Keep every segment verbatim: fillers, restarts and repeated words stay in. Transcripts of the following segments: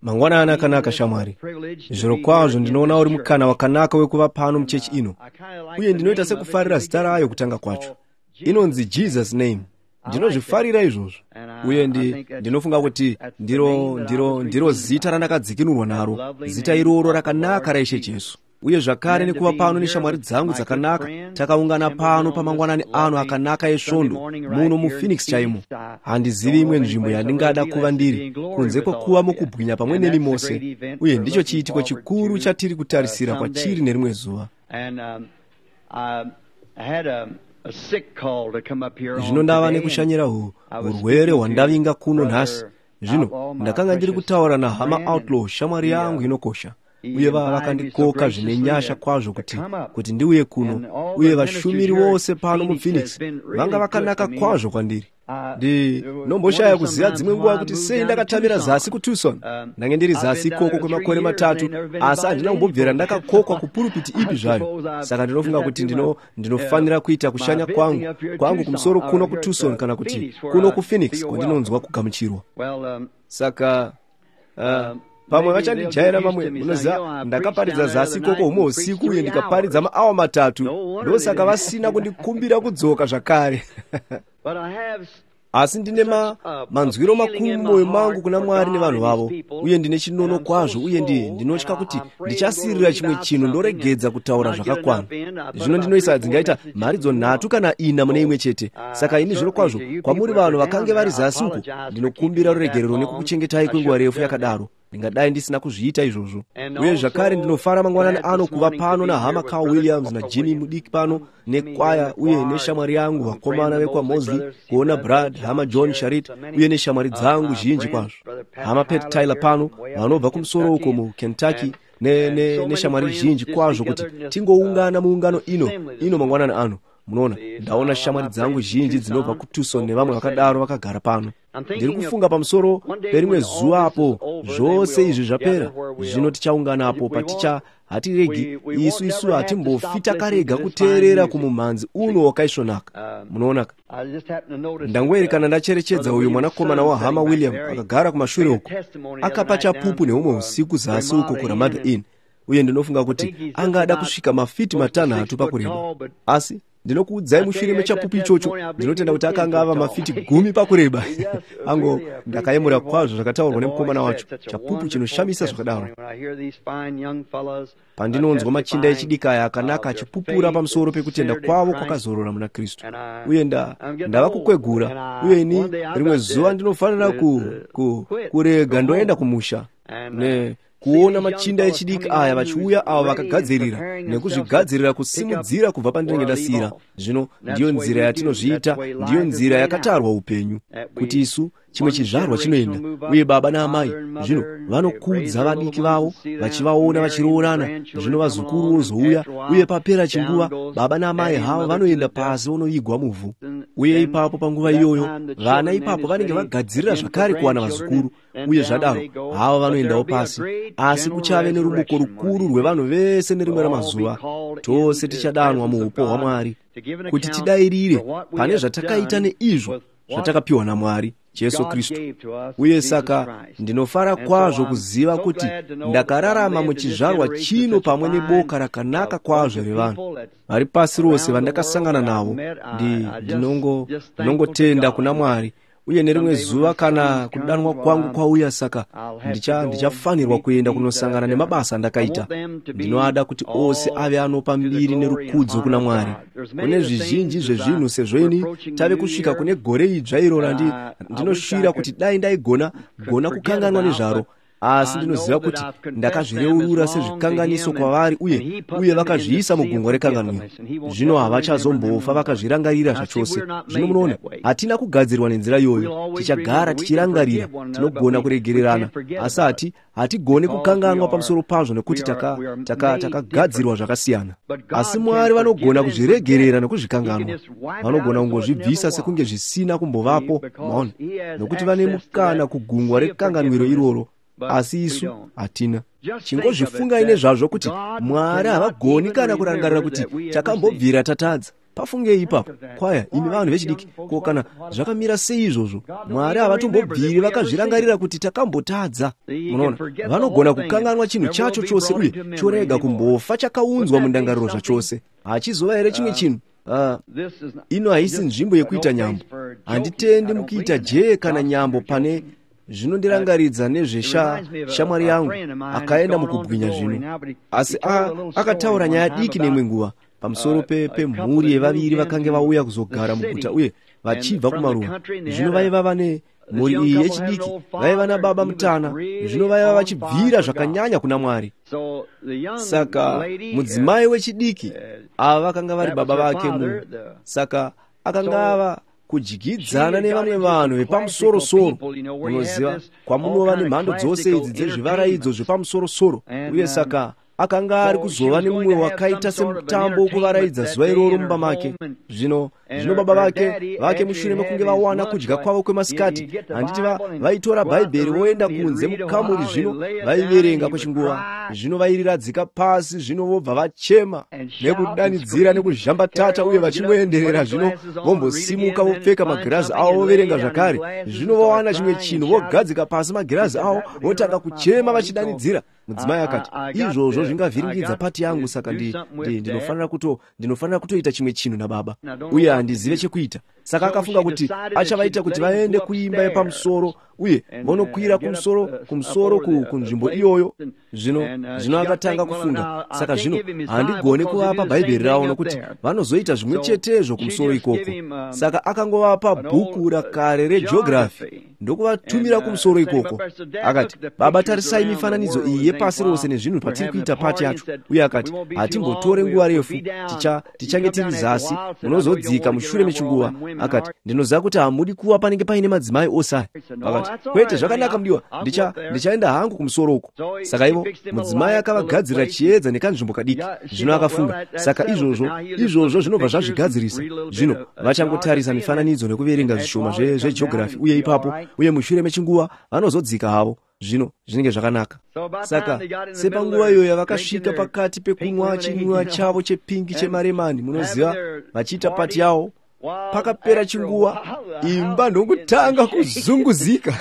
Mangwanani akanaka, shamwari. Zvirokwazvo ndinoona uri mukana wakanaka wekuva pano muchechi ino, uye ndinoita sekufarira zita rayo kutanga kwacho. Inonzi Jesus Name. Ndinozvifarira izvozvo, uye ndi, ndinofunga kuti ndiro, ndiro, ndiro zita randakadzikinurwa naro, zita iroro rakanaka raIshe Jesu. Uye zvakare nekuva pano neshamwari dzangu dzakanaka, takaungana pano pamangwanani ano akanaka esvondo muno muPhoenix chaimo. Handizivi imwe nzvimbo yandingada kuva ndiri kunze kwekuva mukubwinya pamwe nemi mose, uye ndicho chiitiko chikuru chatiri kutarisira kwachiri nerimwe zuva. Zvino ndava nekushanyira urwere hwandavinga kuno nhasi. Zvino ndakanga ndiri kutaura nahama Outlaw, shamwari yangu inokosha, uye vava vakandikoka zvine nyasha kwazvo kuti kuti ndiuye kuno, uye vashumiri vose pano muPhoenix vanga vakanaka kwazvo kwandiri. Ndinomboshaya kuziva dzimwe nguva kuti sei ndakatamira zasi kuTucson. Ndange ndiri zasi ikoko kwemakore matatu, asi handina kumbobvira ndakakokwa kupurupiti ipi zvayo. Saka ndinofunga kuti ndino ndinofanira kuita kushanya kwangu kwangu kumusoro kuno kuTucson, kana kuti kuno kuPhoenix kwandinonzwa kugamuchirwa. Saka uh, pamwe vachandijaira vamwe. Munoziva, ndakaparidza zasi ikoko humwe usiku uye ndikaparidza maawa matatu, ndosaka vasina kundikumbira kudzoka zvakare. Asi ndine ma, manzwiro makuru mumwoyo mangu kuna Mwari nevanhu vavo, uye ndine chinono kwazvo, uye ndi ndinotya kuti ndichasirira chimwe chinhu ndoregedza kutaura zvakakwana. Zvino ndinoisa dzingaita mharidzo nhatu kana ina mune imwe chete. Saka ini zvirokwazvo kwamuri vanhu vakange vari zasi uko, ndinokumbira ruregerero nekukuchengetai kwenguva refu yakadaro. Ndingadai ndisina kuzviita izvozvo. Uye zvakare ndinofara mangwanani ano kuva pano nahama Carl Williams naJimmy mudiki pano nekwaya, uye neshamwari yangu vakomana vekwaMosley, kuona Brad, hama John Sharit, uye neshamwari dzangu zhinji kwazvo. Hama Pat Tyler pano vanobva kumusoro uko muKentucky, neshamwari ne, ne zhinji kwazvo, kuti tingoungana muungano ino ino mangwanani ano. Munoona, ndaona shamwari dzangu zhinji dzinobva kuTucson nevamwe vakadaro vakagara pano. Ndiri kufunga pamusoro perimwe zuva apo zvose izvi zvapera, zvino tichaungana apo paticha hatiregi isu isu hatimbofi takarega kuteerera kumumhanzi uno wakaisvonaka. Munoonaka, ndangoerekana ndacherechedza uyu mwanakomana wahama William akagara kumashure uko, akapa chapupu neumwe usiku zasi uko kuRamada Inn, uye ndinofunga kuti angada kusvika mafiti matanhatu pakureba, asi ndinokuudzai mushure mechapupu ichocho ndinotenda kuti akanga ava mafiti gumi pakureba. Ango ndakayemura kwazvo zvakataurwa nemukomana wacho, chapupu chinoshamisa zvakadaro. Pandinonzwa machinda echidiki aya akanaka achipupura pamusoro pekutenda kwavo kwakazorora muna Kristu, uye ndava kukwegura, uye ini rimwe zuva ndinofanira ku, ku, kurega ndoenda kumusha ne kuona machinda echidiki aya vachiuya, avo vakagadzirira nekuzvigadzirira kusimudzira kubva pandinenge ndasiyira. Zvino ndiyo nzira yatinozviita, ndiyo nzira yakatarwa upenyu, kuti isu chimwe chizvarwa chinoenda, uye baba naamai zvino vanokudza vadiki vavo vachivaona vachiroorana, zvino vazukuru vozouya, uye papera chinguva baba naamai havo vanoenda pasi vonoigwa muvhu. Uye ipapo panguva iyoyo vana ipapo vanenge vagadzirira zvakare kuwana vazukuru, uye zvadaro havo vanoendawo pasi. Asi kuchave nerumuko rukuru rwevanhu vese nerimwe ramazuva. Tose tichadanwa muupo hwaMwari kuti tidairire pane zvatakaita neizvo zvatakapiwa naMwari Jesu Kristu. Uye saka ndinofara kwazvo kuziva kuti ndakararama muchizvarwa chino pamwe neboka rakanaka kwazvo revanhu vari pasi rose vandakasangana navo. Ndinongo ndinongotenda kuna Mwari. Uye nerimwe zuva kana kudanwa kwangu kwauya, saka ndichafanirwa kuenda kunosangana nemabasa andakaita. Ndinoada kuti ose ave anopa mbiri nerukudzo kuna Mwari. Kune zvizhinji zvezvinhu, sezvo ini tave kusvika kune gore idzva iro randinoshuvira kuti dai ndaigona gona kukanganwa nezvaro, asi ndinoziva kuti ndakazvireurura sezvikanganiso kwavari, uye uye vakazviisa mugungwa rekanganwiro. Zvino havachazombofa vakazvirangarira zvachose. Zvino munoona, hatina kugadzirwa nenzira iyoyo. Tichagara tichirangarira, tinogona kuregererana, asi hati hatigoni kukanganwa pamusoro pazvo, nekuti takagadzirwa zvakasiyana. Asi Mwari vanogona kuzviregerera nekuzvikanganwa. Vanogona kungozvibvisa sekunge zvisina kumbovapo, maona, nokuti vane mukana kugungwa rekanganwiro iroro, asi isu hatina. Chingozvifungai nezvazvo kuti Mwari havagoni kana kurangarira kuti takambobvira tatadza. Pafungei ipapo. Kwaya, imi vanhu vechidiki, ko kana zvakamira sei izvozvo? Mwari havatombobviri vakazvirangarira kuti takambotadza. Munoona, vanogona kukanganwa chinhu chacho chose uye chorega kumbofa chakaunzwa mundangariro zvachose. Hachizova here chimwe chinhu? Uh, ino haisi nzvimbo yekuita nyambo. Handitendi mukuita jee kana nyambo pane zvinondirangaridza nezveshamwari yangu akaenda mukubwinya zvino. Asi akataura nyaya diki neimwe nguva pamusoro pemhuri yevaviri vakange vauya kuzogara muguta uye vachibva kumaruwa. Zvino vaiva vane mhuri iyi yechidiki, vaiva nababa mutana, zvino vaiva vachibvira zvakanyanya kuna Mwari. Saka mudzimai wechidiki ava vakanga vari baba vake mu saka akanga ava kudyidzana nevamwe vanhu vepamusorosoro. Munoziva, kwamunova nemhando dzose idzi dzezvivaraidzo zvepamusorosoro. Uye saka akanga ari kuzova nemumwe wakaita semutambo wokuvaraidza zuva iroro mumba make. Zvino zvino baba vake vake mushure mekunge vawana kudya kwavo kwemasikati, handiti vaitora Bhaibheri voenda kunze mukamuri, zvino vaiverenga kwechinguva, zvino vairiradzika pasi, zvino vobva vachema nekudanidzira nekuzhambatata uye vachingoenderera. Zvino vombosimuka vopfeka magirazi avo voverenga zvakare, zvino vawana chimwe chinhu vogadzika pasi magirazi avo votanga kuchema vachidanidzira. Mudzimai akati, izvozvo zvingavhiringidza pati yangu, saka ndinofanira kuto ndinofanira kutoita chimwe chinhu nababa, uye handizive chekuita. Saka akafunga kuti achavaita kuti vaende kuimba yepamusoro uye vonokwira kumusoro kumusoro kunzvimbo iyoyo. Zvino zvino akatanga kufunga, saka zvino handigoni kuvapa Bhaibheri ravo nokuti vanozoita zvimwe chetezvo kumusoro ikoko. Saka akangovapa bhuku rakare regeography ndokuvatumira kumusoro ikoko. Akati, baba, tarisai mifananidzo iyi yepasi rose nezvinhu patiri kuita pati yacho. Uye akati, hatimbotore nguva refu, tichange tiri zasi, munozodzika mushure mechinguva. Akati, ndinoziva kuti hamudi kuva panenge paine madzimai ose aya. Akati, kwete, zvakanaka mudiwa, ndichaenda hangu kumusoro uko. Saka ivo mudzimai akavagadzirira chiedza nekanzvimbo kadiki. Zvino akafunga, saka izvozvo izvozvo zvinobva zvazvigadzirisa. Zvino vachangotarisa mifananidzo nekuverenga zvishoma zvegeography uye ipapo, uye mushure mechinguva vanozodzika havo. Zvino zvinenge zvakanaka. Saka sepanguva iyoyo yavakasvika pakati pekunwa chinwiwa chavo chepingi chemaremani, munoziva, vachiita pati yavo, pakapera chinguva imba ndokutanga kuzunguzika.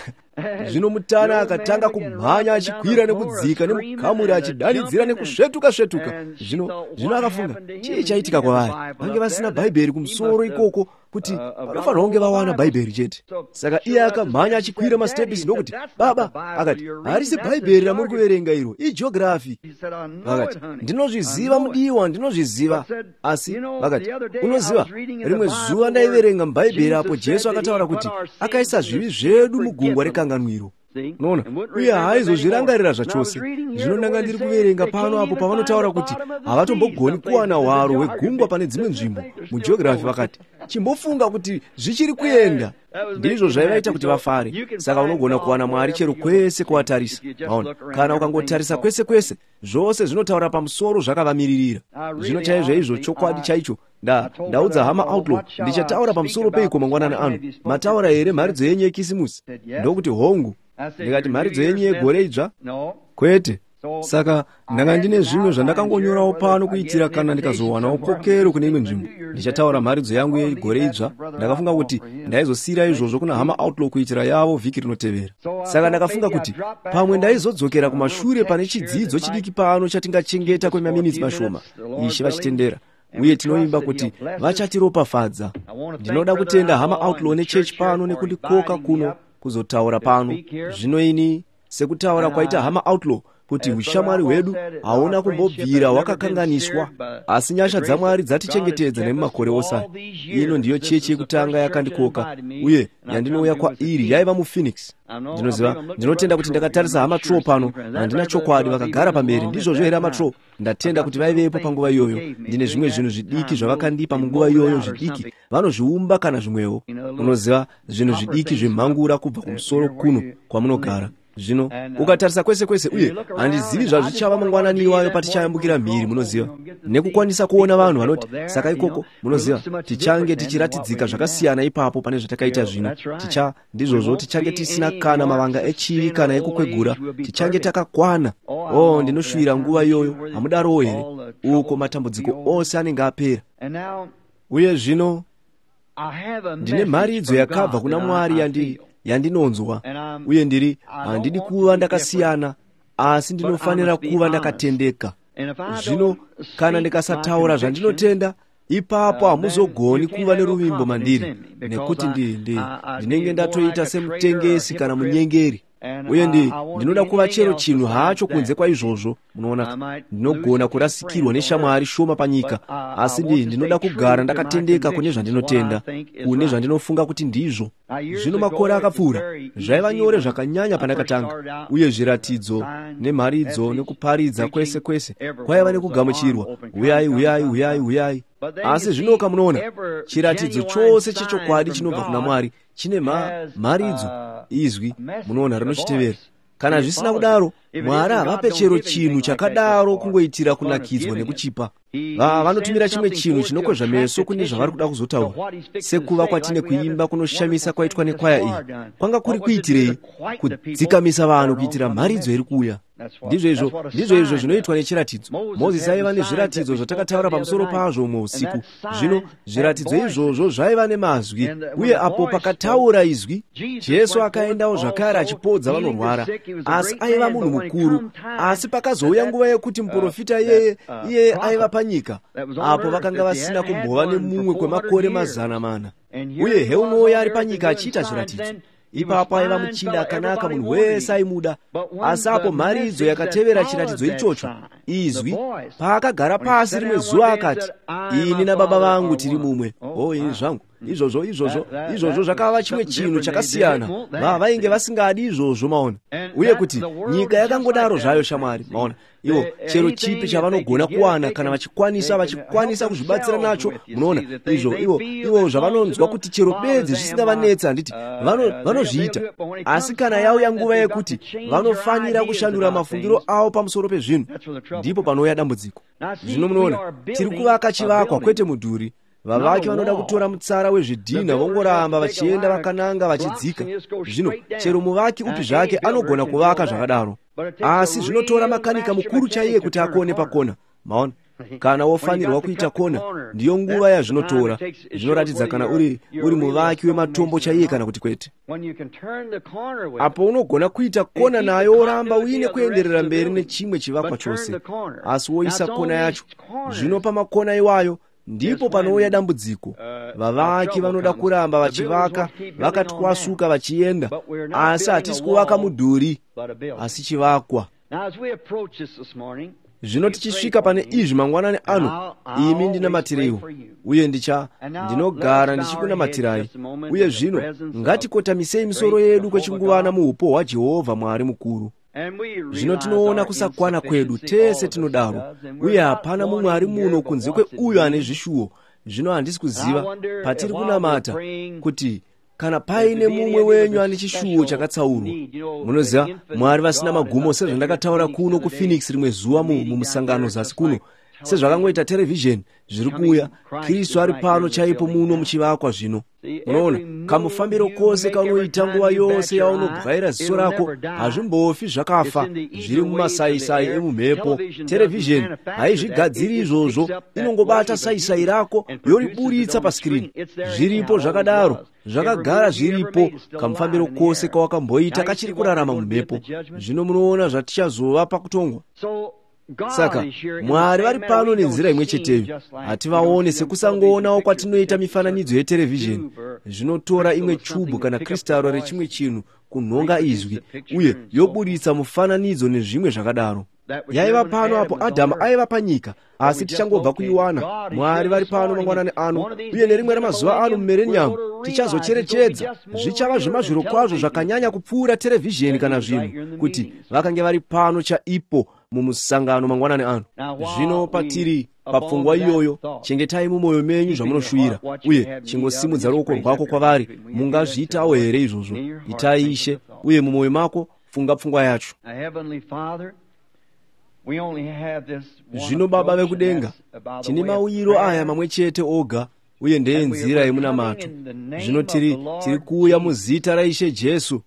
Zvino mutana akatanga kumhanya achikwira nekudzika nemukamuri achidanidzira nekusvetuka svetuka. Zvino zvino akafunga, chii chaitika kwavari? Vange vasina Bhaibheri kumusoro ikoko, kuti vanofanira kunge vawana Bhaibheri chete. Saka iye akamhanya achikwira masitepisi ndokuti, baba, akati, harisi Bhaibheri ramuri kuverenga iro, igeography. Vakati, ndinozviziva mudiwa, ndinozviziva. Asi vakati, unoziva, rimwe zuva ndaiverenga muBhaibheri apo Jesu akataura kuti akaisa zvivi zvedu mugungwa rekanganwiro. Unoona, uye haaizozvirangarira zvachose. Zvino ndanga ndiri kuverenga pano apo pavanotaura kuti havatombogoni kuwana hwaro hwegungwa pane dzimwe nzvimbo mugeography. Vakati, chimbofunga kuti zvichiri kuenda. Ndizvo zvaivaita kuti vafare. Saka unogona kuwana Mwari chero kwese kuvatarisa. Maona, kana ukangotarisa kwese kwese, zvose zvinotaura pamusoro zvakavamiririra. Zvino chaizvo izvo chokwadi chaicho. Nda ndaudza hama Outlaw, ndichataura pamusoro peiko mangwanani ano. Mataura here mharidzo yenyu yekisimusi? Ndokuti hongu. Ndikati, mharidzo yenyu yegore idzva? Kwete. Saka ndanga ndine zvimwe zvandakangonyorawo pano kuitira kana ndikazowanawo kokero kune imwe nzvimbo, ndichataura mharidzo yangu yegore idzva. Ndakafunga kuti ndaizosiyira izvozvo kuna hama Outlaw kuitira yavo vhiki rinotevera. Saka ndakafunga kuti pamwe ndaizodzokera kumashure pane chidzidzo chidiki pano chatingachengeta kwemaminitsi mashoma, Ishe vachitendera. Uye tinoimba kuti vachatiropafadza. Ndinoda kutenda hama Outlaw nechechi pano nekundikoka kuno kuzotaura pano. Zvino ini, sekutaura kwaita hama Outlaw, kuti ushamwari hwedu hauna kumbobvira hwakakanganiswa, asi nyasha dzaMwari dzatichengetedza nemumakore ose aya. Ino ndiyo chechi yekutanga yakandikoka uye yandinouya kwairi yaiva muPhoenix. Ndinoziva, ndinotenda kuti ndakatarisa hama Tro pano, handina chokwadi, vakagara pamberi. Ndizvozvo here hama Tro? Ndatenda kuti vaivepo panguva iyoyo. Ndine zvimwe zvinhu zvidiki zvavakandipa munguva iyoyo, zvidiki vanozviumba kana zvimwewo. Unoziva, zvinhu zvidiki zvemhangura kubva kumusoro kuno kwamunogara. Zvino ukatarisa kwese kwese, uye handizivi zvazvichava mangwanani iwayo patichayambukira mhiri, munoziva, nekukwanisa kuona vanhu vanoti, saka ikoko, munoziva, tichange tichiratidzika zvakasiyana ipapo pane zvatakaita zvino. Ticha ndizvozvo, tichange tisina kana mavanga echivi kana ekukwegura, tichange takakwana. Oh, ndinoshuvira nguva iyoyo, hamudarowo here? Uko matambudziko ose anenge apera. Uye zvino ndine mharidzo yakabva kuna Mwari yandi yandinonzwa, uye ndiri handidi kuva ndakasiyana, asi ndinofanira kuva ndakatendeka. Zvino kana ndikasataura zvandinotenda, ipapo hamuzogoni kuva neruvimbo mandiri, nekuti ndi ndinenge ndatoita semutengesi kana munyengeri. Uye ndi ndinoda kuva chero chinhu hacho kunze kwaizvozvo. Munoona, ndinogona kurasikirwa neshamwari shoma panyika, asi ndi ndinoda kugara ndakatendeka kune zvandinotenda, kune zvandinofunga kuti ndizvo. Zvino makore akapfuura, zvaiva nyore zvakanyanya pandakatanga, uye zviratidzo nemharidzo nekuparidza kwese kwese kwaiva nekugamuchirwa, uyai uyai uyai uyai. Asi zvinoka munoona, chiratidzo chose chechokwadi chinobva kuna Mwari chine mharidzo, izwi, munoona, rinochitevera. Kana zvisina kudaro, Mwari havape chero chinhu chakadaro kungoitira kunakidzwa nekuchipa. Vanotumira chimwe chinhu chinokwezva meso kune zvavari kuda kuzotaura, sekuva kwatine kuimba kunoshamisa kwaitwa nekwaya iyi. Kwanga kuri kuitirei? Kudzikamisa vanhu kuitira mharidzo iri kuuya. Ndizvo izvo ndizvo izvo zvinoitwa nechiratidzo. Mozisi aiva nezviratidzo zvatakataura pamusoro pazvo umwe usiku. Zvino zviratidzo izvozvo zvaiva nemazwi, uye apo pakataura izwi, Jesu akaendawo zvakare achipodza vanorwara, asi aiva munhu mukuru. Asi pakazouya nguva yekuti muprofita iyeye iyeye aiva panyika, apo vakanga vasina kumbova nemumwe kwemakore mazana mana, uye heunouya ari panyika achiita zviratidzo. Ipapo aiva muchinda akanaka, munhu wese aimuda. Asi apo mharidzo yakatevera chiratidzo ichocho, izwi, paakagara pasi rimwe zuva akati, ini nababa vangu tiri mumwe. O, ini zvangu, izvozvo izvozvo izvozvo zvakava chimwe chinhu chakasiyana. Va vainge vasingadi izvozvo, maona. Uye kuti nyika yakangodaro zvayo, shamwari, maona. Ivo chero chipi chavanogona kuwana kana vachikwanisa vachikwanisa kuzvibatsira nacho, munoona, izvo ivo ivo zvavanonzwa kuti chero bedzi zvisingavanetsa, handiti, vanozviita. Asi kana yauya nguva yekuti vanofanira kushandura mafungiro avo pamusoro pezvinhu, ndipo panouya dambudziko. Zvino munoona, tiri kuvaka chivakwa kwete mudhuri. Vavaki vanoda kutora mutsara wezvidhina vongoramba vachienda vakananga vachidzika. Zvino chero muvaki upi zvake anogona kuvaka zvakadaro, asi zvinotora makanika mukuru chaiye kuti akone pakona. Maona, kana wofanirwa kuita kona, ndiyo nguva yazvinotora. Zvinoratidza kana uri uri muvaki wematombo chaiye kana kuti kwete. Apo unogona kuita kona nayo woramba uine kuenderera mberi nechimwe chivakwa chose, asi woisa kona yacho. Zvino pamakona iwayo ndipo panouya dambudziko. Vavaki vanoda kuramba vachivaka vakatwasuka vachienda, asi hatisi kuvaka mudhuri, asi chivakwa. Zvino tichisvika pane izvi mangwanani ano, imi ndinamatireiwo, uye ndicha ndinogara ndichikunamatirai. Uye zvino ngatikotamisei misoro yedu kwechinguvana muupo hwaJehovha Mwari mukuru. Zvino tinoona kusakwana kwedu, tese tinodaro, uye hapana mumwe ari muno kunze kweuyo ane zvishuwo. Zvino handisi kuziva patiri kunamata kuti kana paine mumwe wenyu ane chishuwo chakatsaurwa. Munoziva, Mwari vasina magumo, sezvandakataura kuno kuPhoenix rimwe zuva mumusangano zasi kuno, sezvakangoita terevhizheni zviri kuuya, Kristu ari pano chaipo muno muchivakwa zvino. Munoona, kamufambiro kose kaunoita nguva yose yaunobwaira ziso rako hazvimbofi zvakafa, zviri mumasaisai emumhepo. Terevhizheni haizvigadziri izvozvo, inongobata saisai rako yoriburitsa pasikirini. Zviripo zvakadaro, zvakagara zviripo, kamufambiro kose kawakamboita kachiri kurarama mumhepo. Zvino munoona zvatichazova pakutongwa. Saka Mwari vari pano nenzira imwe cheteyo. Hativaone sekusangoonawo kwatinoita mifananidzo yeterevhizheni. Zvinotora imwe chubhu kana kristaro rechimwe chinhu kunhonga izwi, uye yoburitsa mufananidzo nezvimwe zvakadaro. Yaiva pano apo Adhamu aiva panyika, asi tichangobva kuiwana. Mwari vari pano mangwanani ano, uye nerimwe ramazuva ano mumereniyamu tichazocherechedza. Zvichava zvemazviro kwazvo zvakanyanya kupfuura terevhizheni kana zvinhu, kuti vakange vari pano chaipo mumusangano mangwanani ano. Zvino patiri papfungwa iyoyo, chengetai mumwoyo menyu zvamunoshuvira, uye chingosimudza ruoko rwako kwavari. Mungazviitawo here izvozvo? Itai, Ishe, uye mumwoyo mako funga pfungwa yacho. Zvino Baba vekudenga, tine mauyiro aya mamwe chete oga, uye ndeyenzira yemunamato. Zvino tiri tiri kuuya muzita raIshe Jesu.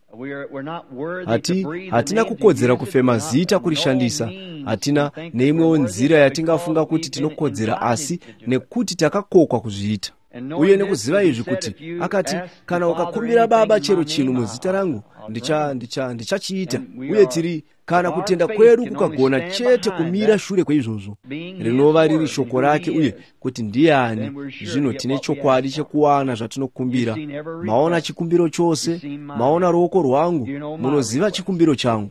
Hati, hatina kukodzera kufema zita kurishandisa, hatina neimwewo nzira yatingafunga kuti tinokodzera, asi nekuti takakokwa kuzviita. Uye nekuziva izvi kuti akati, kana ukakumbira Baba chero chinhu muzita rangu, ndicha ndicha ndichachiita. Uye tiri, kana kutenda kwedu kukagona chete kumira shure kweizvozvo, rinova riri shoko rake uye kuti ndiani, zvino tine chokwadi chekuwana zvatinokumbira. Maona chikumbiro chose, maona ruoko rwangu, munoziva chikumbiro changu.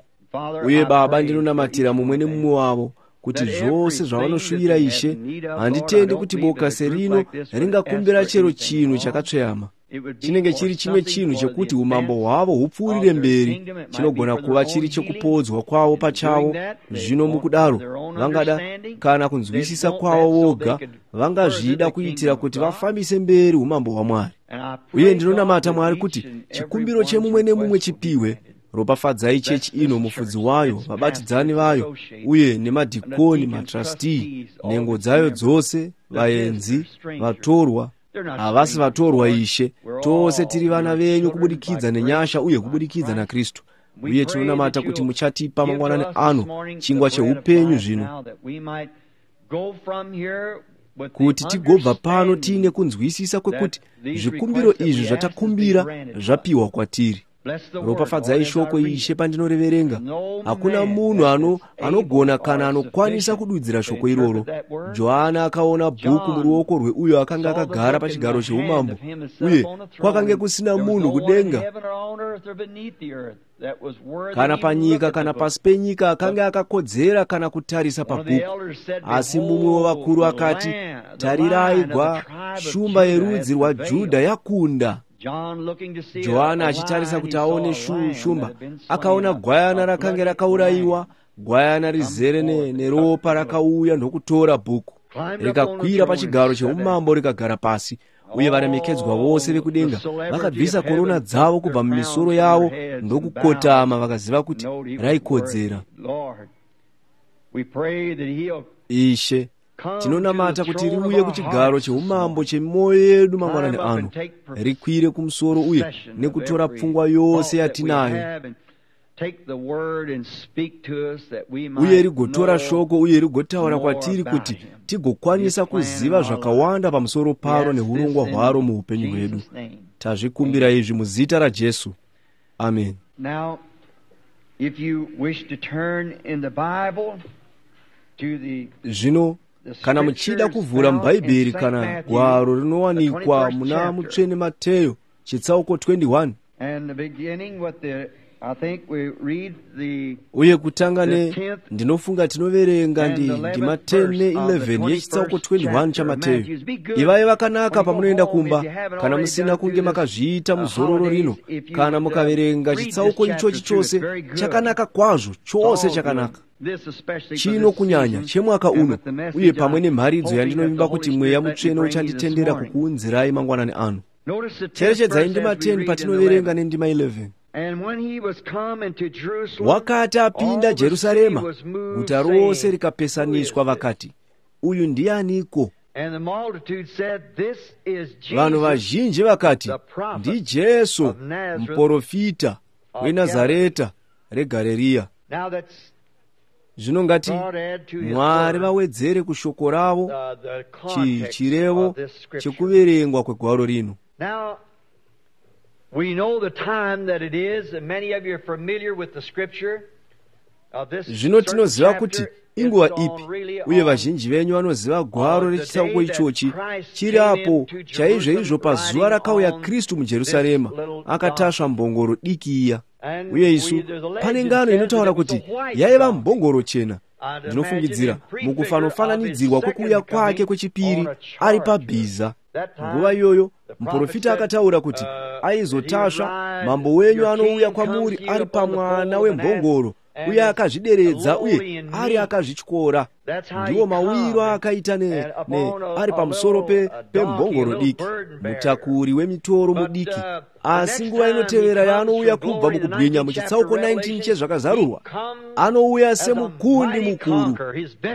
Uye Baba, ndinonamatira mumwe nemumwe wavo kuti zvose zvavanoshuvira, Ishe. Handitendi kuti boka serino ringakumbira chero chinhu chakatsveyama. Chinenge chiri chimwe chinhu chekuti umambo hwavo hupfuurire mberi. Chinogona kuva chiri chekupodzwa kwavo pachavo. Zvino mukudaro vangada kana kunzwisisa kwavo voga, vangazvida kuitira kuti vafambise mberi umambo hwaMwari. Uye ndinonamata, Mwari, kuti chikumbiro chemumwe nemumwe chipiwe. Ropafadzai chechi ino, mufudzi wayo, vabatidzani vayo, uye nemadhikoni, matrustee, nhengo dzayo dzose, vaenzi, vatorwa. Havasi vatorwa, Ishe. Tose tiri vana venyu kubudikidza nenyasha uye kubudikidza naKristu. Uye tinonamata kuti muchatipa mangwanani ano chingwa cheupenyu zvino, kuti tigobva pano tiine kunzwisisa kwekuti zvikumbiro izvi zvatakumbira zvapiwa kwatiri. Ropafadzai shoko, Ishe, pandinoreverenga. Hakuna munhu ano anogona kana anokwanisa kududzira shoko iroro. Johana akaona bhuku muruoko rweuyo akanga akagara pachigaro cheumambo, uye kwakange kusina munhu kudenga kana panyika kana pasi penyika akanga akakodzera kana kutarisa pabhuku. Asi mumwe wavakuru akati, tarirai, gwa shumba yerudzi rwaJudha yakunda. Johana achitarisa kuti aone shumba, akaona gwayana rakange rakaurayiwa, gwayana rizere neropa, rakauya ndokutora bhuku, rikakwira pachigaro cheumambo, rikagara pasi. Uye varemekedzwa vose vekudenga vakabvisa korona dzavo kubva mumisoro yavo ndokukotama, vakaziva kuti raikodzera. Ishe, tinonamata kuti riuye kuchigaro cheumambo chemwoyo yedu mangwanani ano, rikwire kumusoro uye nekutora pfungwa yose yatinayo, uye rigotora shoko uye rigotaura kwatiri kuti tigokwanisa kuziva zvakawanda pamusoro paro neurongwa hwaro muupenyu hwedu. Tazvikumbira izvi muzita raJesu. Amen. Now, if you wish to turn in the Bible to the Zvino kana muchida kuvhura muBhaibheri kana gwaro rinowanikwa muna Mutsvene Mateyo chitsauko twenty-one, and beginning with the, I think we read the uye kutanga ne, ndinofunga tinoverenga ndi ndima ten ne eleven yechitsauko twenty-one chaMateyo. Ivai vakanaka pamunoenda kumba, kana musina kunge makazviita muzororo rino. Kana mukaverenga chitsauko ichochi chose, chakanaka kwazvo, chose chakanaka. Chino kunyanya chemwaka uno, uye pamwe nemharidzo yandinovimba kuti Mweya Mutsvene uchanditendera kukuunzirai mangwanani ano. Cherechedzai ndima ten patinoverenga nendima eleven. Wakati apinda Jerusarema, guta rose rikapesaniswa, vakati, uyu ndianiko? Vanhu vazhinji vakati, ndiJesu muprofita weNazareta reGareriya. Zvino ngati Mwari vawedzere kushoko ravo chirevo chekuverengwa kwegwaro rino. We know the time that it is, and many of you are familiar with the scripture. Zvino tinoziva kuti inguva ipi, uye vazhinji venyu vanoziva gwaro rechitsauko ichochi. Chiri apo chaizvoizvo pazuva rakauya Kristu muJerusarema akatasva mbongoro diki iya. Uye isu, pane ngano inotaura kuti yaiva mbongoro chena. Ndinofungidzira mukufanofananidzirwa kwekuuya kwake kwechipiri ari pabhiza. Nguva iyoyo muprofita akataura kuti aizotasva, mambo wenyu anouya kwamuri ari pamwana wembongoro, uye akazvideredza uye ari akazvityora. Ndiwo mawiro aakaita ne, ne ari pamusoro pembongoro pe diki, mutakuri wemitoro mudiki. Asi nguva inotevera yaanouya kubva mukubwinya muchitsauko nineteen chezvakazarurwa, anouya semukundi mukuru,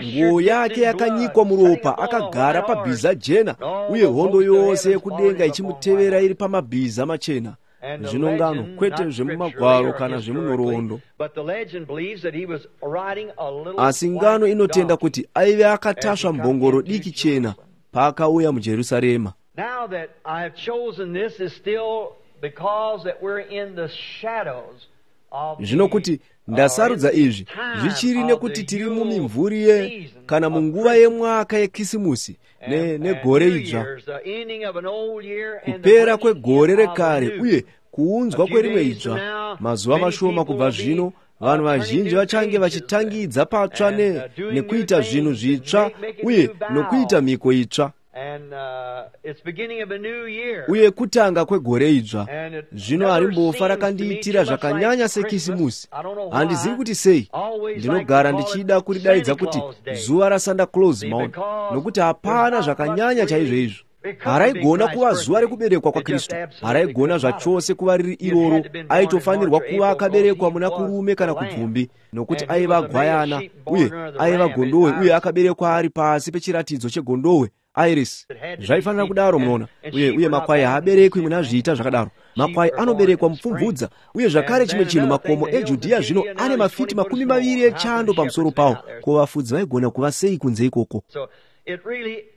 nguo yake yakanyikwa muropa, akagara pabhiza jena, uye hondo yose yekudenga ichimutevera iri pamabhiza machena. Zvino ngano, kwete zvemumagwaro kana zvemunhoroondo, asi ngano inotenda kuti aive akatasva mbongoro diki chena paakauya muJerusarema. Zvino kuti ndasarudza izvi zvichiri nekuti tiri mumimvuri ye kana munguva yemwaka yekisimusi negore idzva, kupera kwegore rekare uye kuunzwa kwerimwe idzva. Mazuva mashoma kubva zvino, vanhu vazhinji vachange vachitangidza patsva nekuita zvinhu zvitsva uye nokuita mhiko itsva, uye kutanga kwegore idzva. Zvino harimbofa rakandiitira zvakanyanya sekisimusi. Handizivi kuti sei. Ndinogara ndichida kuridaidza kuti zuva raSanta Claus, maona, nokuti hapana zvakanyanya chaizvo izvo. Haraigona kuva zuva rekuberekwa kwaKristu. Haraigona zvachose kuva riri iroro. Aitofanirwa kuva akaberekwa muna Kurume kana Kubvumbi, nokuti aiva gwayana uye aiva gondohwe, uye akaberekwa ari pasi pechiratidzo chegondohwe Iris. Zvaifanira kudaro, munoona. Uye uye makwai haaberekwi muna zviita zvakadaro. Makwai anoberekwa mupfumvudza. Uye zvakare chimwe chinhu, makomo eJudhiya zvino ane mafiti makumi maviri echando pamusoro pawo. Ko vafudzi vaigona kuva sei kunze ikoko?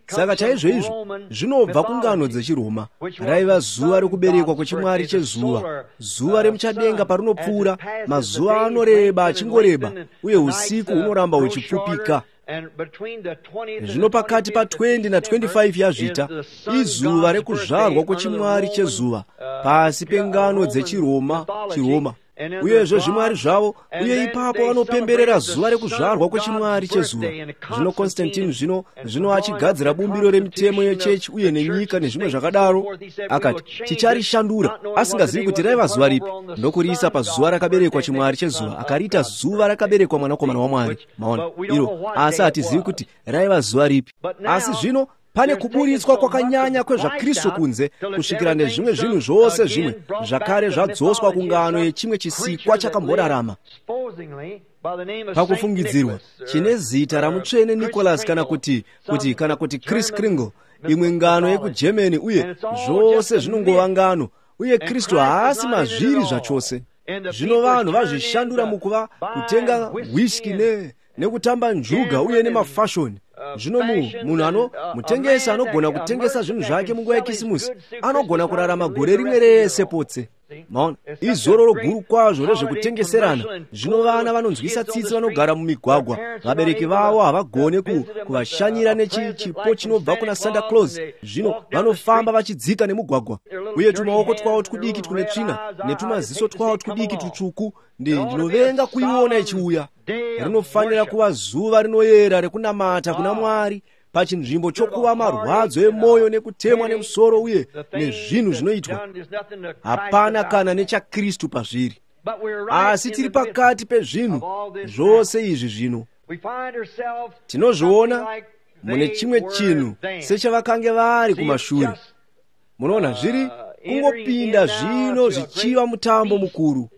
Saka chaizvo izvo zvinobva kungano dzechiRoma. Raiva zuva rekuberekwa kwechimwari chezuva, zuva remuchadenga parinopfuura, mazuva anoreba achingoreba, uye usiku hunoramba huchipfupika. Zvino pakati pa twenty na twenty-five yaZvita izuva rekuzvarwa kwechimwari chezuva pasi pengano dzechiRoma chiRoma uyezve zvimwari zvavo, uye ipapo vanopemberera zuva rekuzvarwa kwechimwari chezuva. Zvino Constantine zvino zvino achigadzira bumbiro remitemo yechechi uye nenyika nezvimwe zvakadaro, akati ticharishandura, asingazivi kuti raiva zuva ripi, ndokuriisa pazuva rakaberekwa chimwari chezuva, akariita zuva rakaberekwa mwanakomana waMwari. Maona iro, asi hatizivi kuti raiva zuva ripi. Asi zvino pane kuburitswa kwakanyanya kwezvaKristu kunze, kusvikira nezvimwe zvinhu zvose zvimwe zvakare zvadzoswa kungano yechimwe chisikwa chakamborarama. Pakufungidzirwa chine zita ramutsvene Nicholas kana kuti kuti kana kuti Chris Kringle, imwe ngano yekuGermany, uye zvose zvinongova ngano, uye Kristu haasi mazviri zvachose. Zvino vanhu vazvishandura mukuva kutenga whisky ne nekutamba njuga uye nemafashoni. Zvino munhu ano mutengesi anogona kutengesa zvinhu zvake munguva yekisimusi, anogona kurarama gore rimwe rese potse. Maona, izororo guru kwazvo rezvekutengeserana. Zvino vana vanonzwisa tsitsi vanogara mumigwagwa, vabereki vavo havagone kuvashanyira nechipo chinobva kuna Santa Claus. Zvino vanofamba vachidzika nemugwagwa, uye tumaoko twavo twudiki twune tsvina netumaziso twavo twudiki tutsvuku. Ndinovenga kuiona ichiuya. Rinofanira kuva zuva rinoyera rekunamata kuna Mwari, pachinzvimbo chokuva marwadzo emwoyo nekutemwa nemusoro uye nezvinhu zvinoitwa. Hapana kana nechaKristu pazviri. Asi tiri pakati pezvinhu zvose izvi zvino. Tinozviona mune chimwe chinhu sechavakanga vari kumashure. Munoona, zviri kungopinda zvino zvichiva mutambo mukuru.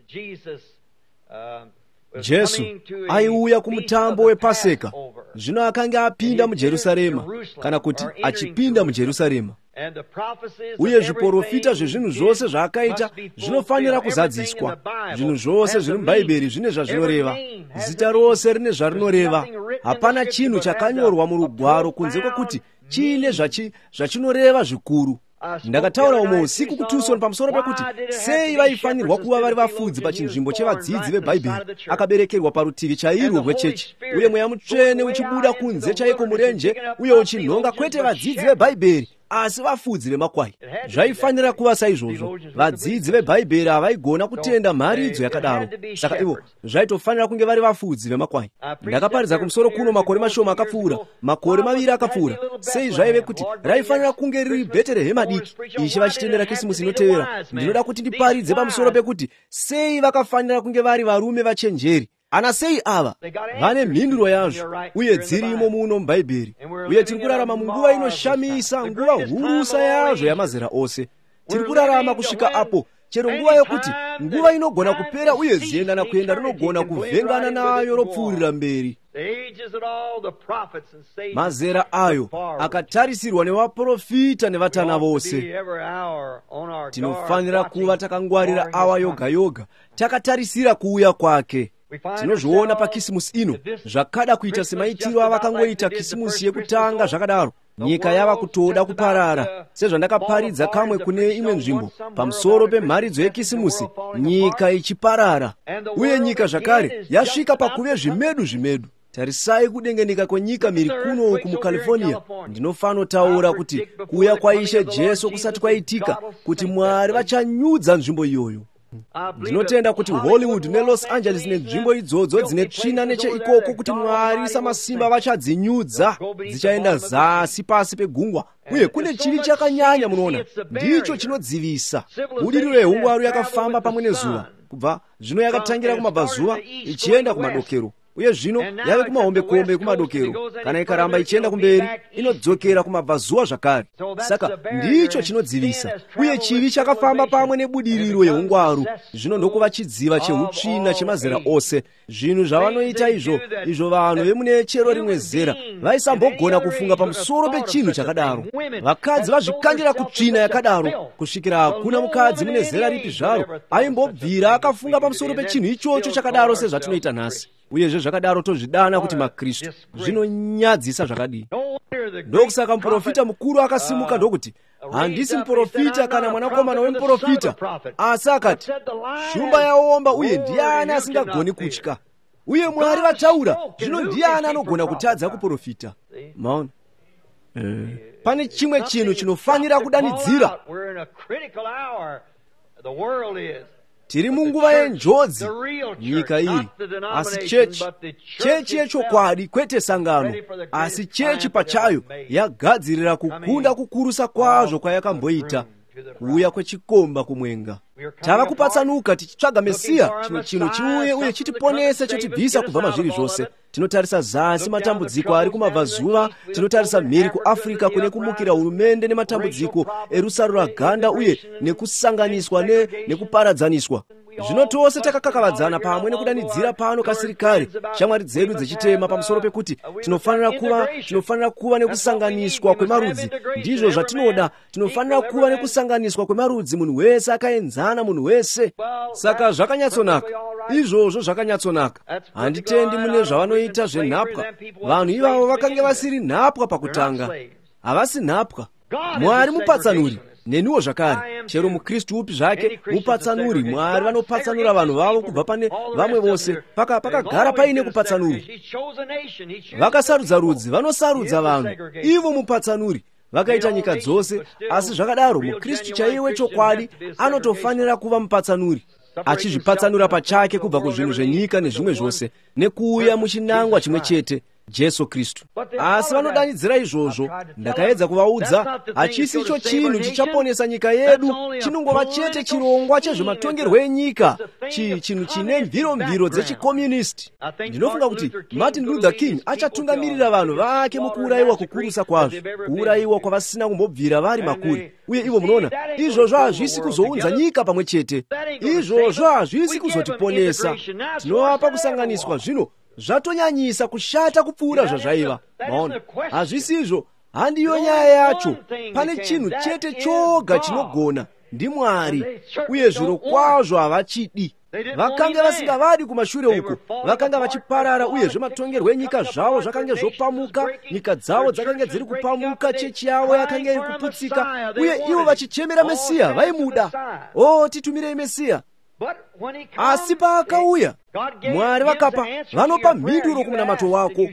Jesu aiuya kumutambo wePaseka. Zvino akanga apinda muJerusarema, kana kuti achipinda muJerusarema. Uye zviporofita zvezvinhu zvose zvaakaita zvinofanira kuzadziswa. Zvinhu zvose zviri muBhaibheri zvine zvazvinoreva. Zita rose rine zvarinoreva. Hapana chinhu chakanyorwa murugwaro kunze kwekuti chiine zvachinoreva zvikuru. Ndakataura umwe usiku kuTucson pamusoro pekuti sei vaifanirwa kuva vari vafudzi pachinzvimbo chevadzidzi veBhaibheri, akaberekerwa parutivi chairwo rwechechi, uye Mweya Mutsvene uchibuda kunze chaiko murenje uye uchinhonga kwete vadzidzi veBhaibheri asi vafudzi vemakwai. Zvaifanira kuva saizvozvo. Vadzidzi veBhaibheri havaigona kutenda mharidzo yakadaro, saka ivo zvaitofanira kunge vari vafudzi vemakwai. Ndakaparidza kumusoro kuno makore mashoma akapfuura, makore maviri akapfuura. Sei zvaive kuti raifanira kunge riri Bheterehema diki? Ishe vachitendera Kisimusi inotevera, ndinoda kuti ndiparidze pamusoro pekuti sei vakafanira kunge vari varume vachenjeri. Ana sei ava vane mhinduro yazvo, uye dzirimo muno muBhaibheri. Uye tiri kurarama munguva inoshamisa, nguva hurusa yazvo yamazera ose. Tiri kurarama kusvika apo chero nguva yokuti nguva inogona kupera uye zienda nakuenda rinogona kuvhengana nayo ropfuurira mberi. Mazera ayo akatarisirwa nevaprofita nevatana vose. Tinofanira kuva takangwarira awa yoga yoga, takatarisira kuuya kwake. Tinozviona paKisimusi ino, zvakada kuita semaitiro avakangoita Kisimusi yekutanga zvakadaro. Nyika yava kutoda kuparara, sezvandakaparidza kamwe kune imwe nzvimbo pamusoro pemharidzo yeKisimusi, nyika ichiparara. Uye nyika zvakare yasvika pakuve zvimedu zvimedu. Tarisai kudengenika kwenyika miri kuno uku muCalifornia. Ndinofanotaura kuti kuuya kwaIshe Jesu kusati kwaitika, kuti Mwari vachanyudza nzvimbo iyoyo. Ndinotenda kuti Hollywood neLos Angeles nenzvimbo idzodzo dzine tsvina necheikoko, kuti Mwari samasimba vachadzinyudza, dzichaenda zasi pasi pegungwa. Uye kune chivi chakanyanya, munoona, ndicho chinodzivisa. Budiriro yehungwaru yakafamba pamwe nezuva, kubva zvino yakatangira kumabvazuva ichienda kumadokero, uye zvino yave kumahombekombe ekumadokero. Kana ikaramba ichienda kumberi, inodzokera kumabvazuva zvakare. Saka ndicho chinodzivisa. Uye chivi chakafamba pamwe nebudiriro yeungwaru, zvino ndokuva chidziva cheutsvina chemazera ose. Zvinhu zvavanoita izvo izvo vanhu vemune chero rimwe zera vaisambogona kufunga pamusoro pechinhu chakadaro. Vakadzi vazvikandira kutsvina yakadaro, kusvikira hakuna mukadzi mune zera ripi zvaro aimbobvira akafunga pamusoro pechinhu ichocho chakadaro sezvatinoita nhasi. Uyezve zvakadaro tozvidana kuti maKristu. Zvinonyadzisa zvakadii. Ndokusaka muprofita mukuru akasimuka ndokuti, handisi muprofita kana mwanakomana wemuprofita, asi akati, shumba yaomba uye ndiani asingagoni kutya? Uye Mwari vataura, zvino ndiani anogona kutadza kuprofita? Maona, pane chimwe chinhu chinofanira kudanidzira. Tiri munguva yenjodzi, nyika iyi, asi chechi, chechi yechokwadi, kwete sangano, asi chechi pachayo yagadzirira kukunda kukurusa kwazvo kwayakamboita, kuuya kwechikomba kumwenga. Tava kupatsanuka tichitsvaga Mesiya, chimwe chinhu chiuye uye chitiponese, chotibvisa kubva mazviri zvose. Tinotarisa zasi matambudziko ari kumabvazuva, tinotarisa mhiri kuAfrica kune kumukira hurumende nematambudziko erusaruraganda uye nekusanganiswa nekuparadzaniswa. Zvino tose takakakavadzana pamwe nekudanidzira pano kasirikari, shamwari dzedu dzechitema, pamusoro pekuti tinofanira kuva tinofanira kuva nekusanganiswa kwemarudzi. Ndizvo zvatinoda, tinofanira kuva nekusanganiswa kwemarudzi, munhu wese akaenzana, munhu wese. Saka zvakanyatsonaka, izvozvo zvakanyatsonaka. Handitendi mune zvavanoita zvenhapwa. Vanhu ivavo vakange vasiri nhapwa pakutanga, havasi nhapwa. Mwari mupatsanuri, neniwo zvakare. Chero muKristu upi zvake mupatsanuri. Mwari vanopatsanura vanhu vavo kubva pane vamwe vose. Pakagara paine kupatsanurwa. Vakasarudza rudzi, vanosarudza vanhu, ivo mupatsanuri. Vakaita nyika dzose, asi zvakadaro muKristu chaiye wechokwadi anotofanira kuva mupatsanuri, achizvipatsanura pachake kubva kuzvinhu zvenyika nezvimwe zvose, nekuuya muchinangwa chimwe chete, Jesu Kristu. Asi vanodanidzira izvozvo. Ndakaedza kuvaudza, hachisi icho chinhu chichaponesa nyika yedu, chinongova chete chirongwa chezvematongerwo enyika, chinhu chine mviromviro dzechikomunisti. Ndinofunga kuti Martin Luther King achatungamirira vanhu vake mukuurayiwa kukurusa kwazvo, kuurayiwa kwavasina kumbobvira vari makuri. Uye ivo munoona, izvozvo hazvisi kuzounza nyika pamwe chete, izvozvo hazvisi kuzotiponesa. Tinovapa kusanganiswa zvino zvatonyanyisa kushata kupfuura zvazvaiva. Maona, hazvisizvo, handiyo nyaya yacho. Pane chinhu chete choga chinogona, ndiMwari, uye zviro kwazvo havachidi. Vakanga vasingavadi kumashure uko, vakanga vachiparara, uye zvematongerwo enyika zvavo zvakange zvopamuka, nyika dzavo dzakange dziri kupamuka, chechi yavo yakanga iri kuputsika, uye ivo vachichemera Mesiya, vaimuda. O, titumirei Mesiya. Asi paakauya, Mwari vakapa, vanopa mhinduro kumunamato wako.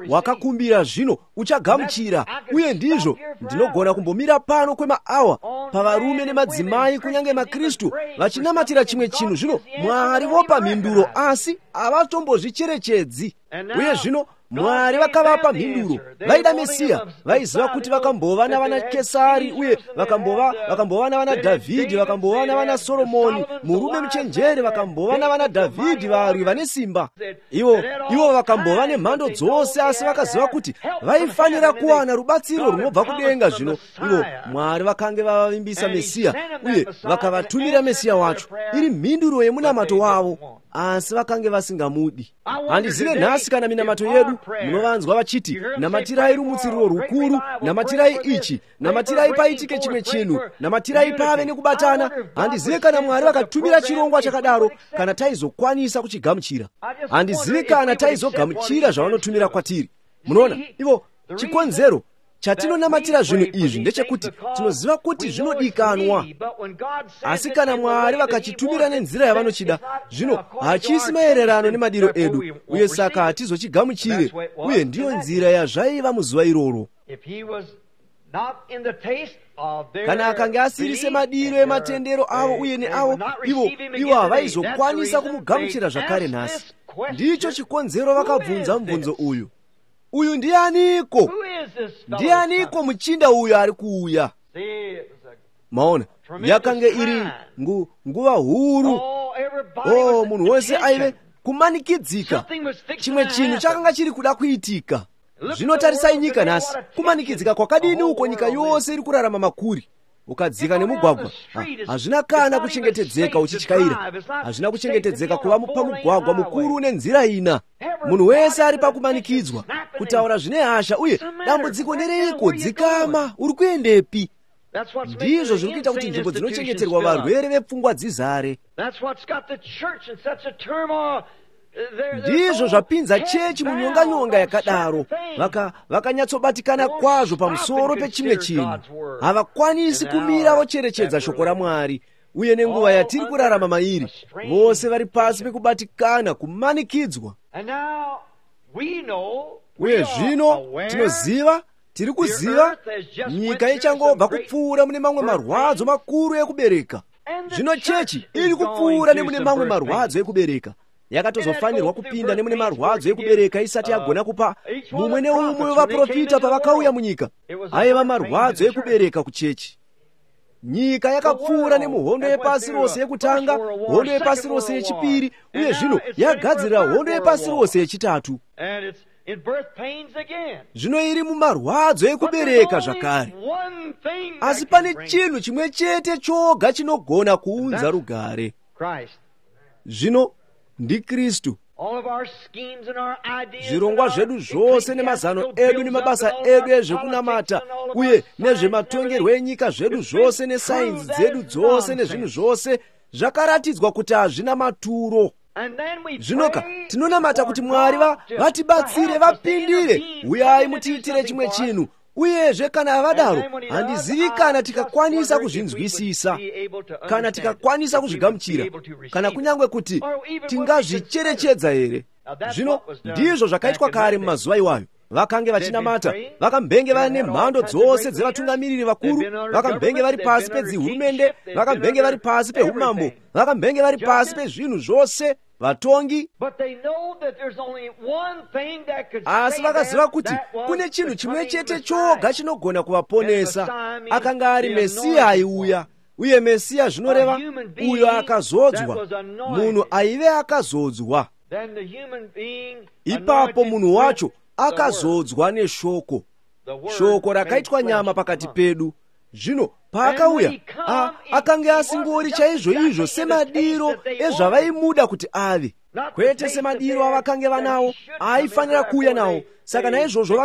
Wakakumbira, zvino uchagamuchira. Uye ndizvo, ndinogona kumbomira pano kwemaawa pavarume nemadzimai, kunyange maKristu, vachinamatira chimwe chinhu, zvino Mwari vopa mhinduro, asi havatombozvicherechedzi. Uye zvino Mwari vakavapa mhinduro. Vaida Mesiya, vaiziva kuti vakambova navana Kesari, uye vakambova vakambova navana Dhavhidhi, vakambova navana Soromoni, murume muchenjeri, vakambova navana Dhavhidhi, varwi vane simba. Ivo ivo vakambova nemhando dzose, asi vakaziva kuti vaifanira kuwana rubatsiro runobva kudenga. Zvino ivo Mwari vakange vavavimbisa Mesiya, uye vakavatumira Mesiya wacho. Iri mhinduro yemunamato wavo. Asi vakange vasingamudi. Handizive nhasi kana minamato yedu munovanzwa vachiti namatirai rumutsiriro rukuru, namatirai ichi, namatirai paitike chimwe chinhu, namatirai pave nekubatana. Handizive kana Mwari vakatumira chirongwa chakadaro, kana taizokwanisa kuchigamuchira. Handizivi kana taizogamuchira zvavanotumira kwatiri. Munoona, ivo chikonzero chatinonamatira zvinhu izvi ndechekuti tinoziva kuti zvinodikanwa. Asi kana Mwari vakachitumira nenzira yavanochida, zvino hachisi maererano nemadiro edu, uye saka hatizochigamuchire. Uye ndiyo nzira yazvaiva muzuva iroro. Kana akange asiri semadiro ematendero avo uye neavo, ivo ivo havaizokwanisa kumugamuchira zvakare nhasi. Ndicho chikonzero vakabvunza mubvunzo uyu. Uyu ndianiko? Ndianiko muchinda uyu ari kuuya? Maona, yakange iri ngu, nguva huru. Oh, munhu wose aive kumanikidzika. Chimwe chinhu chakanga chiri kuda kuitika. Zvinotarisai nyika nhasi, kumanikidzika kwakadini uko nyika yose iri kurarama makuri. Ukadzika nemugwagwa, hazvina kana kuchengetedzeka uchityaira. Hazvina kuchengetedzeka kuva pamugwagwa mukuru nenzira ina. Munhu wese ari pakumanikidzwa kutaura zvine hasha, uye dambudziko ndereiko? Dzikama, uri kuendepi? Ndizvo zviri kuita kuti nzvimbo dzinochengeterwa varwere vepfungwa dzizare. Ndizvo zvapinza chechi munyonganyonga yakadaro. Vakanyatsobatikana vaka kwazvo pamusoro pechimwe chinhu. Havakwanisi kumira vocherechedza shoko raMwari. Uye nenguva yatiri kurarama mairi, vose vari pasi pekubatikana, kumanikidzwa. Uye zvino tinoziva, tiri kuziva, nyika ichangobva kupfuura mune mamwe marwadzo makuru ekubereka. Zvino chechi iri kupfuura nemune mamwe marwadzo ekubereka. Yakatozofanirwa kupinda nemune marwadzo ekubereka isati yagona kupa mumwe neumwe wevaprofita pavakauya munyika. Aiva marwadzo ekubereka kuchechi. Nyika yakapfuura nemuhondo yepasi rose yekutanga, hondo yepasi rose yechipiri, uye zvino yagadzirira hondo yepasi rose yechitatu. Zvino iri mumarwadzo ekubereka zvakare. Asi pane chinhu chimwe chete choga chinogona kuunza rugare. Zvino ndiKristu. Zvirongwa zvedu zvose nemazano edu nemabasa edu ezvekunamata uye nezvematongerwo enyika zvedu zvose nesainzi dzedu dzose nezvinhu zvose zvakaratidzwa kuti hazvina maturo. Zvinoka tinonamata kuti Mwari vatibatsire, vapindire, uyai mutiitire chimwe chinhu. Uyezve kana vadaro, handizivi kana tikakwanisa kuzvinzwisisa, kana tikakwanisa kuzvigamuchira, kana kunyange kuti tingazvicherechedza here. Zvino ndizvo zvakaitwa kare mumazuva iwayo. Vakange vachinamata, vakambenge vane mhando dzose dzevatungamiriri vakuru, vakambenge vari pasi pedzihurumende, vakambenge vari pasi peumambo, vakambenge vari pasi pezvinhu zvose, vatongi. Asi vakaziva kuti kune chinhu chimwe chete choga chinogona kuvaponesa. Akanga ari Mesiya aiuya. Uye Mesiya zvinoreva uyo akazodzwa, munhu aive akazodzwa. Ipapo munhu wacho akazodzwa neshoko. Shoko rakaitwa nyama pakati pedu. Zvino paakauya, akange asingori chaizvo izvo semadiro ezvavaimuda kuti ave, kwete semadiro avakange vanawo aifanira kuuya nawo. Saka naizvozvo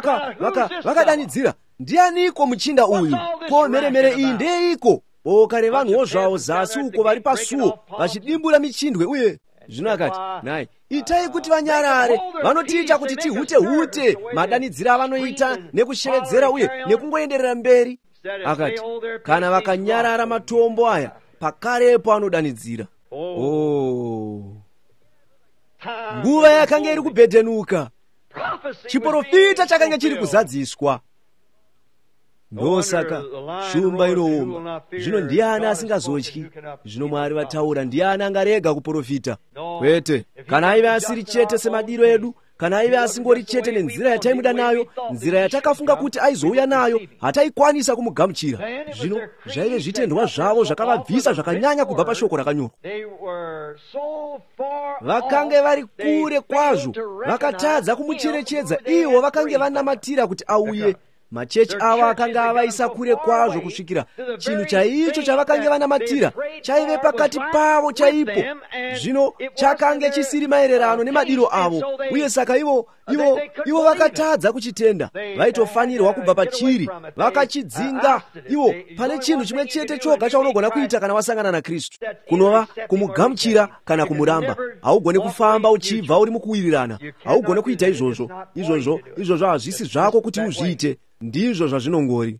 vakadanidzira, vaka, ndianiko muchinda uyu? Ko mheremhere iyi ndeiko? Boka revanhuwo zvavo zasi uko vari pasuo vachidimbura michindwe. Uye zvino akati, nhai, itai kuti vanyarare, vanotiita kuti tihute hute, madanidzira avanoita nekushevedzera uye nekungoenderera mberi. Akati, kana vakanyarara matombo aya pakarepo anodanidzira. Oh, nguva yakanga iri kubhedhenuka, chiprofita chakanga chiri kuzadziswa. Ndosaka shumba inoomba. Zvino ndiani asingazotyi? Zvino Mwari vataura, ndiani angarega kuprofita? Kwete. Kana aive asiri chete semadiro edu, kana aive asingori chete nenzira yataimuda nayo, nzira yatakafunga kuti aizouya nayo, hataikwanisa kumugamuchira. Zvino zvaive zvitendwa zvavo zvakavabvisa zvakanyanya kubva pashoko rakanyorwa. Vakange vari kure kwazvo, vakatadza kumucherechedza. Ivo vakange vanamatira kuti auye. Machechi avo akanga avaisa kure kwazvo kusvikira chinhu chaicho chavakange vanamatira chaive pakati pavo chaipo. Zvino chakange chisiri maererano nemadiro avo, uye saka ivo ivo ivo vakatadza kuchitenda. Vaitofanirwa kubva pachiri, vakachidzinga. Ivo pane chinhu chimwe chete choga chaunogona kuita kana wasangana naKristu, kunova kumugamuchira kana kumuramba. Haugoni kufamba uchibva uri mukuwirirana, haugoni kuita izvozvo. Izvozvo izvozvo hazvisi zvako kuti uzviite. Ndizvo zvazvinongori.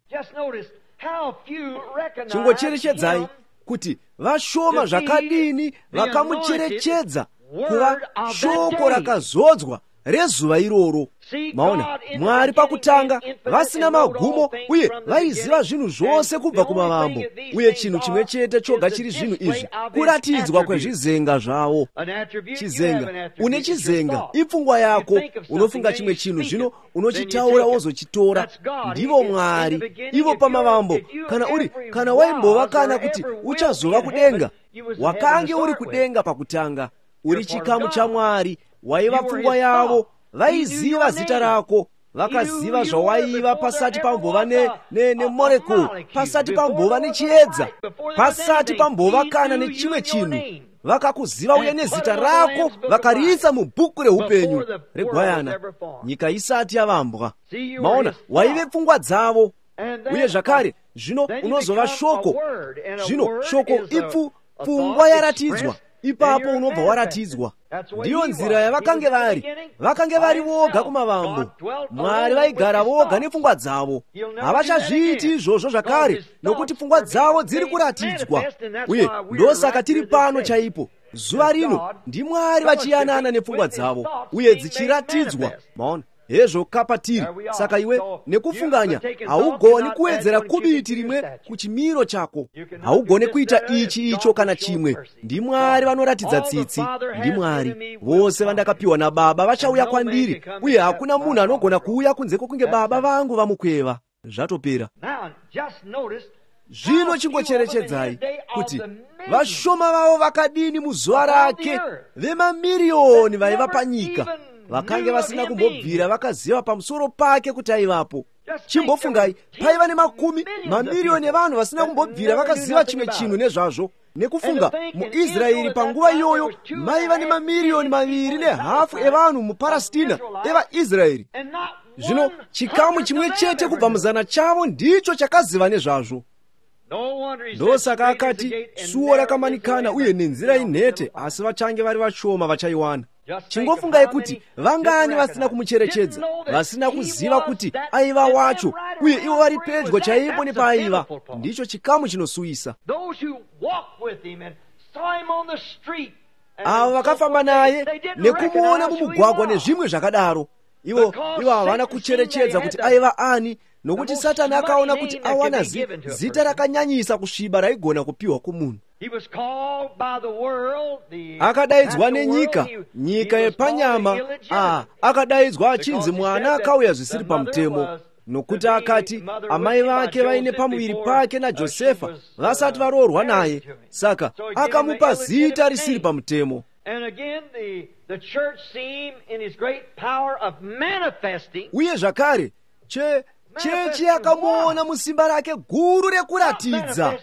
Chingocherechedzai kuti vashoma zvakadini vakamucherechedza kuva shoko rakazodzwa rezuva iroro. Maona, Mwari pakutanga vasina magumo, uye vaiziva zvinhu zvose kubva kumavambo, uye chinhu chimwe chete choga chiri zvinhu izvi kuratidzwa kwezvizenga zvavo. Chizenga, une chizenga, ipfungwa yako. Unofunga chimwe chinhu, zvino unochitaura wozochitora. Ndivo Mwari, ivo pamavambo. Kana uri kana waimbova kana kuti uchazova kudenga, wakange uri kudenga pakutanga, uri chikamu chaMwari. Waiva pfungwa yavo, vaiziva zita rako, vakaziva zvawaiva pasati pambova nemolecule, ne, ne pasati pambova nechiedza, pasati pambova kana nechimwe chinhu. Vakakuziva uye nezita rako vakariisa mubhuku reupenyu regwayana nyika isati yavambwa. Maona, waive pfungwa dzavo. Uye zvakare zvino unozova shoko. Zvino shoko ipfu pfungwa yaratidzwa, ipapo unobva waratidzwa. Ndiyo nzira yavakange vari. Vakange vari voga kumavambo. Mwari vaigara voga nepfungwa dzavo. Havachazviiti izvozvo zvakare, nokuti pfungwa dzavo dziri kuratidzwa. Uye ndosaka tiri pano chaipo zuva rino, ndiMwari vachiyanana nepfungwa dzavo uye dzichiratidzwa. Maona, hezvo kapatiri. Saka iwe nekufunganya haugoni kuwedzera kubiti rimwe kuchimiro chako, haugoni kuita ichi icho kana chimwe. NdiMwari vanoratidza tsitsi. NdiMwari. Vose vandakapiwa naBaba vachauya kwandiri, uye hakuna munhu anogona kuuya kunze kwokunge Baba vangu vamukweva. Zvatopera. Zvino chingocherechedzai kuti vashoma vavo vakadini muzuva rake, vemamiriyoni vaiva panyika, vakange vasina kumbobvira vakaziva pamusoro pake kuti aivapo. Chimbofungai, paiva nemakumi mamiriyoni evanhu vasina kumbobvira vakaziva chimwe chinhu nezvazvo. Nekufunga, muIsraeri panguva iyoyo maiva nemamiriyoni maviri nehafu evanhu muParastina evaIsraeri. Zvino chikamu chimwe chete kubva muzana chavo ndicho chakaziva nezvazvo. Ndosaka akati suo rakamanikana uye nenzira inhete, asi vachange vari vashoma vachaiwana. Chingofungai kuti vangani vasina kumucherechedza, vasina kuziva kuti aiva wacho, uye ivo vari pedyo chaipo nepaaiva. Ndicho chikamu chinosuwisa. Avo vakafamba naye nekumuona mumugwagwa nezvimwe zvakadaro, ivo ivo havana kucherechedza kuti aiva ani, nokuti Satani akaona kuti awana zi, zita rakanyanyisa kusviba raigona kupiwa kumunhu. Akadaidzwa nenyika, nyika yepanyama. Ah, akadaidzwa achinzi mwana akauya zvisiri pamutemo, nokuti akati amai vake vaine pamuviri pake naJosefa vasati varoorwa naye. Saka akamupa zita risiri pamutemo. Uye zvakare che chechi yakamuona musimba rake guru rekuratidza.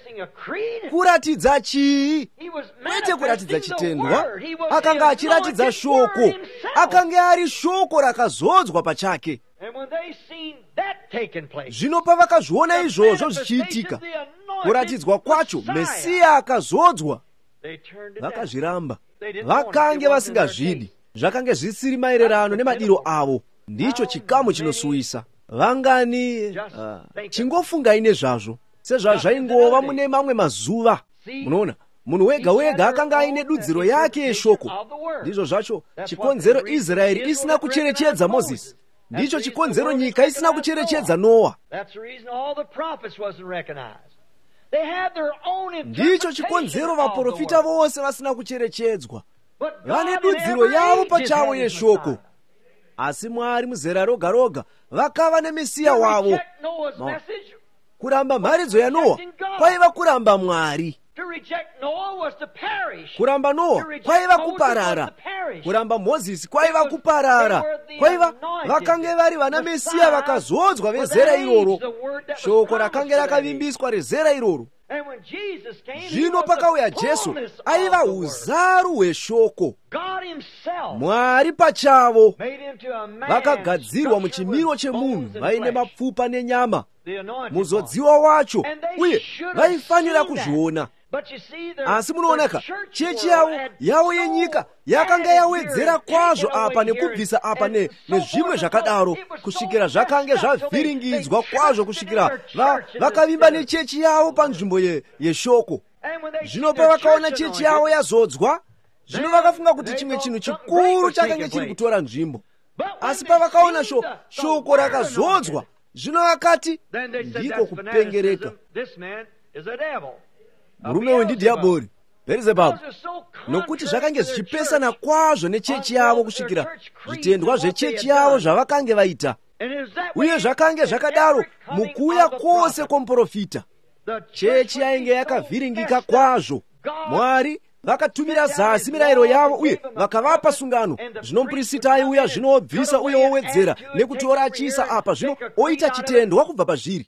Kuratidza chii? Kwete kuratidza chitendwa. Akanga achiratidza shoko. Akanga ari shoko rakazodzwa pachake. Zvino pavakazviona izvozvo zvichiitika, kuratidzwa kwacho, Mesiya akazodzwa, vakazviramba. Vakange vasingazvidi. Zvakange zvisiri maererano nemadiro avo. Ndicho chikamu chinosuwisa. Vangani uh, chingofungai nezvazvo sezvazvaingova mune mamwe mazuva. Munoona, munhu wega wega akanga aine dudziro yake yeshoko. Ndizvo zvacho chikonzero Israeri isina kucherechedza Mozisi. Ndicho chikonzero nyika isina kucherechedza Noa. Ndicho chikonzero vaprofita vose vasina kucherechedzwa. Vane dudziro yavo pachavo yeshoko. Asi Mwari muzera roga roga vakava nemesiya wavo. Kuramba mharidzo yaNoa kwaiva kuramba Mwari. Kuramba Noa kwaiva kuparara. Kuramba Mozisi kwaiva kuparara, kwaiva vakange vari vana Mesiya vakazodzwa vezera iroro, shoko rakange rakavimbiswa rezera iroro. Zvino pakauya Jesu, aiva uzaru hweshoko. Mwari pachavo vakagadzirwa muchimiro chemunhu vaine mapfupa nenyama, muzodziwa wacho, uye vaifanira kuzviona. Asi munoonaka, chechi yavo yavo yenyika yakanga yawedzera kwazvo apa nekubvisa apa nezvimwe zvakadaro, kusvikira zvakange zvavhiringidzwa kwazvo, kusvikira vakavimba nechechi yavo panzvimbo yeshoko. Zvino pavakaona chechi yavo yazodzwa, zvino vakafunga kuti chimwe chinhu chikuru chakange chiri kutora nzvimbo. Asi pavakaona shoko rakazodzwa, zvino vakati, ndiko kupengereka. Murume uyu ndidhiabhori, Bherizebhabhu, nokuti zvakange zvichipesana kwazvo nechechi yavo kusvikira zvitendwa zvechechi yavo zvavakange vaita. Uye zvakange zvakadaro mukuuya kwose kwomuprofita. Chechi yainge yakavhiringika kwazvo. Mwari vakatumira zasi mirayiro yavo uye vakavapa sungano. Zvino muprista aiuya zvino obvisa uye owedzera nekutora achiisa apa, zvino oita chitendwa kubva pazviri.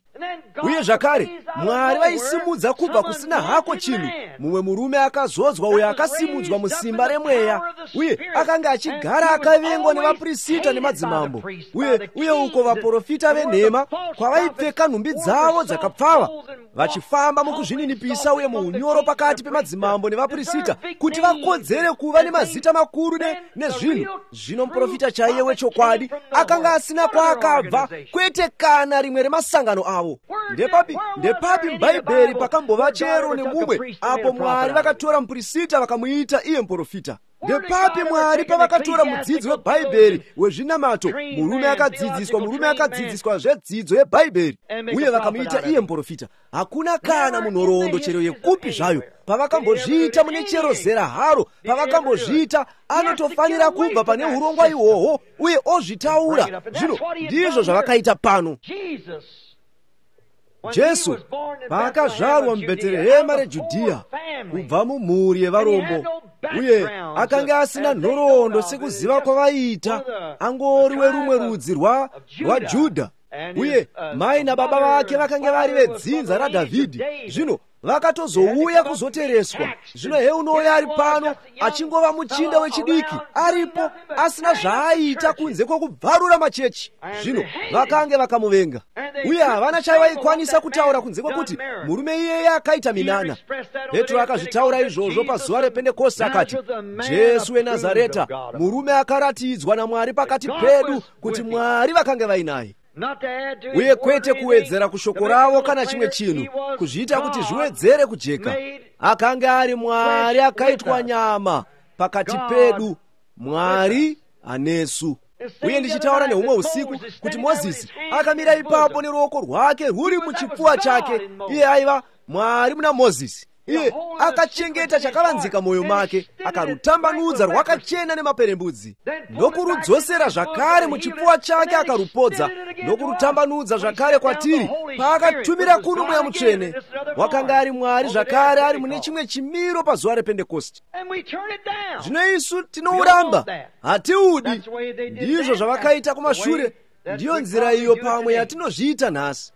Uye zvakare Mwari vaisimudza kubva kusina hako chinhu mumwe murume akazodzwa uyo akasimudzwa musimba remweya, uye akanga achigara akavengwa nevaprista nemadzimambo, uye uye uko vaprofita venhema kwavaipfeka nhumbi dzavo dzakapfava vachifamba mukuzvininipisa uye muunyoro pakati pemadzimambo nevaprista kuti vakodzere kuva nemazita makuru nezvinhu. Zvino muprofita chaiye wechokwadi akanga asina kwaakabva, kwete kana rimwe remasangano avo. Ndepapi ndepapi muBhaibheri pakambova chero nemumwe apo Mwari vakatora muprista vakamuita iye muprofita? Ndepapi Mwari pavakatora mudzidzi weBhaibheri wezvinamato, murume akadzidziswa murume akadzidziswa zvedzidzo yeBhaibheri, uye vakamuita iye muprofita? Hakuna kana munhoroondo chero yekupi zvayo pavakambozviita mune chero zera haro pavakambozviita. Anotofanira kubva pane urongwa ihwohwo uye ozvitaura. Zvino ndizvo zvavakaita pano. Jesu paakazvarwa muBheterehema reJudhiya kubva mumhuri yevarombo, uye akanga asina nhoroondo sekuziva kwavaiita, angori werumwe rudzi rwaJudha, uye mai nababa vake vakange vari vedzinza raDhavhidhi. Zvino vakatozouya kuzotereswa. Zvino heunouya ari pano achingova muchinda wechidiki aripo asina zvaaita kunze kwokubvarura machechi. Zvino vakange vakamuvenga, uye havana chaivaikwanisa kutaura kunze kwekuti murume iyeye akaita minana. Petro akazvitaura izvozvo pazuva rePentekosti akati, Jesu weNazareta, murume akaratidzwa naMwari pakati pedu kuti Mwari vakange vainaye. Uye kwete kuwedzera kushoko ravo kana chimwe chinhu, kuzviita kuti zviwedzere kujeka. Akanga ari Mwari akaitwa nyama pakati pedu, Mwari anesu. Uye ndichitaura nehumwe usiku kuti Mozisi akamira ipapo neruoko rwake rwuri muchipfuwa chake. Iye aiva Mwari muna Mozisi. Iye akachengeta chakavanzika mwoyo make, akarutambanudza rwakachena nemaperembudzi, ndokurudzosera zvakare muchipfuwa chake akarupodza, ndokurutambanudza zvakare kwatiri paakatumira kuno Mweya Mutsvene. Wakanga ari Mwari zvakare ari mune chimwe chimiro pazuva rePentekosti. Zvino isu tinouramba, hatiudi. Ndizvo zvavakaita kumashure, ndiyo nzira iyo pamwe yatinozviita nhasi.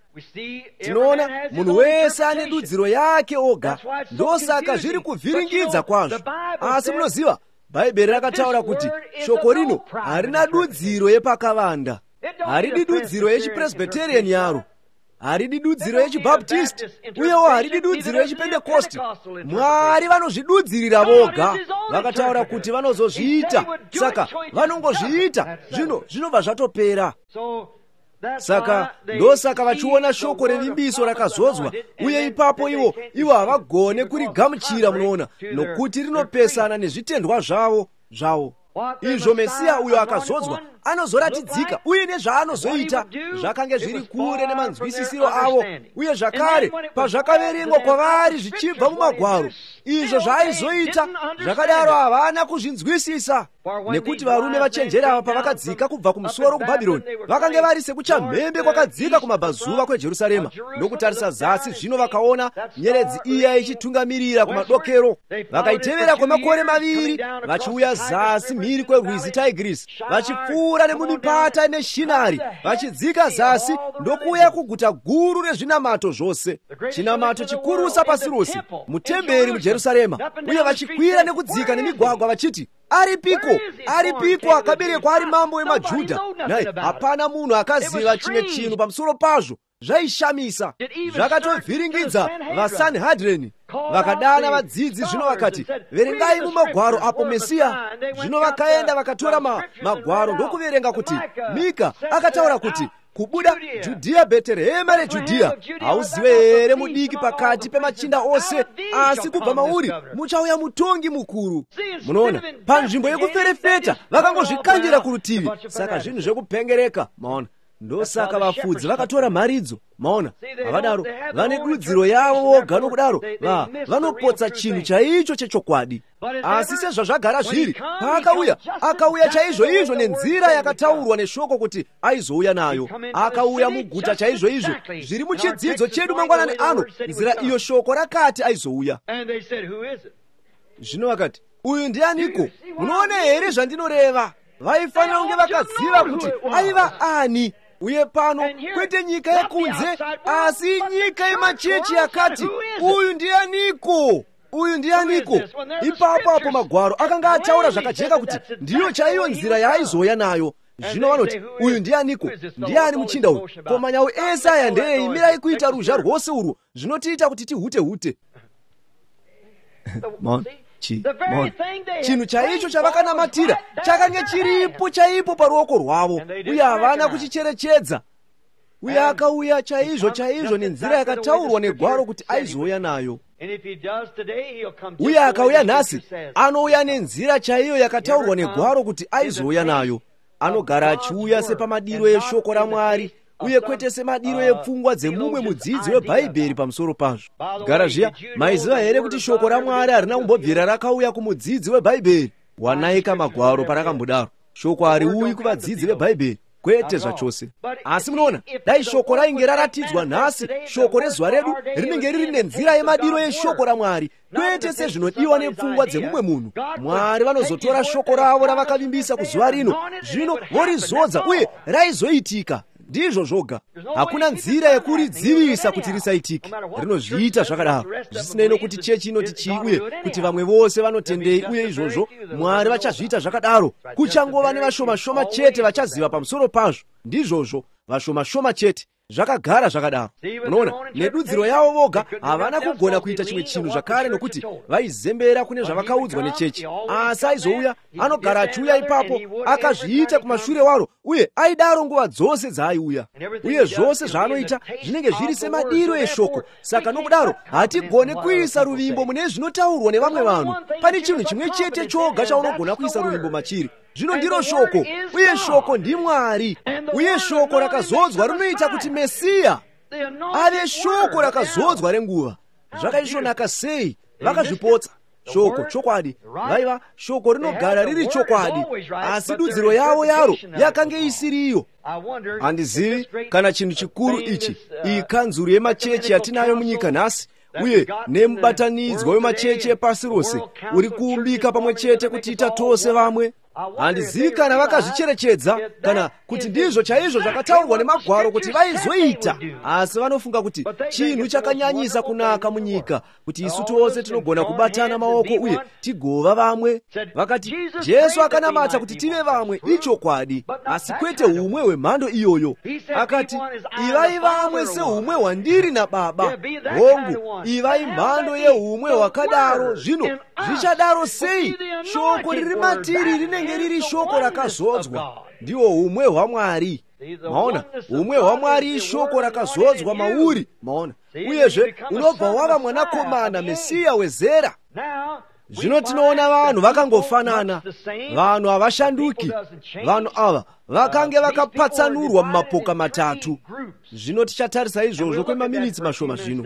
Tinoona munhu wese ane dudziro yake oga, ndosaka zviri kuvhiringidza kwazvo. Asi munoziva, Bhaibheri rakataura kuti shoko rino harina dudziro yepakavanda, haridi dudziro yechipresbyterian yaro, haridi dudziro yechibaptist, uyewo haridi dudziro yechipentekosti. Mwari vanozvidudzirira voga, vakataura kuti vanozozviita, saka vanongozviita. Zvino zvinobva zvatopera. Saka ndosaka vachiona shoko revimbiso rakazodzwa, uye ipapo ivo ivo havagone kurigamuchira, munoona, nokuti rinopesana nezvitendwa zvavo zvavo. Izvo Mesiya uyo akazodzwa anozoratidzika uye nezvaanozoita zvakange zviri kure nemanzwisisiro avo, uye zvakare pazvakaverengwa kwavari zvichibva mumagwaro, Izvo zvaaizoita zvakadaro havana kuzvinzwisisa, nekuti varume vachenjeri ava pavakadzika kubva kumusoro kuBhabhironi, vakange vari sekuchamhembe kwakadzika kumabvazuva kweJerusarema, ndokutarisa zasi. Zvino vakaona nyeredzi iya ichitungamirira kumadokero. Vakaitevera kwemakore maviri, vachiuya zasi mhiri kwerwizi Tigris, vachipfuura nemumipata neShinari, vachidzika zasi ndokuuya kuguta guru rezvinamato zvose, chinamato chikurusa pasi rose, mutemberi muJerusarema. Uye vachikwira nekudzika nemigwagwa vachiti, aripiko, aripiko akaberekwa ari mambo wemaJudha? Nhai, hapana munhu akaziva chimwe chinhu pamusoro pazvo. Zvaishamisa, zvakatovhiringidza vaSanhedrini. Vakadana vadzidzi, zvino vakati, verengai mumagwaro apo Mesiya. Zvino vakaenda vakatora magwaro ndokuverenga kuti Mika akataura kuti kubuda Judhiya, Bheterehema reJudhiya, hauzive here mudiki pakati pemachinda ose? Asi kubva mauri muchauya mutongi mukuru. Munoona, panzvimbo yekuferefeta vakangozvikandira kurutivi. Saka zvinhu zvekupengereka, maona. Ndosaka vafudzi vakatora mharidzo, maona. Havadaro, vane dudziro yavo voga, nokudaro va vanopotsa chinhu chaicho chechokwadi. Asi sezvazvagara zviri, paakauya, akauya chaizvo izvo nenzira yakataurwa neshoko kuti aizouya nayo. Akauya muguta chaizvo izvo zviri muchidzidzo chedu mangwanani ano, nzira iyo shoko rakati aizouya. Zvino vakati, uyu ndianiko? Munoona here zvandinoreva? Vaifanira kunge vakaziva kuti aiva ani. Uye pano kwete nyika yekunze, asi nyika yemachechi yakati, uyu ndianiko? Uyu ndianiko? Ipapo apo magwaro akanga ataura zvakajeka kuti ndiyo chaiyo nzira yaaizouya nayo. Zvino vanoti, uyu ndianiko? Ndiani muchinda uyu? Ko manyau ese aya ndeyei? Mirai kuita ruzha rwose urwu, zvinotiita kuti tihute hute. Chinhu chaicho chavakanamatira chakange chiripo chaipo paruoko rwavo, uye havana kuchicherechedza. Uye akauya chaizvo chaizvo nenzira yakataurwa negwaro kuti aizouya nayo. Uye akauya nhasi, anouya nenzira chaiyo yakataurwa negwaro kuti aizouya nayo. Anogara achiuya sepamadiro eshoko raMwari, uye kwete semadiro epfungwa dzemumwe mudzidzi webhaibheri pamusoro pazvo. Gara zviya, maiziva here kuti shoko raMwari harina kumbobvira rakauya kumudzidzi webhaibheri? Wanaika magwaro parakambodaro. Shoko hariuyi kuvadzidzi vebhaibheri, kwete zvachose. Asi munoona, dai shoko rainge raratidzwa nhasi, shoko rezuva redu rinenge riri nenzira yemadiro eshoko raMwari, kwete sezvinodiwa nepfungwa dzemumwe munhu. Mwari vanozotora shoko ravo ravakavimbisa kuzuva rino, zvino vorizodza, uye raizoitika. Ndizvo zvoga. Hakuna nzira yekuridzivisa kuti risaitike. Rinozviita zvakadaro, zvisinei nokuti chechi inoti chii uye kuti vamwe vose vanotendei uye izvozvo. Mwari vachazviita zvakadaro. Kuchangova nevashoma-shoma chete vachaziva pamusoro pazvo. Ndizvozvo, vashoma-shoma chete. Zvakagara zvakadaro. Unoona, nedudziro yavo voga havana kugona kuita chimwe chinhu zvakare, nokuti vaizembera kune zvavakaudzwa nechechi. Asi aizouya, anogara achiuya ipapo, akazviita kumashure waro, uye aidaro nguva dzose dzaaiuya. Uye zvose zvaanoita zvinenge zviri semadiro eshoko. Saka nokudaro hatigone kuisa ruvimbo mune zvinotaurwa nevamwe vanhu. Pane chinhu chimwe chete choga chaunogona kuisa ruvimbo machiri. Zvino ndiro shoko, uye shoko ndiMwari. Uye shoko rakazodzwa rinoita kuti Mesiya ave shoko rakazodzwa renguva. Zvakaisvonaka sei! Vakazvipotsa. Shoko chokwadi, vaiva shoko rinogara riri chokwadi, asi dudziro yavo yaro yakange isiriyo. Handizivi kana chinhu chikuru ichi, iyi kanzuru yemachechi yatinayo munyika nhasi, uye nemubatanidzwa wemachechi epasi rose uri kuumbika pamwe chete kutiita tose vamwe. Handizivi kana vakazvicherechedza kana kuti ndizvo chaizvo zvakataurwa nemagwaro kuti vaizoita. Asi vanofunga kuti chinhu chakanyanyisa kunaka munyika kuti isu tose tinogona kubatana maoko uye tigova vamwe. Vakati Jesu akanamata kuti tive vamwe, ichokwadi, asi kwete humwe hwemhando iyoyo. Akati, ivai vamwe sehumwe hwandiri naBaba. Hongu, ivai mhando yehumwe hwakadaro. Zvino zvichadaro sei? Shoko riri matiri rinenge riri shoko rakazodzwa. Ndiwo humwe hwaMwari. Maona, humwe hwaMwari ishoko rakazodzwa mauri. Maona, uyezve unobva wava mwanakomana Mesiya wezera. Zvino tinoona vanhu vakangofanana. Vanhu havashanduki. Vanhu ava vakange vakapatsanurwa mumapoka matatu. Zvino tichatarisa izvozvo kwemaminitsi mashoma zvino.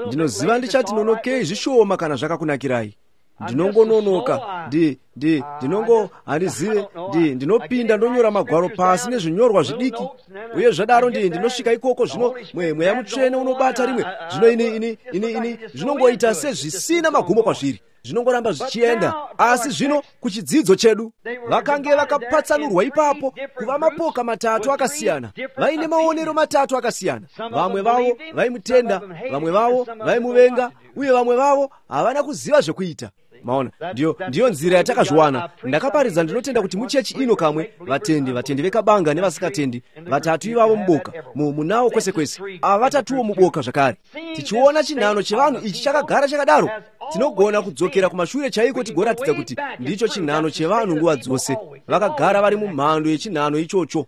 Ndinoziva ndichati nonokei zvishoma kana zvakakunakirai. Ndinongononoka, ndi ndi ndinongo handizive, ndi ndinopinda ndonyora magwaro pasi nezvinyorwa zvidiki, uye zvadaro ndi ndinosvika ikoko zvino mwe Mweya Mutsvene unobata rimwe zvino ini ini ini ini zvinongoita sezvisina magumo kwazviri, zvinongoramba zvichienda. Asi zvino kuchidzidzo chedu, vakange vakapatsanurwa ipapo kuva mapoka matatu akasiyana, vaine maonero matatu akasiyana. Vamwe vavo vaimutenda, vamwe vavo vaimuvenga, uye vamwe vavo havana kuziva zvekuita. Maona, ndiyo ndiyo nzira yatakazviwana. Ndakaparidza, ndinotenda kuti muchechi ino kamwe, vatendi vatendi vekabanga nevasikatendi, vatatu ivavo muboka, munawo kwese kwese, ava vatatuwo muboka zvakare. Tichiona chinhano chevanhu ichi chakagara chakadaro, tinogona kudzokera kumashure chaiko tigoratidza kuti ndicho chinhano chevanhu nguva dzose, vakagara vari mumhando yechinhano ichocho.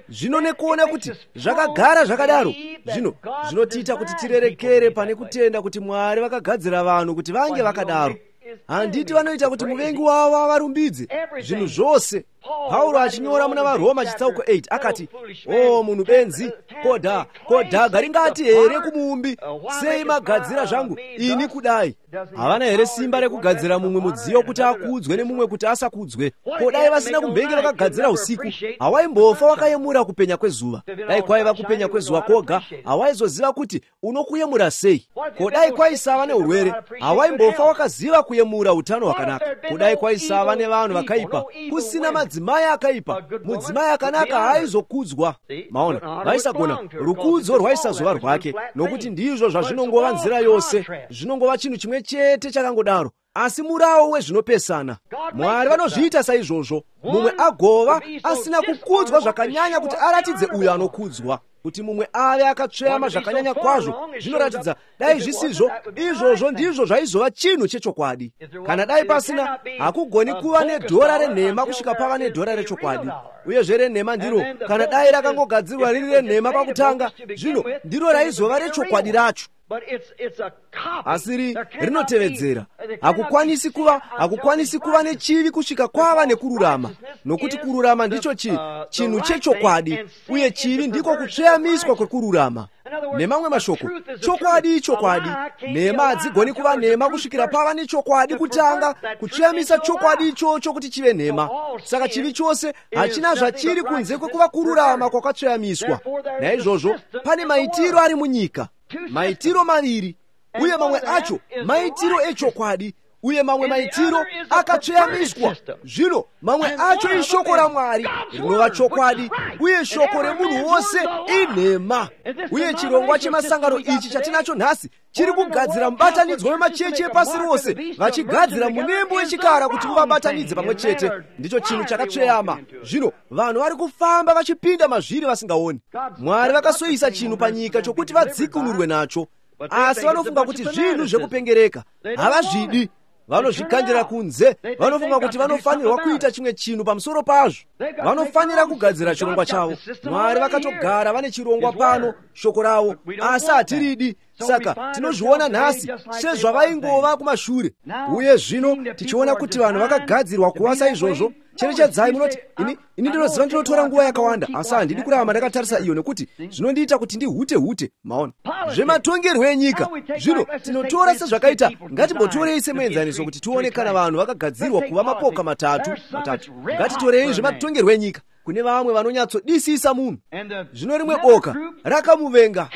Zvino nekuona kuti zvakagara zvakadaro, zvino zvinotiita kuti tirerekere pane kutenda kuti Mwari vakagadzira vanhu kuti vange vakadaro. Handiti vanoita kuti muvengi wavo avarumbidze zvinhu zvose. Pauro achinyora muna vaRoma chitsauko eight akati, o munhu benzi, kodha kodhaga ringati here kumuumbi, sei magadzira zvangu ini kudai? Havana here simba rekugadzira mumwe mudziyo kuti akudzwe nemumwe kuti asakudzwe? Kodai vasina kumbenge vakagadzira usiku, hawaimbofa wakayemura kupenya kwezuva. Dai kwaiva kupenya kwezuva koga, hawaizoziva kuti unokuyemura sei. Kodai kwaisava neurwere, hawaimbofa wakaziva kuyemura utano hwakanaka. Kodai kwaisava nevanhu vakaipa, kusina madzimai akaipa, mudzimai akanaka haaizokudzwa. Maona, vaisagona, rukudzo rwaisazova rwake, nokuti ndizvo zvazvinongova nzira yose, zvinongova chinhu chimwe chete chakangodaro. Asi murawo wezvinopesana, Mwari vanozviita saizvozvo, mumwe agova asina kukudzwa zvakanyanya kuti aratidze uyo anokudzwa, kuti mumwe ave akatsveyama zvakanyanya kwazvo zvinoratidza. Dai zvisizvo izvozvo, ndizvo zvaizova chinhu chechokwadi. Kana dai pasina, hakugoni kuva nedhora renhema kusvika pava nedhora rechokwadi. Uyezve renhema ndiro, kana dai rakangogadzirwa riri renhema pakutanga, zvino ndiro raizova rechokwadi racho. Asi rinotevedzera, hakukwanisi kuva hakukwanisi kuva nechivi kusvika kwava nekururama, nokuti kururama ndicho chi chinhu chechokwadi, uye chivi ndiko kutsveyamiswa kwekururama. Nemamwe mashoko, chokwadi ichokwadi, nhema hadzigoni kuva nhema kusvikira pava nechokwadi kutanga, kutsveyamisa chokwadi ichocho kuti chive nhema. Saka chivi chose hachina zvachiri kunze kwekuva kururama kwakatsveyamiswa. Naizvozvo pane maitiro ari munyika, maitiro maviri, uye mamwe acho maitiro echokwadi, uye mamwe maitiro akatsveyamiswa. Zvino mamwe acho ishoko raMwari rinova chokwadi, uye shoko remunhu wose inhema. Uye chirongwa chemasangano ichi chatinacho nhasi chiri kugadzira mubatanidzwa wemachechi epasi rose, vachigadzira munembo wechikara kuti uvabatanidze pamwe chete. Ndicho chinhu chakatsveyama. Zvino vanhu vari kufamba vachipinda mazviri vasingaoni. Mwari vakasoisa chinhu panyika chokuti vadzikunurwe nacho, asi vanofunga kuti zvinhu zvekupengereka, havazvidi. Vanozvikandira kunze, vanofunga kuti vanofanirwa kuita chimwe chinhu pamusoro pazvo, vanofanira kugadzira chirongwa chavo. Mwari vakatogara vane chirongwa pano, shoko ravo, asi hatiridi. Saka tinozviona nhasi sezvavaingova kumashure. Uye zvino tichiona kuti vanhu vakagadzirwa kuva saizvozvo. Cherechedzai, munoti ini ini ndinoziva ndinotora nguva yakawanda, asi handidi kuramba ndakatarisa iyo, nekuti zvinondiita kuti ndihute hute. Maona, zvematongerwo enyika zvino tinotora sezvakaita. Ngatimbotorei semuenzaniso kuti tione kana vanhu vakagadzirwa kuva mapoka matatu matatu. Ngatitorei zvematongerwo enyika. Kune vamwe vanonyatsodisisa munhu, zvino rimwe boka rakamuvenga,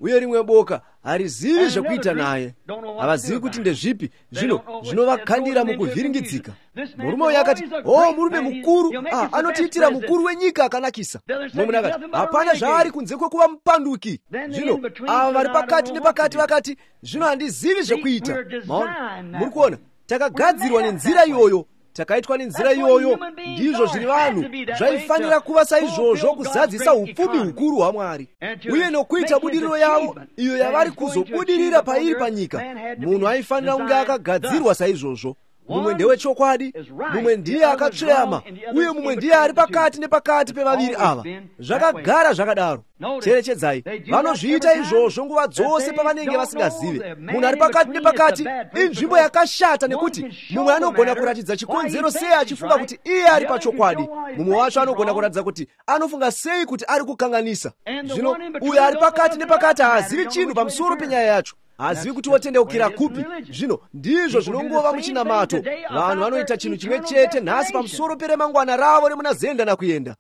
uye rimwe boka harizivi zvekuita naye, havazivi kuti ndezvipi. Zvino zvinovakandira mukuvhiringidzika. Murume uyu akati, o murume mukuru, ah, anotiitira mukuru wenyika akanakisa. Mumwe munhu akati, hapana zvaari kunze kwekuva mupanduki. Zvino ava vari pakati nepakati vakati, zvino handizivi zvekuita. Maona, muri kuona, takagadzirwa nenzira iyoyo, takaitwa nenzira iyoyo. Ndizvo zviri vanhu, zvaifanira kuva saizvozvo kuzadzisa upfumi hukuru hwaMwari uye nokuita budiriro yavo iyo yavari kuzobudirira pairi panyika. Munhu aifanira kunge akagadzirwa saizvozvo. Mumwe ndewechokwadi, mumwe ndiye akatsveyama, uye mumwe ndiye ari pakati nepakati pevaviri ava. Zvakagara zvakadaro. Cherechedzai, vanozviita izvozvo nguva dzose pavanenge vasingazive. Munhu ari pakati nepakati inzvimbo yakashata, nekuti mumwe anogona kuratidza chikonzero sei achifunga kuti iye ari pachokwadi, mumwe wacho anogona kuratidza kuti anofunga sei kuti ari kukanganisa. Zvino uyo ari pakati nepakati haazivi chinhu pamusoro penyaya yacho, hazivi kuti wotendeukira kupi. Zvino ndizvo zvinongova muchinamato. Vanhu vanoita chinhu chimwe chete nhasi pamusoro peremangwana ravo remuna zenda nakuenda.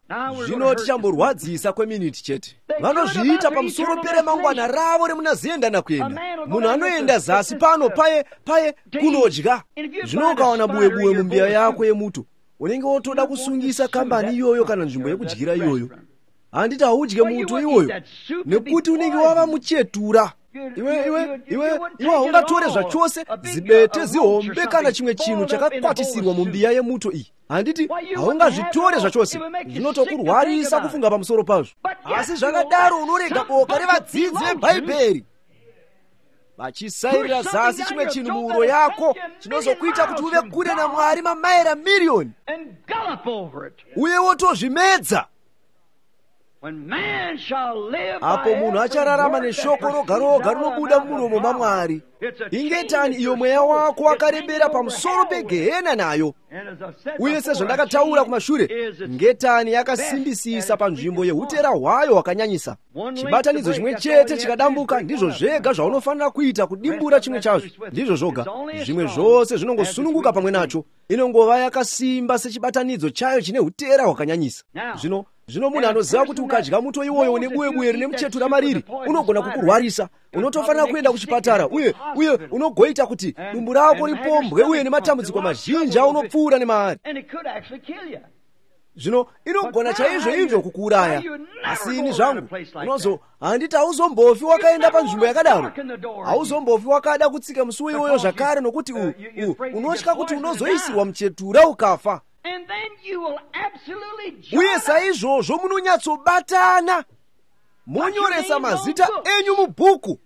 Zvino tichamborwadzisa kweminiti chete. Vanozviita pamusoro peremangwana ravo remuna zenda nakuenda. Munhu anoenda zasi pano paye paye kunodya. Zvino ukawana buwe-buwe mumbiya yako yemuto, unenge wotoda kusungisa kambani iyoyo kana nzvimbo yekudyira iyoyo. Handiti haudye muto iwoyo nekuti unenge wava muchetura. Iwe iwe iwe iwe haungatore zvachose zibete zihombe kana chimwe chinhu chakakwatisirwa mumbiya yemuto iyi. Handiti haungazvitore zvachose, zvinotokurwarisa kufunga pamusoro pazvo. Asi zvakadaro unorega boka revadzidzi veBhaibheri vachisairira zasi chimwe chinhu muuro yako chinozokuita kuti uve kure naMwari mamaira miriyoni, uye wotozvimedza. Apo munhu achararama neshoko roga roga rinobuda mumuromo maMwari. Ingetani iyo mweya wako wakarembera pamusoro pegehena nayo. Uye sezvandakataura kumashure, ngetani yakasimbisisa panzvimbo yeutera hwayo hwakanyanyisa. Chibatanidzo chimwe chete chikadambuka, ndizvo zvega zvaunofanira kuita kudimbura chimwe chazvo. Ndizvo zvoga, zvimwe zvose zvinongosununguka pamwe nacho. Inongova yakasimba sechibatanidzo chayo chine utera hwakanyanyisa. Zvino zvino munhu anoziva kuti ukadya muto iwoyo une buwe-buwe rine muchetura mariri, unogona kukurwarisa. Unotofanira kuenda kuchipatara, uye uye unogoita kuti dumbu rako ripombwe uye nematambudziko mazhinji aunopfuura nemaari. Zvino inogona chaizvo izvo kukuuraya. Asi ini zvangu unozo handiti hauzombofi wakaenda panzvimbo yakadaro. Hauzombofi wakada kutsika musuwo iwoyo zvakare, nokuti unotya kuti unozoisirwa muchetura ukafa. Uye saizvozvo munonyatsobatana, monyoresa mazita enyu mubhuku.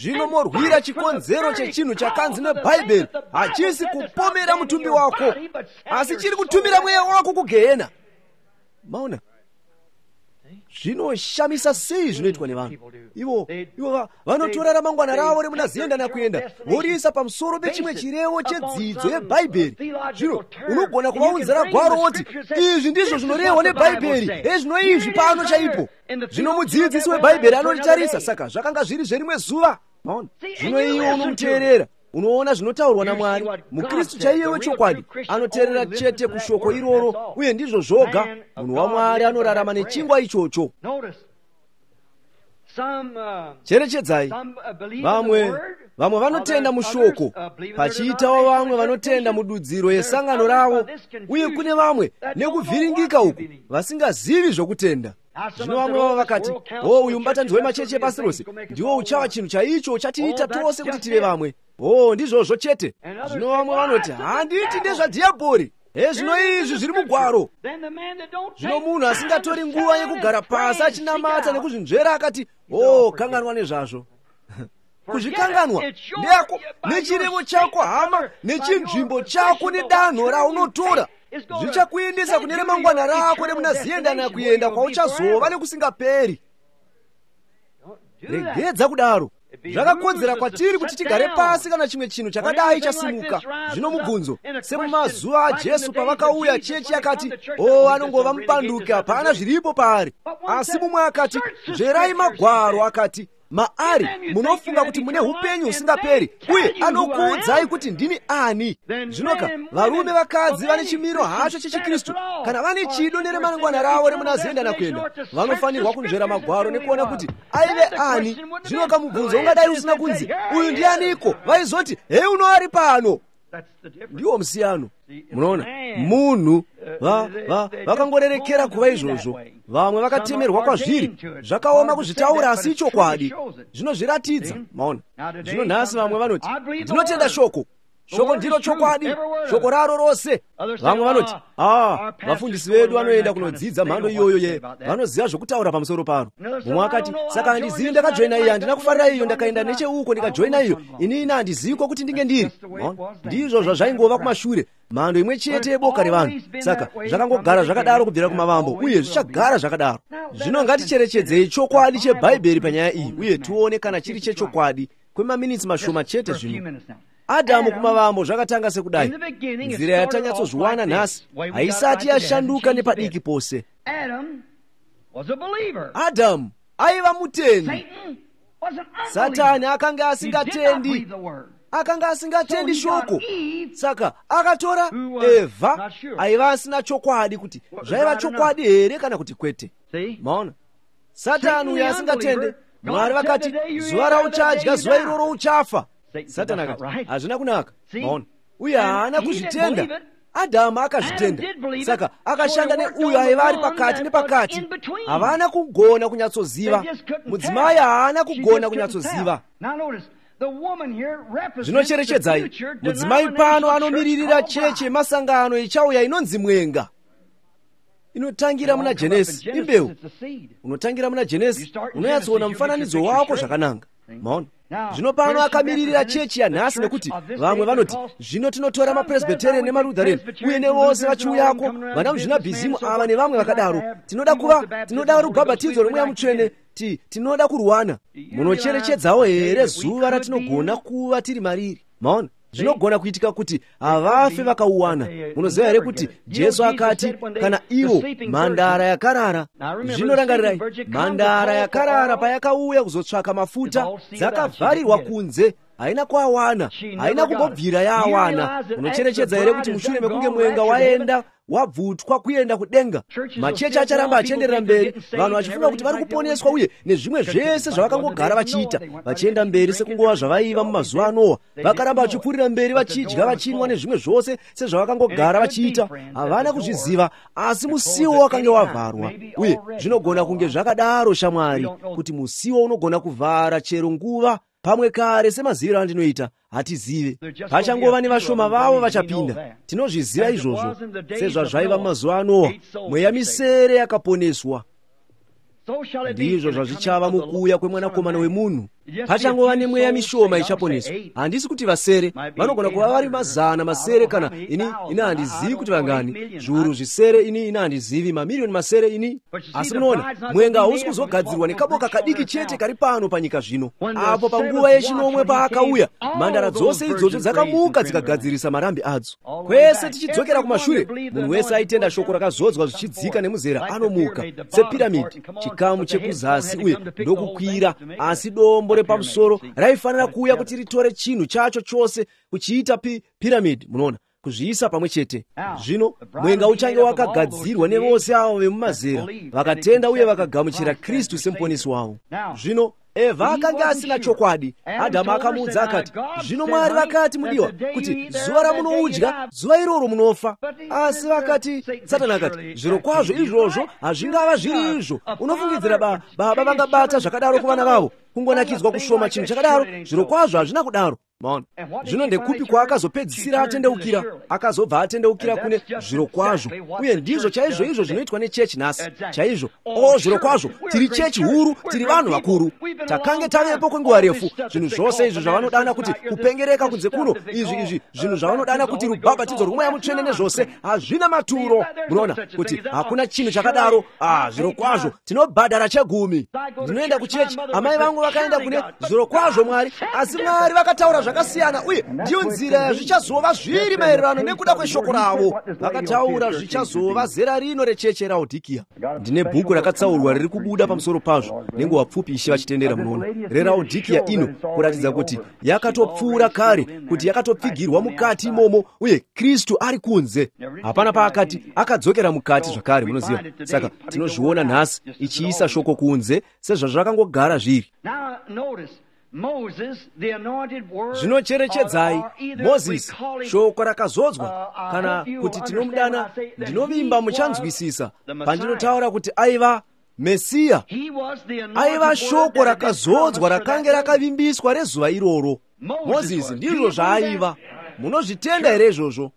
Zvino morwira chikonzero chechinhu chakanzi neBhaibheri hachisi kupomera mutumbi wako, asi chiri kutumira mweya wako kugehena. Maona zvinoshamisa sei zvinoitwa nevanhu ivo ivo vanotora ramangwana ravo remuna ziyenda nakuenda voriisa pamusoro pechimwe chirevo chedzidzo yeBhaibheri. Zvino unogona kuvaunzira gwaro woti izvi ndizvo zvinorehwa neBhaibheri, ezvino izvi pano chaipo. Zvino mudzidzisi weBhaibheri anoritarisa, saka zvakanga zviri zverimwe zuva. Maona zvino iwe unomuteerera, unoona zvinotaurwa naMwari. MuKristu chaiye wechokwadi anoteerera chete kushoko iroro, uye ndizvo zvoga. Munhu waMwari anorarama nechingwa ichocho. Cherechedzai, vamwe vamwe vanotenda mushoko, pachiitawo vamwe vanotenda mududziro yesangano ravo, uye kune vamwe nekuvhiringika uku vasingazivi zvokutenda. Zvino vamwe vavo vakati, o uyu mubatanidzo wemachechi epasi rose ndiwo uchava chinhu chaicho uchatiita tose kuti tive vamwe. O ndizvozvo chete. Zvino vamwe vanoti, handiti ndezvadhiabhori, hezvino izvi zviri mugwaro. Zvino munhu asingatori nguva yekugara pasi achinamata nekuzvinzvera akati, o kanganwa nezvazvo. Kuzvikanganwa ndeyako nechirevo chako hama, nechinzvimbo chako nedanho raunotora zvichakuendesa kune remangwana rako remuna ziyenda nakuenda kwauchazova nekusingaperi. Regedza kudaro. Zvakakodzera kwatiri kuti tigare pasi kana chimwe chinhu chakadai chasimuka. Zvino mubvunzo, semumazuva aJesu pavakauya, chechi yakati, o anongova mupanduki, hapana zviripo paari. Asi mumwe akati, nzverai magwaro, akati maari munofunga kuti mune upenyu husingaperi, uye anokuudzai kuti ndini ani. Zvinoka varume vakadzi vane chimiro hacho chechiKristu, kana vane chido neremangwana ravo remuna ziyenda nakuenda, vanofanirwa kunzvera magwaro nekuona kuti aive ani. Zvinoka mubvunzo ungadai usina kunzi uyu ndianiko, vaizoti hei uno ari pano. Ndiwo musiyano. Munoona, munhu vakangorerekera kuva izvozvo. Vamwe vakatemerwa kwazviri, zvakaoma kuzvitaura, asi ichokwadi zvinozviratidza. Maona zvino nhasi vamwe vanoti, ndinotenda shoko. Shoko ndiro chokwadi, shoko raro rose. Vamwe vanoti, ah, vafundisi vedu vanoenda kunodzidza mhando iyoyo ye vanoziva zvokutaura pamusoro paro. Mumwe akati, saka handizivi, ndakajoina iyi, handina kufarira iyo, ndakaenda necheuko ndikajoina iyo, inini handizivi kwokuti ndinge ndiri. Ndizvo zvazvaingova kumashure, mhando imwe chete yeboka revanhu. Saka zvakangogara zvakadaro kubvira kumavambo, uye zvichagara zvakadaro. Zvino ngaticherechedzei chokwadi chebhaibheri panyaya iyi, uye tione kana chiri chechokwadi kwemaminitsi mashoma chete. Zvino Adhamu kumavambo zvakatanga sekudai. Nzira yatanyatsozviwana nhasi haisati yashanduka nepadiki pose. Adhamu aiva mutendi. Satani akanga asingatendi, akanga asingatendi shoko. Saka akatora Evha aiva asina chokwadi kuti zvaiva chokwadi here kana kuti kwete. Maona, Satani uyo asingatende, Mwari vakati, zuva rauchadya zuva iroro uchafa. Satani akati, hazvina kunaka. Maona, uye haana kuzvitenda. Adhamu akazvitenda. Saka akashanda neuyo aiva ari pakati nepakati. Havana kugona kunyatsoziva. Mudzimai haana kugona kunyatsoziva. Zvinocherechedzai, mudzimai pano anomiririra chechi yemasangano ichauya inonzi mwenga. Inotangira muna Genesi, imbeu. Unotangira muna Genesi, unonyatsoona mufananidzo wako zvakananga. Maona, zvino pano akamiririra chechi yanhasi, nekuti vamwe vanoti, zvino tinotora mapresbyterian nemalutheran uye nevose vachiuyako, vana muzvinabhizimu ava nevamwe vakadaro. Tinoda kuva, tinoda rubhabhatidzo rwemweya mutsvene, ti tinoda kurwana. Munocherechedzawo here zuva ratinogona kuva tiri mariri? Maona, zvinogona kuitika kuti havafe vakauwana. Munoziva here kuti Jesu akati, kana ivo mhandara yakarara. Zvinorangarirai, mhandara yakarara payakauya kuzotsvaka mafuta, dzakavharirwa kunze, haina kuawana, haina kumbobvira yaawana. Unocherechedza here kuti mushure mekunge mwenga waenda wabvutwa kuenda kudenga, machechi acharamba achienderera mberi, vanhu vachifunga kuti vari kuponeswa uye nezvimwe zvese zvavakangogara vachiita, vachienda mberi sekungova zvavaiva mumazuva aNoa. Vakaramba vachipfuurira mberi vachidya, vachinwa nezvimwe zvose sezvavakangogara vachiita. Havana kuzviziva, asi musiwo wakange wavharwa. Uye zvinogona kunge zvakadaro, shamwari, kuti musiwo unogona kuvhara chero nguva, pamwe kare semaziviro andinoita, hatizive. Pachangova nevashoma vavo vachapinda. Tinozviziva izvozvo. Sezvazvaiva mumazuva aNoa, mweya misere yakaponeswa. Ndizvo zvazvichava mukuuya kwemwanakomana wemunhu. Pachangova nemweya mishoma ichaponeswa. Handisi kuti vasere, vanogona kuva vari mazana masere, kana ini ini handizivi kuti vangani, zviuru zvisere, ini ini handizivi, mamiriyoni masere ini. Asi munoona, mwenga hausi kuzogadzirwa nekaboka kadiki chete kari pano panyika zvino. Apo panguva yechinomwe paakauya, mhandara dzose idzodzo dzakamuka dzikagadzirisa marambi adzo. Kwese tichidzokera kumashure, munhu wese aitenda shoko rakazodzwa zvichidzika nemuzera anomuka sepiramidhi, chikamu chekuzasi uye ndokukwira, asi dombo repamusoro raifanira kuuya kuti ritore chinhu chacho chose kuchiita pi, piramidhi. Munoona, kuzviisa pamwe chete. Zvino mwenga uchange wakagadzirwa nevose avo vemumazera vakatenda uye vakagamuchira Kristu semuponesi wavo. Zvino Evha akanga asina chokwadi. Adhamu akamuudza akati, zvino Mwari vakati, mudiwa, kuti zuva ramunoudya, zuva iroro munofa. Asi vakati, Satani akati, zviro kwazvo izvozvo hazvingava zviri izvo. Unofungidzira ba, baba vangabata zvakadaro kuvana vavo? Kungonakidzwa kushoma chinhu chakadaro, zviro kwazvo hazvina kudaro. Maona, zvino ndekupi kwaakazopedzisira atendeukira? Akazobva atendeukira kune zviro kwazvo. Uye ndizvo chaizvo izvo zvinoitwa nechechi nhasi. Chaizvo, o zviro kwazvo, tiri chechi huru, tiri vanhu vakuru, takange tavepo kwenguva refu. Zvinhu zvose izvi zvavanodana kuti kupengereka kunze kuno, izvi izvi zvinhu zvavanodana kuti rubhabhatidzo rwomweya mutsvene nezvose, hazvina maturo. Munoona kuti hakuna chinhu chakadaro. Ah, zviro kwazvo tinobhadhara chegumi. Ndinoenda kuchechi, amai vangu vakaenda kune zviro kwazvo Mwari, asi Mwari vakataura zvakasiyana, uye ndiyo nzira yazvichazova zviri maererano nekuda kweshoko ravo. Vakataura zvichazova zera rino recheche raOdhikiya. Ndine bhuku rakatsaurwa riri kubuda pamusoro pazvo nenguva pfupi, Ishe vachitendera. Munoona, reraOdhikiya ino, kuratidza kuti yakatopfuura kare, kuti yakatopfigirwa mukati imomo, uye Kristu ari kunze. Hapana paakati akadzokera mukati zvakare, munoziva. Saka tinozviona nhasi ichiisa shoko kunze sezvazvakangogara zviri. Zvinocherechedzai, Mozisi, shoko rakazodzwa, kana kuti tinomudana, ndinovimba muchanzwisisa pandinotaura kuti aiva Mesiya. Aiva shoko rakazodzwa rakange rakavimbiswa rezuva iroro. Mozisi ndizvo zvaaiva. Munozvitenda here izvozvo?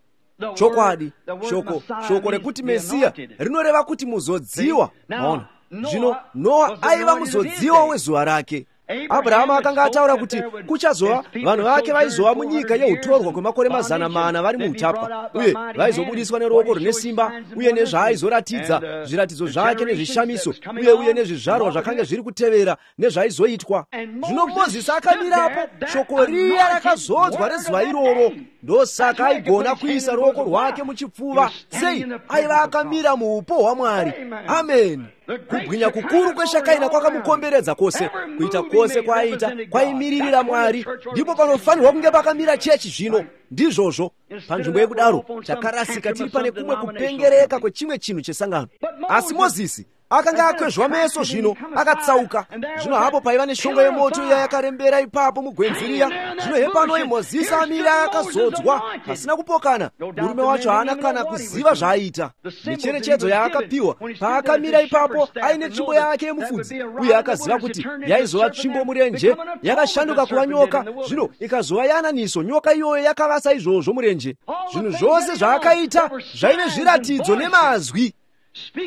Chokwadi, shoko shoko rekuti Mesiya rinoreva kuti muzodziwa. Maona? Zvino Noa aiva muzodziwa wezuva rake. Abrahamu akanga ataura kuti kuchazova vanhu vake vaizova munyika yeutorwa kwemakore mazana mana vari muutapwa, uye vaizobudiswa neruoko rune simba, uye nezvaaizoratidza zviratidzo zvake nezvishamiso, uye uye nezvizvarwa zvakanga zviri kutevera nezvaizoitwa. Zvino Mozisi akamirapo, shoko riya rakazodzwa rezuva iroro. Ndosaka aigona kuisa ruoko rwake muchipfuva. Sei? Aiva akamira muupo hwaMwari. Amen. Kubwinya kukuru kweshakaina kwakamukomberedza kwose. Kuita kwose kwaaiita kwaimiririra Mwari. Ndipo panofanirwa kunge pakamira chechi zvino. Ndizvozvo. Panzvimbo yekudaro takarasika tiri pane kumwe kupengereka kwechimwe chinhu chesangano. Asi Mozisi akanga akwezvwa meso zvino akatsauka. Zvino hapo paiva neshongwe yemoto iya yakarembera ipapo mugwenzi riya. Zvino hepanoi Mozisi amira akazodzwa pasina kupokana. Murume wacho haana kana kuziva zvaaita. Micherechedzo yaakapiwa paakamira ipapo aine tsvimbo yake yemufudzi, uye akaziva kuti yaizova tsvimbo murenje yakashanduka kuva nyoka, zvino ikazova yananiso. Nyoka iyoyo yakavasa izvozvo murenje. Zvinhu zvose zvaakaita zvaive zviratidzo nemazwi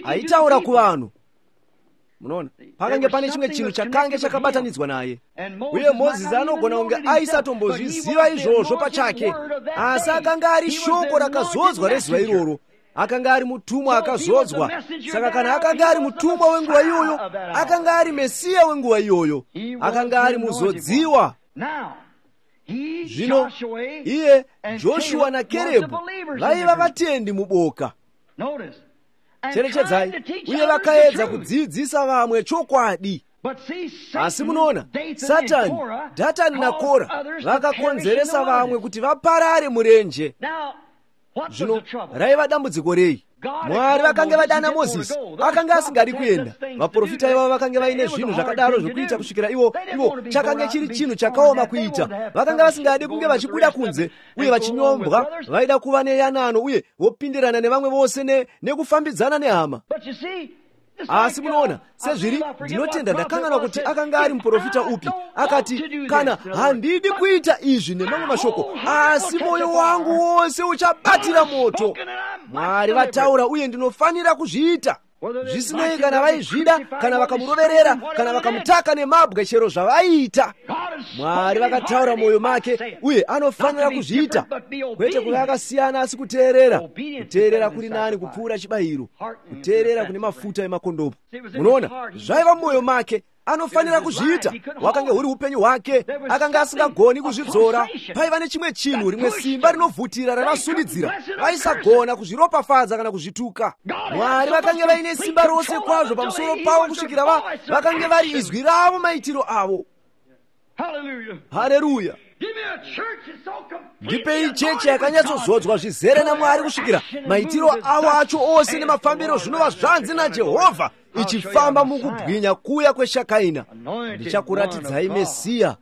aitaura kuvanhu. Munoona, pakange pane chimwe chinhu chakange chakabatanidzwa naye. Uye Mozisi anogona kunge aisatombozviziva izvozvo pachake, asi akanga ari shoko rakazodzwa rezuva iroro. Akanga ari mutumwa akazodzwa. Saka kana akanga ari mutumwa wenguva iyoyo, akanga ari Mesiya wenguva iyoyo, akanga ari muzodziwa. Zvino iye Joshua naKerebhu vaiva vatendi muboka. Cherechedzai, uye vakaedza kudzidzisa vamwe chokwadi. Asi munoona, Satani, Dhatani naKora vakakonzeresa vamwe kuti vaparare murenje. Zvino raiva dambudziko rei? Mwari vakange vadana Mozisi, akanga asingadi kuenda. Vaprofita ivavo vakange vaine zvinhu zvakadaro zvokuita kusvikira ivo ivo chakange chiri chinhu chakaoma kuita. Vakanga vasingadi kunge vachibuda kunze uye vachinyombwa. Vaida kuva neyanano uye vopindirana nevamwe vose ne, nekufambidzana nehama. Asi munoona, sezviri, ndinotenda ndakanganwa kuti akanga ari muprofita upi. Akati, kana handidi kuita izvi nemamwe mashoko, asi mwoyo wangu wose uchabatira moto. Mwari vataura uye ndinofanira kuzviita. Zvisinei kana vaizvida, kana vakamuroverera, kana vakamutaka nemabwe, chero zvavaiita, Mwari vakataura mwoyo make uye anofanira kuzviita. Kwete kuva akasiyana, asi kuteerera. Kuteerera kuri nani kupfuura chibayiro, kuteerera kune mafuta emakondopo. Munoona, zvaiva mumwoyo make, anofanira kuzviita. Wakange huri upenyu hwake, akanga asingagoni kuzvidzora. Paiva nechimwe chinhu, rimwe simba rinovhutira ravasundidzira. Vaisagona kuzviropafadza kana kuzvituka. Mwari vakange vaine simba rose kwazvo pamusoro pavo kusvikira va vakange vari izwi ravo, maitiro avo. Haleluya! Ndipei chechi yakanyatsozodzwa zvizere naMwari kusvikira maitiro avo acho ose nemafambiro zvinova zvanzi naJehovha, ichifamba mukubwinya kuya kweshakaina. Ndichakuratidzai Mesiya,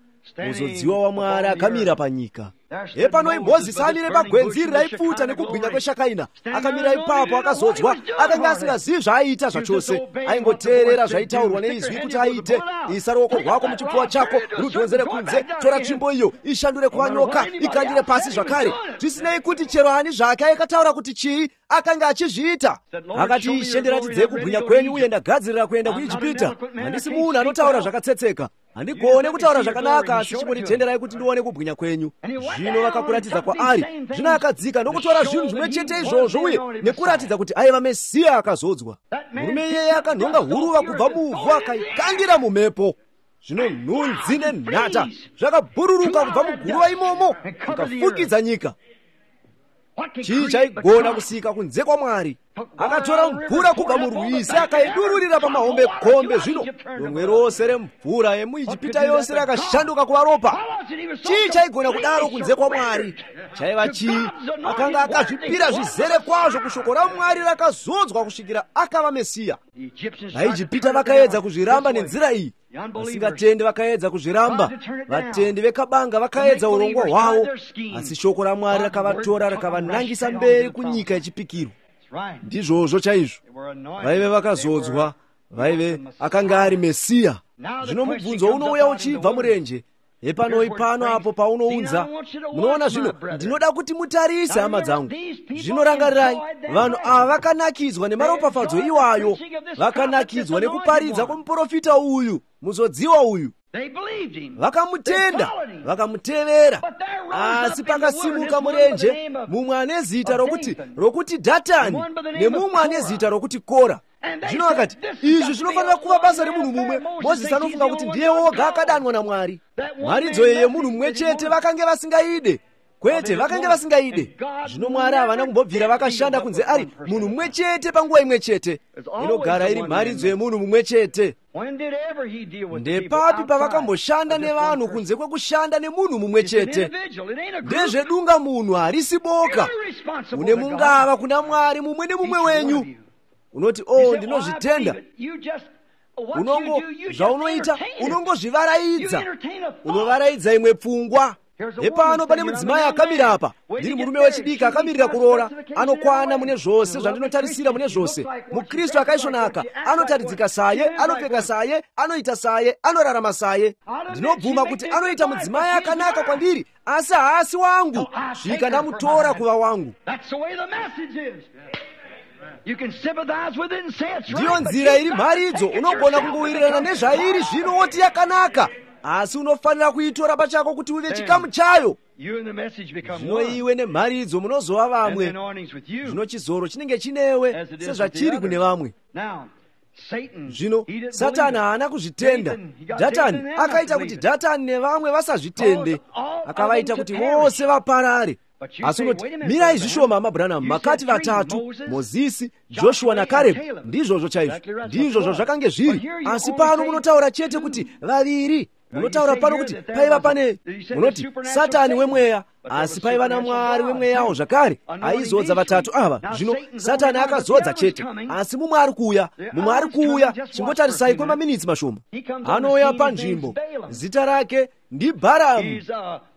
muzodziwa waMwari akamira panyika. Hepanoi Mozisi amire pagwenzi iri raipfuta nekubwinya kweshakaina. Akamira ipapo akazodzwa. Akanga asingazivi zvaaiita zvachose. Aingoteerera zvaitaurwa neizwi kuti aite. Isa ruoko rwako muchipfuva chako, rudhonzere kunze, tora tsvimbo iyo, ishandure kuva nyoka, ikandire pasi zvakare. Zvisinei kuti chero ani zvake aikataura kuti chii, akanga achizviita. Akati, Ishe, ndiratidzei kubwinya kwenyu uye ndagadzirira kuenda kuIjipita. Handisi munhu anotaura zvakatsetseka. Handigone kutaura zvakanaka, asi chimbonditenderai kuti ndione kubwinya kwenyu. Zvino vakakuratidza kwaari. Zvino akadzika ndokutora zvinhu zvimwe chete izvozvo uye nekuratidza kuti aiva Mesiya akazodzwa. Murume iyeye akanhonga huruva kubva muvhu akaikandira mumhepo. Zvino nhunzi nenhata zvakabhururuka kubva muguruva imomo zvikafukidza nyika. Chii chaigona kusika kunze kwaMwari? Akatora mvura kubva murwizi akaidururira pamahombekombe. Zvino donwe rose remvura yemuIjipita yose rakashanduka kuva ropa. Chii chaigona kudaro kunze kwaMwari? Chaiva chii? Akanga akazvipira zvizere kwazvo kushoko raMwari rakazodzwa kusvikira akava Mesiya. VaIjipita vakaedza kuzviramba nenzira iyi. Vasingatendi vakaedza kuzviramba. Vatendi vekabanga vakaedza urongwa hwavo, asi shoko raMwari rakavatora rakavanangisa mberi kunyika yechipikirwa. Ndizvozvo chaizvo. Vaive vakazodzwa, vaive akanga ari Mesiya. Zvino mubvunzo unouya uchibva murenje. Hepanoi pano apo paunounza. Munoona zvino, ndinoda kuti mutarise, hama dzangu. Zvino rangarirai, vanhu ava vakanakidzwa nemaropafadzo iwayo, vakanakidzwa nekuparidza kwomuprofita uyu, muzodziwa uyu. Vakamutenda, vakamutevera. Asi pakasimuka murenje mumwe ane zita rokuti rokuti Dhatani nemumwe ane zita rokuti Kora. Zvino akati, izvi zvinofanira kuva basa remunhu mumwe. Mozisi anofunga kuti ndiye woga akadanwa naMwari. Mharidzo iyi yemunhu mumwe chete vakange vasingaide. Kwete, vakange vasingaide. Zvino Mwari havana kumbobvira vakashanda kunze ari munhu mumwe chete panguva imwe chete. Inogara iri mharidzo yemunhu mumwe chete. Ndepapi pavakamboshanda nevanhu kunze kwekushanda nemunhu mumwe chete? Ndezvedunga munhu, harisi boka. Une mungava kuna Mwari mumwe nemumwe wenyu. Unoti, oh, ndinozvitenda. Unongo zvaunoita, unongozvivaraidza. Unovaraidza imwe pfungwa. Hepano pane mudzimai akamira apa. Ndiri murume wechidiki akamirira kuroora, anokwana mune zvose zvandinotarisira mune zvose. MuKristu akaisvonaka, anotaridzika saye, anopfeka saye, anoita saye, anorarama saye. Ndinobvuma kuti anoita mudzimai akanaka kwandiri, asi haasi wangu. Svika ndamutora kuva wangu. Ndiyo nzira iri mharidzo. Unogona kungowirirana nezvairi zvino woti yakanaka, asi unofanira kuitora pachako kuti uve chikamu chayo. Zvino iwe nemharidzo munozova vamwe. Zvino chizoro chinenge chinewe sezvachiri kune vamwe. Zvino Satani haana kuzvitenda. Dhatani akaita kuti Dhatani nevamwe vasazvitende, akavaita kuti vose vaparare. Asi unoti, mirai zvishoma, hama Branham, makati vatatu, Mozisi, Joshua naKarebhu. Ndizvozvo chaizvo, ndizvozvo zvakange zviri. Asi pano munotaura chete kuti vaviri. Munotaura pano kuti paiva pane, munoti Satani wemweya, asi paiva naMwari wemweyawo zvakare aizodza vatatu ava. Zvino Satani akazodza chete, asi mumwe ari kuuya, mumwe ari kuuya. Chingotarisai kwemaminitsi mashoma. Anouya panzvimbo, zita rake ndiBharamu.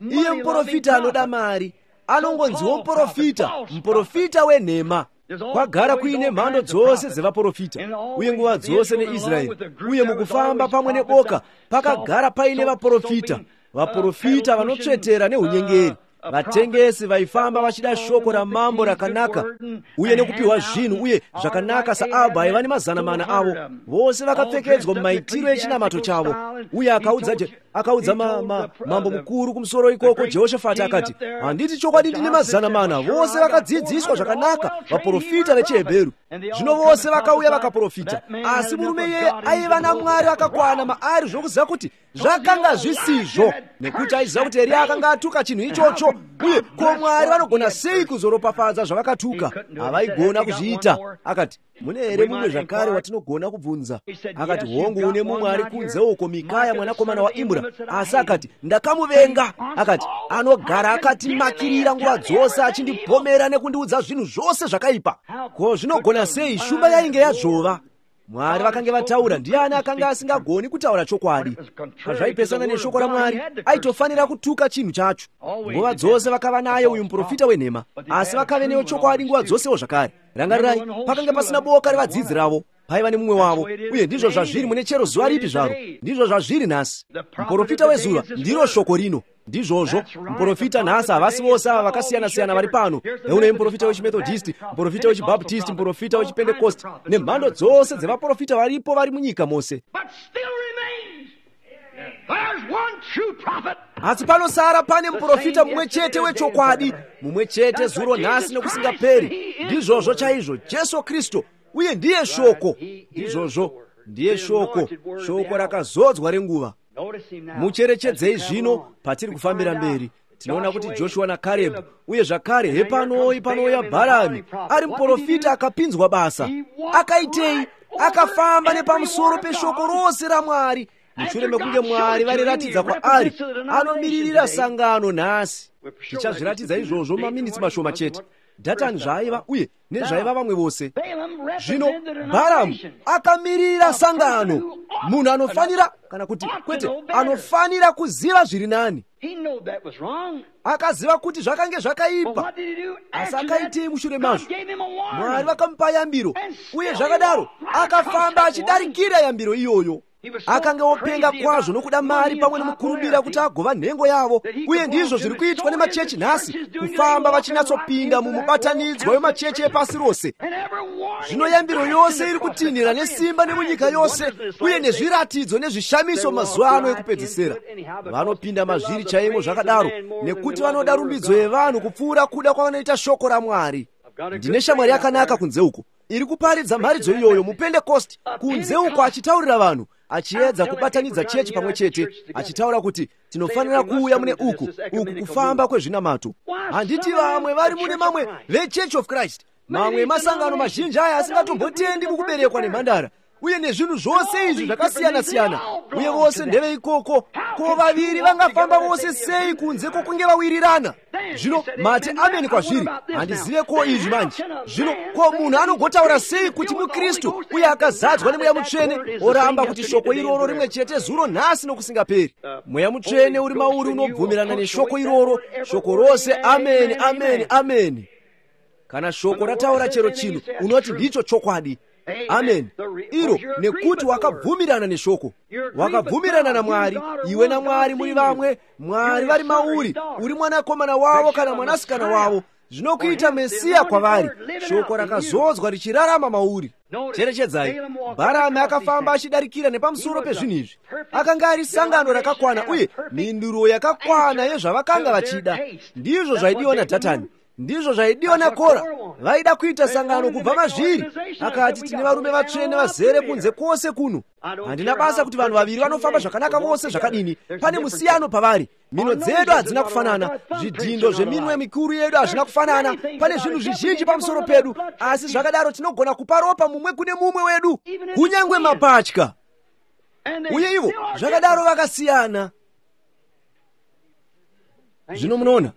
Iye muprofita anoda mari, anongonziwo muprofita, muprofita wenhema. Kwagara kuine mhando dzose dzevaprofita, uye nguva dzose neIsraeri, uye mukufamba pamwe neboka pakagara paine vaprofita, vaprofita vanotsvetera neunyengeri, vatengesi vaifamba vachida shoko ramambo rakanaka uye nekupiwa zvinhu uye zvakanaka saAbha aiva nemazana mana avo, vose vakapfekedzwa mumaitiro echinamato chavo. Uye akaudza akaudza ma, ma, mambo mukuru kumusoro ikoko Jehoshafati akati, handiti chokwadi ndine mazana mana, vose vakadzidziswa zvakanaka, vaprofita vechiHebheru. Zvino vose vakauya vakaprofita, asi murume iyeye aiva naMwari akakwana maari zvokuziva kuti zvakanga zvisizvo, nekuti aiziva kuti Eriya akanga atuka chinhu ichocho. Uye ko Mwari vanogona sei kuzoropafadza zvavakatuka? Havaigona kuzviita. Akati, mune here mumwe zvakare watinogona kubvunza? Akati, hongu, une mumwe ari kunze uko, Mikaya mwanakomana waImra. Asi akati, ndakamuvenga. Akati, anogara akatimakirira nguva dzose achindipomera nekundiudza zvinhu zvose zvakaipa. Ko zvinogona sei? Shumba yainge yazvova. Mwari vakange vataura, ndiani akanga asingagoni kutaura chokwadi? Pazvaipesana neshoko raMwari, aitofanira kutuka chinhu chacho. Nguva dzose vakava naye uyu muprofita wenhema, asi vakave neyo chokwadi nguva dzosewo zvakare. Rangarirai, pakanga pasina boka revadzidzi ravo, paiva nemumwe wavo. Uye ndizvo zvazviri mune chero zuva ripi zvaro, ndizvo zvazviri nhasi. Muprofita wezuva ndiro shoko rino. Ndizvozvo, muprofita nhasi havasi vose ava vakasiyana-siyana vari pano. Neune muprofita wechiMethodist, muprofita wechiBaptist, muprofita wechiPentecost, nemhando dzose dzevaprofita varipo vari munyika mose. Asi panosara pane muprofita mumwe chete wechokwadi, mumwe chete zuro, nhasi nokusingaperi. Ndizvozvo chaizvo, Jesu Kristu, uye ndiye shoko. Ndizvozvo, ndiye shoko, shoko rakazodzwa renguva. Mucherechedzei zvino patiri kufambira mberi. Tinoona kuti Joshua naKarebhu, uye zvakare hepanoi panouya Bharami ari muprofita akapinzwa basa. Akaitei? Akafamba nepamusoro peshoko rose raMwari. Mushure mekunge Mwari variratidza kwaari, anomiririra sangano nhasi. Tichazviratidza izvozvo maminitsi mashoma chete. Dhatani zvaiva uye nezvaiva vamwe vose. Zvino Bharamu akamirira sangano, munhu anofanira, kana kuti kwete, anofanira kuziva zviri nani. Akaziva kuti zvakange zvakaipa, asi akaitei mushure mazvo? Mwari vakamupa yambiro, uye zvakadaro akafamba achidarikira yambiro iyoyo. Akanga openga kwazvo nokuda mari pamwe nomukurumbira kuti agova nhengo yavo. Uye ndizvo zviri kuitwa nemachechi nhasi, kufamba vachinyatsopinda mumubatanidzwa wemachechi epasi rose. Zvino yambiro yose iri kutinhira nesimba nemunyika yose, uye nezviratidzo nezvishamiso mazuva ano ekupedzisira. Vanopinda mazviri chaimo zvakadaro, nekuti vanoda rumbidzo yevanhu kupfuura kuda kwavanoita shoko raMwari. Ndine shamwari yakanaka kunze uko iri kuparidza mharidzo iyoyo muPentekosti, kunze uko achitaurira vanhu, achiedza kubatanidza chechi pamwe chete, achitaura kuti tinofanira kuuya mune uku uku kufamba kwezvinamato. Handiti vamwe vari mune mamwe veChurch of Christ, mamwe masangano mazhinji aya asingatombotendi mukuberekwa nemhandara, uye nezvinhu zvose izvi zvakasiyana-siyana, uye vose ndeveikoko. Ko vaviri vangafamba vose sei kunze kwokunge vawirirana? Zvino mati ameni kwazviri. Handizive ko izvi manje. Zvino ko munhu anogotaura sei kuti muKristu uye akazadzwa neMweya Mutsvene, oramba kuti shoko iroro rimwe chete zuro nhasi nokusingaperi? Mweya Mutsvene uri mauri unobvumirana neshoko iroro, shoko rose ameni, ameni, ameni. Kana shoko rataura chero chinhu, unoti ndicho chokwadi. Amen. Iro nekuti wakabvumirana neshoko, wakabvumirana naMwari. Iwe naMwari muri vamwe, Mwari vari mauri, uri mwanakomana wavo kana mwanasikana wavo. Zvinokuita Mesiya kwavari, shoko rakazodzwa richirarama mauri. Cherechedzai, Bharami akafamba achidarikira nepamusoro pezvinhu izvi. Akanga ari sangano rakakwana uye mhinduro yakakwana yezvavakanga vachida. Ndizvo zvaidiwa naDhatani, ndizvo zvaidiwa naKora. Vaida kuita sangano kubva mazviri. Akati, tine varume vatsvene vazere kunze kwose kuno. Handina basa kuti vanhu vaviri vanofamba zvakanaka vose zvakadini, pane musiyano pavari. Mino dzedu hadzina kufanana, zvidhindo zveminwe mikuru yedu hazvina kufanana, pane zvinhu zvizhinji pamusoro pedu, asi zvakadaro tinogona kupa ropa mumwe kune mumwe wedu, kunyange mapatya. Uye ivo zvakadaro vakasiyana. Zvino munoona,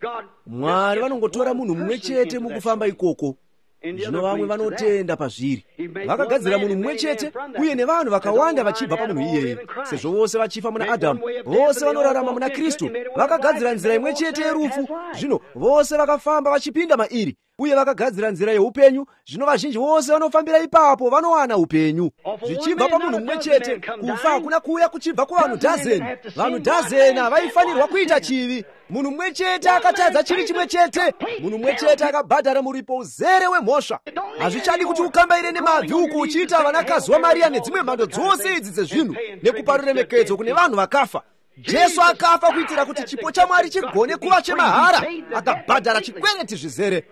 Mwari vanongotora munhu mumwe chete mukufamba ikoko. Zvino vamwe vanotenda pazviri. Vakagadzira munhu mumwe chete uye nevanhu vakawanda vachibva pamunhu iyeye. Sezvo vose vachifa muna Adhamu, vose vanorarama muna Kristu. Vakagadzira nzira imwe chete yerufu, zvino vose vakafamba vachipinda mairi, uye vakagadzira nzira yeupenyu. Zvino vazhinji vose vanofambira ipapo vanowana upenyu. Zvichibva pamunhu mumwe chete, kufa hakuna kuuya kuchibva kuvanhu dhazeni. Vanhu dhazeni havaifanirwa kuita chivi. Munhu mumwe chete akatadza chivi chimwe chete, munhu mumwe chete akabhadhara muripo uzere wemhosva. Hazvichadi kuti ukambaire nemabvi uku uchiita vanakazi waMariya nedzimwe mhando dzose idzi dzezvinhu, nekupa ruremekedzo kune vanhu vakafa. Jesu akafa kuitira kuti chipo chaMwari chigone kuva chemahara. Akabhadhara chikwereti zvizere.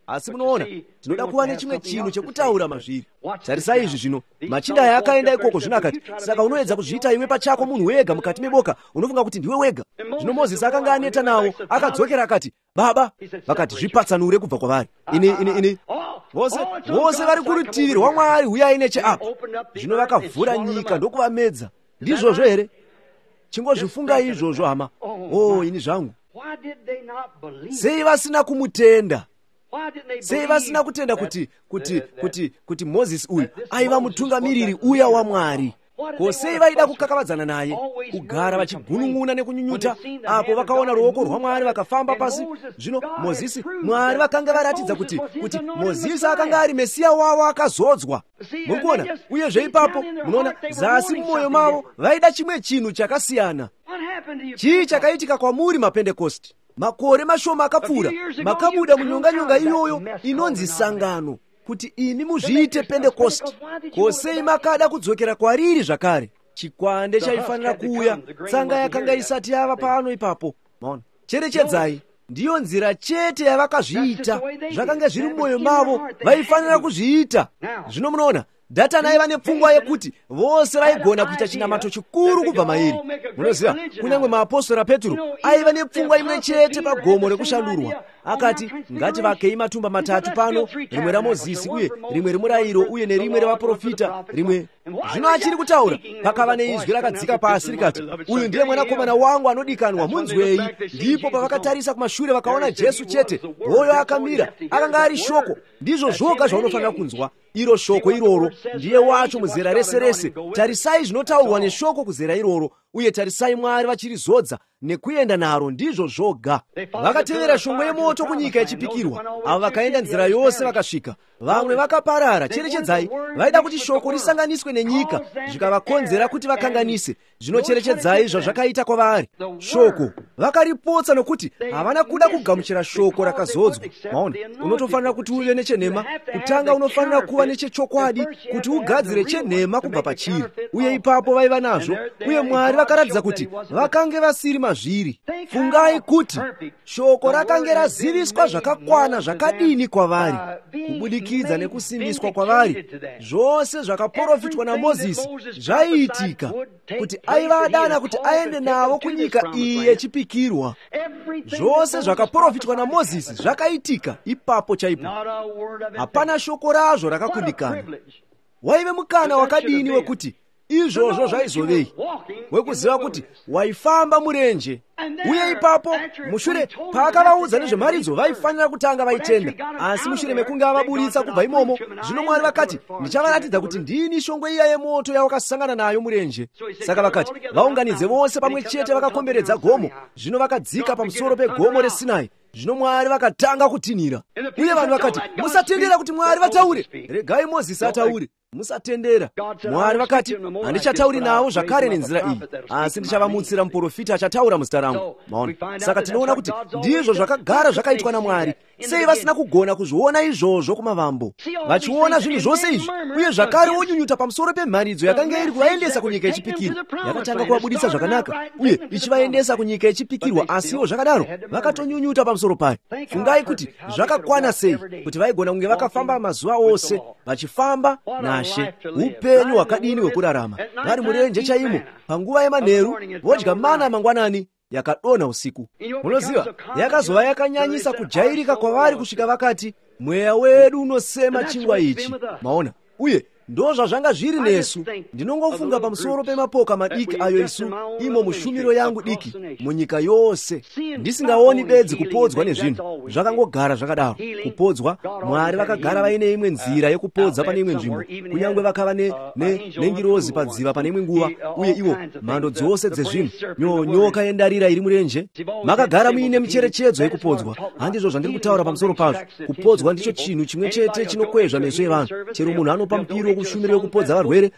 Asi munoona, tinoda kuva nechimwe chinhu chekutaura mazviri. Tarisai izvi zvino. Machinda aya akaenda ikoko zvino akati, saka unoedza kuzviita iwe pachako munhu wega mukati meboka, unofunga kuti ndiwe wega. Zvino Mozisi akanga aneta nawo, akadzokera akati, baba, vakati zvipatsanure kubva kwavari. Ini, ini, ini. Vose, vose vari kurutivi rwaMwari huyai necheapa. Zvino vakavhura nyika ndokuvamedza. Ndizvozvo here? Chingozvifungai izvozvo hama. Oh, ini zvangu. Sei vasina kumutenda? Sei vasina kutenda kuti kuti kuti kuti Mozisi uyu aiva mutungamiriri uya waMwari? Ko sei vaida kukakavadzana naye, kugara vachigunun'una nekunyunyuta apo vakaona ruoko rwaMwari vakafamba pasi? Zvino Mozisi, Mwari vakanga varatidza kuti kuti Mozisi akanga ari Mesiya wavo akazodzwa. Muri kuona? Uyezve ipapo munoona zasi mumwoyo mavo vaida chimwe chinhu chakasiyana. Chii chakaitika kwamuri maPentekosti? Makore mashoma akapfuura, makabuda munyonganyonga iyoyo inonzi sangano, kuti imi muzviite Pentekosti. Ko sei makada kudzokera kwariri zvakare? Chikwande chaifanira kuuya, tsanga yakanga isati yava pano ipapo. Maona? Cherechedzai, ndiyo nzira chete yavakazviita. Zvakanga zviri mumwoyo mavo, vaifanira kuzviita. Zvino munoona, Dhatani aiva nepfungwa yekuti vose vaigona kuita chinamato chikuru kubva mairi. Munoziva, kunyange maapostora Petro aiva nepfungwa imwe chete pagomo rekushandurwa. Akati, ngativakei matumba matatu pano, rimwe raMozisi uye rimwe remurayiro uye nerimwe revaprofita, rimwe. Zvino achiri kutaura, pakava neizwi rakadzika pasi rikati, uyu ndiye mwanakomana wangu anodikanwa, munzwei. Ndipo pavakatarisa kumashure vakaona Jesu chete, hoyo akamira, akanga ari shoko. Ndizvo zvoga zvaunofanira kunzwa. Iro shoko iroro ndiye wacho muzera rese rese. Tarisai zvinotaurwa neshoko kuzera iroro, Uye tarisai Mwari vachirizodza nekuenda naro, ndizvo zvoga. Vakatevera shongwe yemoto kunyika yechipikirwa. Avo vakaenda nzira yose vakasvika. Vamwe vakaparara. Cherechedzai, vaida kuti shoko risanganiswe nenyika, zvikavakonzera kuti vakanganise. Zvino cherechedzai zvazvakaita kwavari. Shoko vakaripotsa nokuti havana kuda kugamuchira shoko rakazodzwa. Maona, unotofanira kuti uve nechenhema kutanga, unofanira kuva nechechokwadi kuti ugadzire chenhema kubva pachiri. Uye ipapo vaiva nazvo, uye Mwari vakaratidza kuti vakange vasiri mazviri. Fungai kuti shoko rakange raziviswa zvakakwana zvakadini kwavari, kubudikidza nekusimbiswa kwavari. Zvose zvakaprofitwa naMozisi zvaiitika, kuti aiva adana kuti aende navo kunyika iyi yechipikirwa. Zvose zvakaprofitwa naMozisi zvakaitika ipapo chaipo. Hapana shoko razvo rakakundikana. Waive mukana wakadini wekuti izvozvo zvaizovei, wekuziva kuti waifamba murenje. Uye ipapo mushure paakavaudza nezvemharidzo, vaifanira kutanga vaitenda. Asi mushure mekunge avaburitsa kubva imomo, zvino Mwari vakati, ndichavaratidza kuti ndini shongwe iya yemoto yawakasangana nayo murenje. Saka vakati vaunganidze vose pamwe chete vakakomberedza gomo. Zvino vakadzika pamusoro pegomo reSinai. Zvino Mwari vakatanga kutinhira, uye vanhu vakati, musatendera kuti Mwari vataure, regai Mozisi ataure. Musatendera. Mwari vakati, handichatauri navo zvakare nenzira iyi, asi ndichavamutsira muprofita achataura muzita rangu. Maona? Saka tinoona kuti ndizvo zvakagara zvakaitwa naMwari. Sei vasina kugona kuzviona izvozvo kumavambo, vachiona zvinhu zvose izvi, uye zvakare wonyunyuta pamusoro pemharidzo yakanga iri kuvaendesa kunyika yechipikirwa. Yakatanga kuvabudisa zvakanaka uye ichivaendesa kunyika yechipikirwa, asiwo zvakadaro vakatonyunyuta pamusoro payo. Fungai kuti zvakakwana sei kuti vaigona kunge vakafamba mazuva ose vachifamba naShe. Upenyu hwakadini hwekurarama vari murenje chaimo, panguva yemanheru vodya mana mangwanani yakadonha usiku. Munoziva, yakazova yakanyanyisa kujairika kwavari kusvika vakati, mweya wedu unosema chingwa ichi. Maona? Uye ndo zvazvanga zviri nesu. Ndinongofunga pamusoro pemapoka madiki ayo isu imo mushumiro yangu diki munyika yose, ndisingaoni bedzi kupodzwa nezvinhu zvakangogara zvakadaro. Kupodzwa, Mwari vakagara vaine imwe nzira yekupodza pane imwe nzvimbo, kunyange vakava nengirozi padziva pane imwe nguva, uye ivo mhando dzose dzezvinhu, nyoka yendarira iri murenje. Makagara muine micherechedzo yekupodzwa. Handizvo zvandiri kutaura pamusoro pazvo. Kupodzwa ndicho chinhu chimwe chete chinokwezva meso evanhu. Chero munhu anopa mupiro kushumiro yekupodza varwere,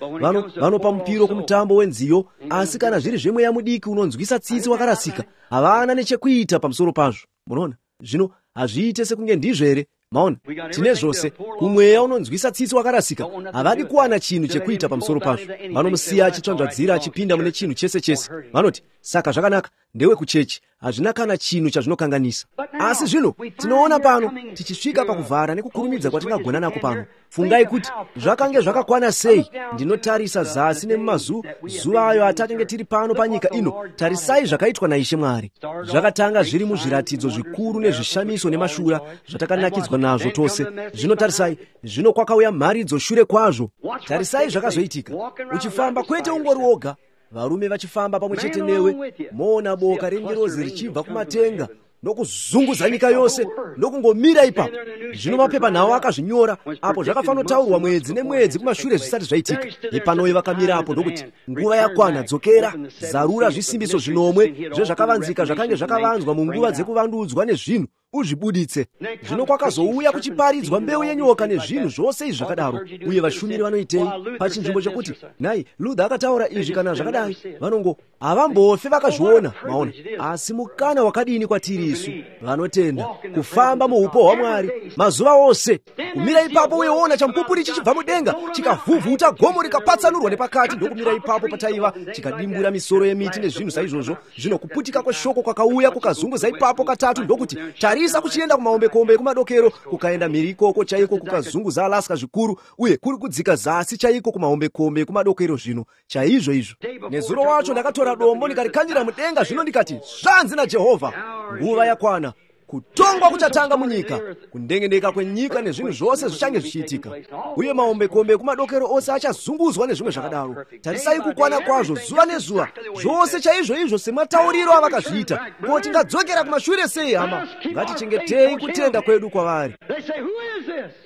vanopa mupiro kumutambo wenziyo, asi kana zviri zvemweya mudiki unonzwisa tsitsi wakarasika, havana nechekuita pamusoro pazvo. Munoona? Zvino hazviite sekunge ndizvo here? Maona, tine zvose. Kumweya unonzwisa tsitsi wakarasika, havadi kuwana chinhu chekuita pamusoro pazvo. Vanomusiya achitsvanzvadzira achipinda mune chinhu chese chese. Vanoti, saka zvakanaka, ndewe kuchechi, hazvina kana chinhu chazvinokanganisa. Asi zvino tinoona pano tichisvika pakuvhara nekukurumidza kwatingagona nako pano. Fungai kuti zvakange zvakakwana sei. Ndinotarisa zasi nemumazuva ayo atatenge tiri pano panyika ino. Tarisai zvakaitwa naIshe Mwari. Zvakatanga zviri muzviratidzo zvikuru nezvishamiso nemashura zvatakanakidzwa nazvo tose. Zvino tarisai, zvino kwakauya mharidzo shure kwazvo. Tarisai zvakazoitika. Uchifamba kwete ungori woga, varume vachifamba pamwe chete newe, moona boka rengirozi richibva kumatenga nokuzunguza nyika yose nokungomira ipapo. Zvino mapepanhau akazvinyora apo zvakafanotaurwa mwedzi nemwedzi kumashure zvisati zvaitika. Ipanoi vakamira apo ndokuti, nguva yakwana, dzokera, zarura zvisimbiso zvinomwe zvezvakavanzika zvakange zvakavanzwa munguva dzekuvandudzwa nezvinhu, uzvibuditse. Zvino kwakazouya kuchiparidzwa mbeu yenyoka nezvinhu zvose izvi zvakadaro. Uye vashumiri vanoitei? Pachinzvimbo chekuti, nhai, Luther akataura izvi kana zvakadai, vanongo havambofe vakazviona. Maona? Asi mukana wakadini kwatiri isu vanotenda kufamba muupo hwaMwari mazuva ose, kumira ipapo uye woona chamupupuri chichibva mudenga chikavhuvhuta gomo rikapatsanurwa nepakati, ndokumira ipapo pataiva, chikadimbura misoro yemiti nezvinhu saizvozvo. Zvino kuputika kweshoko kwakauya kukazunguza ipapo katatu, ndokuti tarisa kuchienda kumahombekombe ekumadokero, kukaenda mhiri ikoko chaiko, kukazunguza Alaska zvikuru, uye kuri kudzika zasi chaiko kumahombekombe ekumadokero. Zvino chaizvo izvo, nezuro wacho ndakatora dombo ndikarikandira mudenga, zvino ndikati, zvanzi naJehovha, nguva yakwana, kutongwa kuchatanga munyika, kundengendeka kwenyika nezvinhu zvose zvichange zvichiitika, uye mahombekombe ekumadokero ose achazunguzwa nezvimwe zvakadaro. Tarisai kukwana kwazvo, zuva nezuva, zvose chaizvo izvo sematauriro avakazviita. Ko tingadzokera kumashure sei, hama? Ngatichengetei kutenda kwedu kwavari.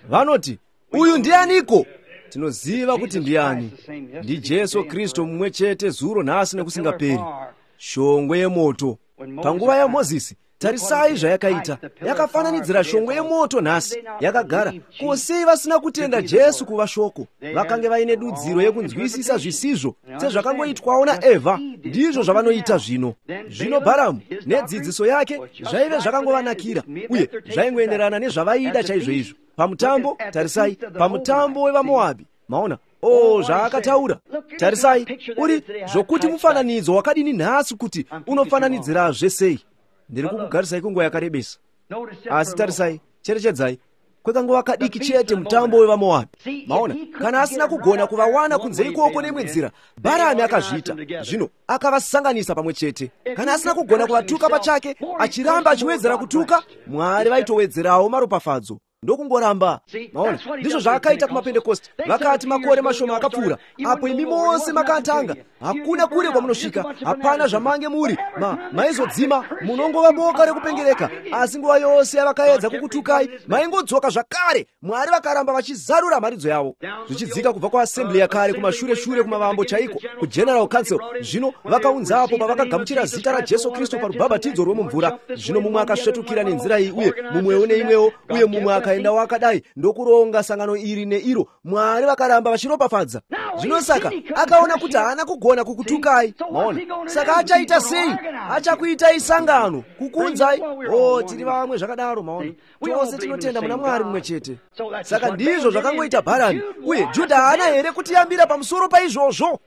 Vanoti, uyu ndianiko? Tinoziva kuti ndiani. NdiJesu Kristu mumwe chete zuro, nhasi nekusingaperi. Shongwe yemoto. Panguva yaMozisi, tarisai zvayakaita. Yakafananidzira shongwe yemoto nhasi. Yakagara. Ko sei vasina kutenda Jesu kuva shoko? Vakange vaine dudziro yekunzwisisa zvisizvo, sezvakangoitwawo naEvha. Ndizvo zvavanoita zvino. Zvino Bharamu nedzidziso yake zvaive zvakangovanakira, uye zvaingoenderana nezvavaida chaizvoizvo. Pamutambo, tarisai, pamutambo wevaMoabhi, maona, o zvaakataura. Tarisai, uri zvokuti mufananidzo wakadini nhasi, kuti unofananidzirazve sei. Ndiri kukugarisai kunguva yakarebesa, asi tarisai, cherechedzai kwekanguva kadiki chete mutambo wevaMoabhi. Maona, kana asina kugona kuvawana kunze ikoko neimwe nzira, Bharami akazviita. Zvino akavasanganisa pamwe chete. Kana asina kugona kuvatuka pachake, achiramba achiwedzera kutuka, Mwari vaitowedzerawo maropafadzo, ndokungoramba. Maona, ndizvo zvaakaita kumapentekosti. Vakati makore mashoma akapfuura, apo imi mose makatanga, hakuna kure kwamunosvika, hapana zvamange muri, ma maizodzima, munongova boka rekupengereka. Asi nguva yose yavakaedza kukutukai, maingodzoka zvakare. Mwari vakaramba vachizarura mharidzo yavo, zvichidzika kubva kuassembly yakare kumashure shure kumavambo chaiko, kuGeneral Council. Zvino vakaunzapo pavakagamuchira zita raJesu Kristu parubhabhatidzo rwemumvura. Zvino mumwe akasvetukira nenzira iyi, uye mumwewo neimwewo, uye mumwe akaendawo akadai, ndokuronga sangano iri neiro. Mwari vakaramba vachiropafadza. Zvino saka akaona kuti haana kugona kukutukai. Maona, saka achaita sei? Achakuitai sangano, kukunzai. O, tiri vamwe zvakadaro. Maona, tose tinotenda muna Mwari mumwe chete. Saka ndizvo zvakangoita Bharami. Uye Judha haana here kutiyambira pamusoro paizvozvo?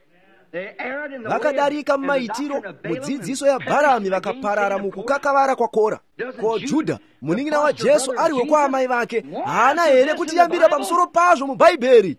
Vakadarika mumaitiro mudzidziso yaBharami, vakaparara mukukakavara kwaKora. Ko Judha, munin'ina waJesu ari wekwaamai vake, haana here kutiyambira pamusoro pazvo muBhaibheri?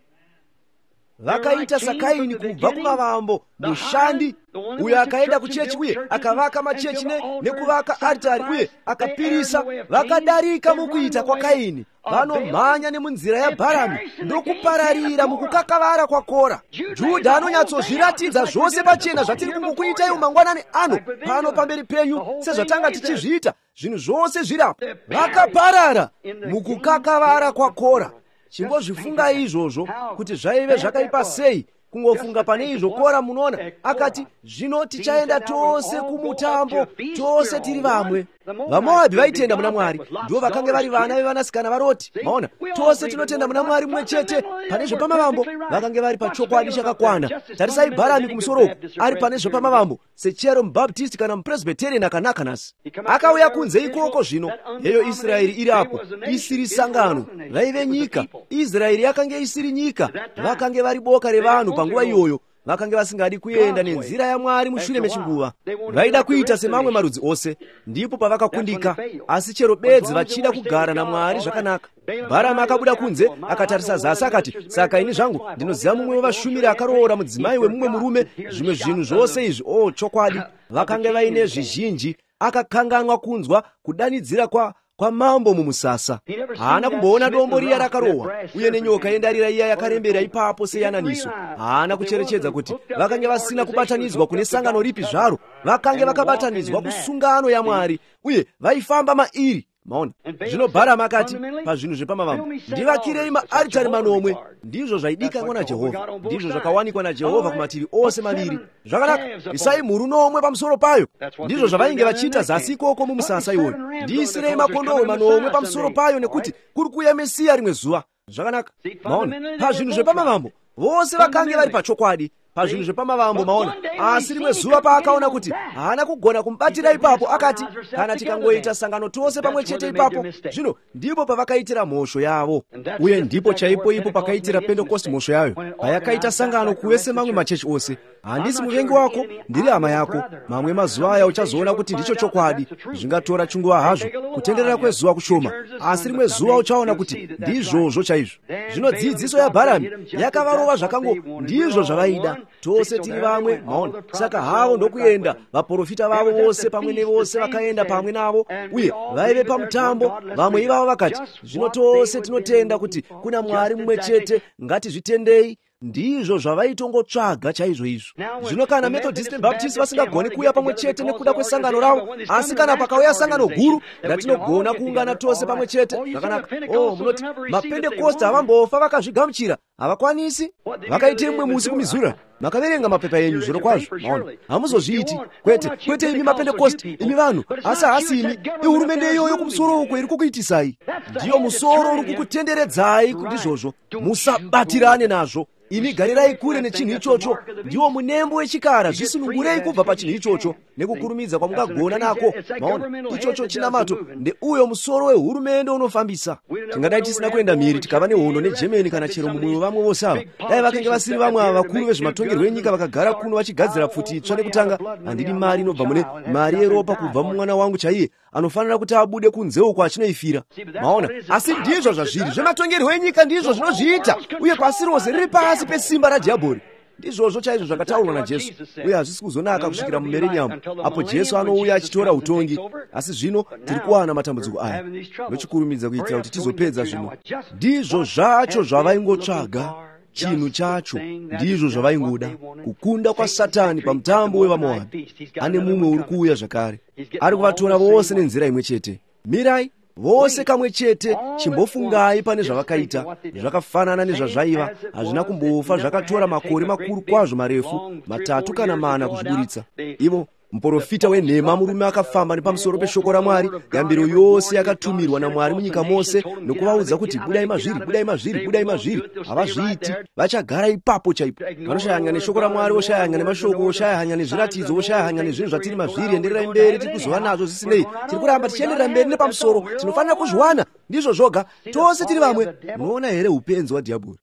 Vakaita saKaini kubva kumavambo, mushandi uyo akaenda kuchechi uye akavaka machechi nekuvaka aritari uye akapirisa. Vakadarika mukuita kwaKaini, vanomhanya nemunzira yaBharami, ndokupararira mukukakavara kwaKora. Judha anonyatsozviratidza zvose pachena zvatiri kungokuitai mangwanani ano pano pamberi penyu, sezvatanga tichizviita. Zvinhu zvose zvirapo. Vakaparara mukukakavara kwaKora. Chingozvifungai izvozvo, kuti zvaive zvakaipa sei kungofunga pane izvo. Kora, munoona, akati, zvino tichaenda tose kumutambo, tose tiri vamwe. VaMoabhi vaitenda muna Mwari, ndivo vakange vari vana vevanasikana vaRoti. Maona, tose tinotenda muna Mwari mumwe chete. Pane zvepamavambo vakange vari pachokwadi chakakwana. Tarisai Bharami kumusoro uku, ari pane zvepamavambo sechero muBaptist kana muPresbyterian akanaka nhasi. Akauya kunze ikoko zvino, heyo Israeri iri apo, isiri sangano, vaive nyika. Israeri yakange isiri nyika, vakange vari boka revanhu panguva iyoyo. Vakange vasingadi kuenda nenzira yaMwari. Mushure mechinguva vaida kuita semamwe marudzi ose, ndipo pavakakundika. Asi chero bedzi vachida kugara naMwari zvakanaka. Bharami akabuda kunze, akatarisa zasi, akati, saka ini zvangu ndinoziva mumwe wevashumiri akaroora mudzimai wemumwe murume, zvimwe zvinhu zvose izvi. O, chokwadi, vakange vaine zvizhinji. Akakanganwa kunzwa kudanidzira kwa kwamambo mumusasa. Haana kumboona dombo riya rakarohwa, uye nenyoka yendarira iya yakarembera ipapo seyananiso. Haana kucherechedza kuti vakange vasina kubatanidzwa kune sangano ripi zvaro. Vakange vakabatanidzwa kusungano yaMwari, uye vaifamba mairi. Maona, zvino Bharami akati pazvinhu zvepamavambo, ndivakirei maaritari manomwe. Ndizvo zvaidikanwa naJehovha, ndizvo zvakawanikwa naJehovha kumativi ose maviri. Zvakanaka, isai mhuru nomwe pamusoro payo. Ndizvo zvavainge vachiita zasi ikoko mumusasa iwoyo. Ndiisirei makondoo manomwe pamusoro payo, nekuti kuri kuuya Mesiya rimwe zuva. Zvakanaka. Maona, pazvinhu zvepamavambo vose vakange vari pachokwadi pazvinhu zvepamavambo. Maona, asi rimwe zuva paakaona kuti haana kugona kumubatira ipapo, akati, kana tikangoita sangano tose pamwe chete ipapo. Zvino ndipo pavakaitira mhosho yavo, uye ndipo chaipo ipo pakaitira Pentekosti mhosho yayo, payakaita sangano kuve semamwe machechi ose. Handisi muvengi wako, ndiri hama yako. Mamwe mazuva aya uchazoona kuti ndicho chokwadi. Zvingatora chinguva hazvo, kutenderera kwezuva kushoma, asi rimwe zuva uchaona kuti ndizvozvo chaizvo. Zvino dzidziso yaBharami yakavarova zvakango, ndizvo zvavaida, tose tiri vamwe. Maona, saka havo ndokuenda, vaprofita vavo vose pamwe nevose vakaenda pamwe navo, uye vaive pamutambo. Vamwe ivavo vakati, zvino tose tinotenda kuti kuna Mwari mumwe chete, ngatizvitendei. Ndizvo zvavaitongotsvaga chaizvo izvo. Zvino kana Methodist neBaptist vasingagoni kuuya pamwe chete nekuda kwesangano ravo, asi kana pakauya sangano guru ratinogona kuungana tose pamwe chete, zvakanaka. O, munoti mapentekosti havambofa vakazvigamuchira. Havakwanisi. Vakaitei mumwe musi kuMissouri? Makaverenga mapepa enyu zviro kwazvo, maona. Hamuzozviiti. Kwete, kwete imi mapentekosti, imi vanhu, asi hasi imi. Ihurumende iyoyo kumusoro uko iri kukuitisai. Ndiyo musoro uri kukutenderedzai, ndizvozvo. Musabatirane nazvo. Imi garirai kure nechinhu ichocho. Ndiwo munembo wechikara. Zvisunungurei kubva pachinhu ichocho nekukurumidza kwamungagona nako. Maona, ichocho chinamato ndeuyo musoro wehurumende unofambisa. Tingadai tisina kuenda mhiri tikava nehondo neGermany kana chero mumwe wevamwe vose ava. Dai vakange vasiri vamwe ava vakuru vezvematongerwo enyika vakagara kuno vachigadzira pfuti itsva nekutanga. Handidi mari inobva mune mari yeropa kubva mumwana wangu chaiye anofanira kuti abude kunze uko achinoifira. Maona, asi ndizvo zvazviri zvematongerwo enyika, ndizvo zvinozviita. Uye pasi rose riri pasi pesimba radhiabhori. Ndizvozvo chaizvo zvakataurwa naJesu. Uye hazvisi kuzonaka kusvikira mumerenyamu apo Jesu anouya achitora utongi. Asi zvino tiri kuwana matambudziko aya nochikurumidza kuitira kuti tizopedza zvino. Ndizvo zvacho zvavaingotsvaga, chinhu chacho ndizvo zvavaingoda, kukunda kwaSatani pamutambo wevaMoabhi. Ane mumwe uri kuuya zvakare, ari kuvatora vose nenzira imwe chete. Mirai vose kamwe chete, chimbofungai pane zvavakaita. Zvakafanana nezvazvaiva, hazvina kumbofa zvakatora makore makuru kwazvo marefu, matatu kana mana kuzviburitsa. Ivo muprofita wenhema, murume akafamba nepamusoro peshoko raMwari, yambiro yose yakatumirwa naMwari munyika mose nokuvaudza kuti budai mazviri, budai mazviri, budai mazviri. Havazviiti, vachagara ipapo chaipo. Vanoshaya hanya neshoko raMwari, voshaya hanya nemashoko, voshaya hanya nezviratidzo, voshaya hanya nezvinhu zvatiri mazviri. Endererai mberi, tiri kuzova nazvo zvisinei. Tiri kuramba tichienderera mberi nepamusoro, tinofanira kuzviwana. Ndizvo zvoga, tose tiri vamwe. Munoona here upenzi hwadhiabhori?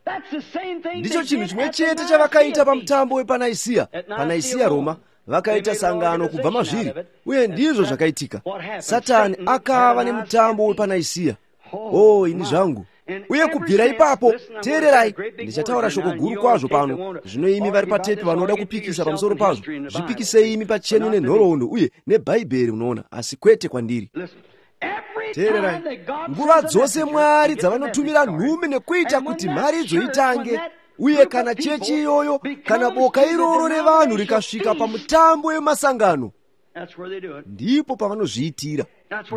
Ndicho chinhu chimwe chete chavakaita pamutambo wepaNaisiya, paNaisiya Roma. Vakaita sangano kubva mazviri, uye ndizvo zvakaitika. Satani akava nemutambo wepaNaisiya. Oh, ini zvangu. Uye kubvira ipapo, teererai, ndichataura shoko guru kwazvo pano. Zvino imi vari patepi vanoda kupikisa pamusoro pazvo, zvipikisei imi pachenyu nenhoroondo uye neBhaibheri, munoona, asi kwete kwandiri. Teererai, nguva dzose Mwari dzavanotumira nhume nekuita kuti mharidzo itange, uye kana chechi iyoyo, kana boka iroro revanhu rikasvika pamutambo wemasangano, ndipo pavanozviitira.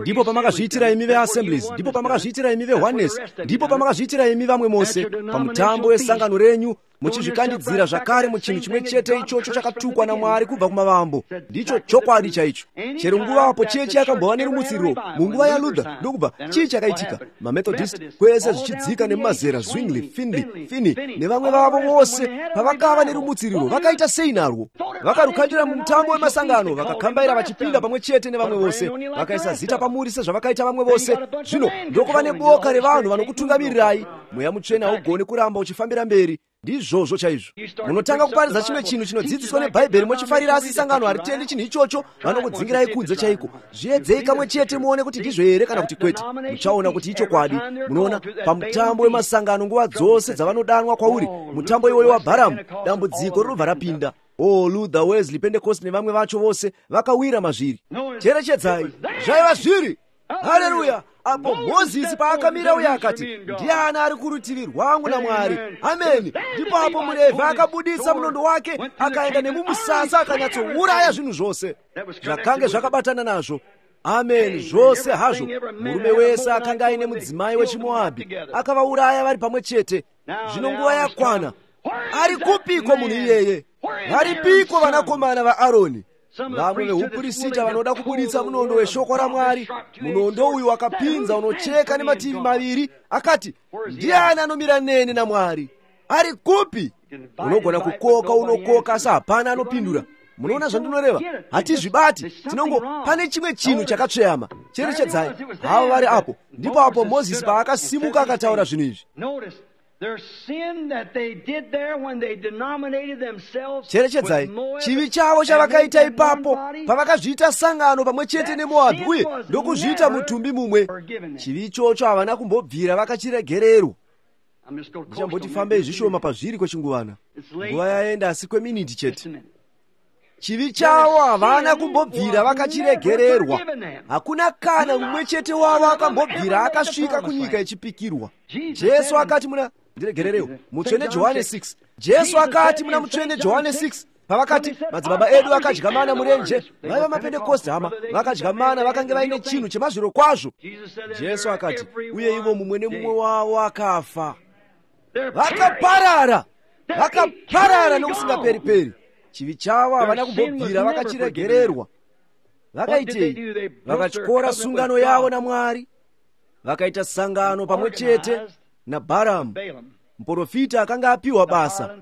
Ndipo pamakazviitira imi veAssemblies, ndipo pamakazviitira imi veOneness, ndipo pamakazviitira imi vamwe mose pamutambo wesangano renyu, muchizvikandidzira zvakare muchinhu chimwe chete ichocho chakatukwa naMwari kubva kumavambo. Ndicho chokwadi chaicho. Chero nguva apo chechi yakambova nerumutsiriro munguva yaLuther, ndokubva chii chakaitika? MaMethodist kwese zvichidzika nemumazera, Zwingli, Finley, Finney nevamwe vavo vose, pavakava nerumutsiriro vakaita sei narwo? Vakarukandira mumutambo wemasangano, vakakambaira vachipinda pamwe chete nevamwe vose, vakaisa zita pamuri sezvavakaita vamwe vose. Zvino ndokuva neboka revanhu vanokutungamirirai. Mweya Mutsvene haugoni kuramba uchifambira mberi. Ndizvozvo chaizvo. Munotanga kuparidza chimwe chinhu chinodzidziswa neBhaibheri mochifarira, asi sangano haritendi chinhu ichocho, vanokudzingirai kunze chaiko. Zviedzei kamwe chete muone kuti ndizvo here kana kuti kwete. Muchaona kuti ichokwadi. Munoona, pamutambo wemasangano nguva dzose dzavanodanwa kwauri, mutambo iwoyo waBharamu, dambudziko rinobva rapinda. Oh, Luther, Wesley, Pentecost nevamwe vacho vose vakawira mazviri. Cherechedzai, zvaiva zviri. Haleluya! Apo Mozisi paakamira uye akati, ndiani ari kurutivi rwangu naMwari? Ameni. Ndipo apo muRevhi akabudisa munondo wake, akaenda nemumusasa akanyatsouraya zvinhu zvose zvakange zvakabatana nazvo. Ameni, zvose hazvo. Murume wese akanga aine mudzimai wechiMoabhi akavauraya vari pamwe chete. Zvino nguva yakwana. Ari kupiko munhu iyeye? Varipiko vanakomana vaAroni? Vamwe vehupurisita vanoda kubuditsa munondo weshoko raMwari. Munondo uyu wakapinza unocheka nemativi maviri. Akati, ndiani anomira neni naMwari? Ari kupi? Unogona kukoka, unokoka, asi hapana anopindura. Munoona zvandinoreva? Hatizvibati. Tinongo pane chimwe chinhu chakatsveyama. Cherechedzai, havo vari apo. Ndipo apo Mozisi paakasimuka akataura zvinhu izvi. Cherechedzai, chivi chavo chavakaita ipapo pavakazviita sangano pamwe chete neMoabhi uye ndokuzviita mutumbi mumwe. Chivi ichocho havana kumbobvira vakachiregererwa. Ndichamboti fambei zvishoma pazviri kwechinguvana. Nguva yaenda asi kweminiti chete. Chivi chavo havana kumbobvira vakachiregererwa. Hakuna kana mumwe chete wavo akambobvira akasvika kunyika yechipikirwa. Jesu akati muna ndiregererewo mutsvene Johane six. Jesu akati muna mutsvene Johane six pavakati madzibaba edu akadya mana murenje, vaiva mapentekosti hama, vakadya mana vakange vaine chinhu chemazviro kwazvo. Jesu akati, uye ivo mumwe nemumwe wavo akafa. Vakaparara, vakaparara nokusingaperi-peri. Chivi chavo havana kumbobvira vakachiregererwa. Vakaitei? Vakatyora sungano yavo naMwari, vakaita sangano pamwe chete naBharamu, muprofita akanga apiwa basa,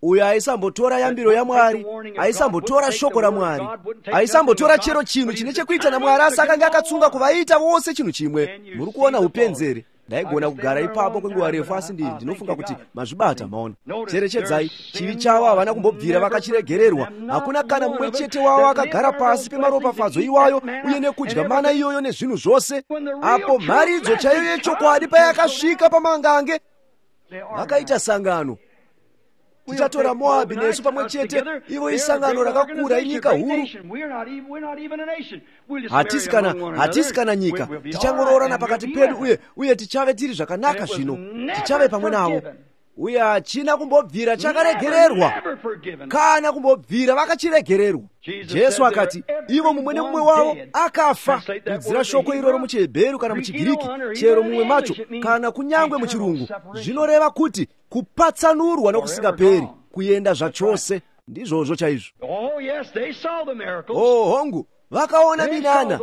uyo aisambotora yambiro yaMwari, aisambotora shoko raMwari, aisambotora chero chinhu chine chekuita naMwari, asi akanga akatsunga kuvaita vose chinhu chimwe. Muri kuona upenzeri? Ndaigona kugara ipapo kwenguva refu, asi ndi ndinofunga kuti mazvibata. Maona, cherechedzai, chivi chavo havana kumbobvira vakachiregererwa. Hakuna kana mumwe chete wavo akagara pasi pemaropafadzo iwayo uye nekudya mana iyoyo nezvinhu zvose. Apo mharidzo chaiyo yechokwadi payakasvika pamangange, vakaita sangano. Tichatora Moabhi nesu pamwe chete, ivo isangano rakakura, inyika huru. Hatisi kana hatisi kana nyika, tichangoroorana pakati pedu uye uye tichave tiri zvakanaka zvino, tichave pamwe navo. Uye hachina kumbobvira chakaregererwa, kana kumbobvira vakachiregererwa. Jesu akati ivo mumwe nemumwe wavo akafa. Kudzira shoko iroro muchiHebheru kana muchiGiriki, chero mumwe macho kana kunyangwe muchirungu, zvinoreva kuti kupatsanurwa nokusingaperi, kuenda zvachose. Ndizvozvo chaizvo. Oh, hongu, vakaona minana,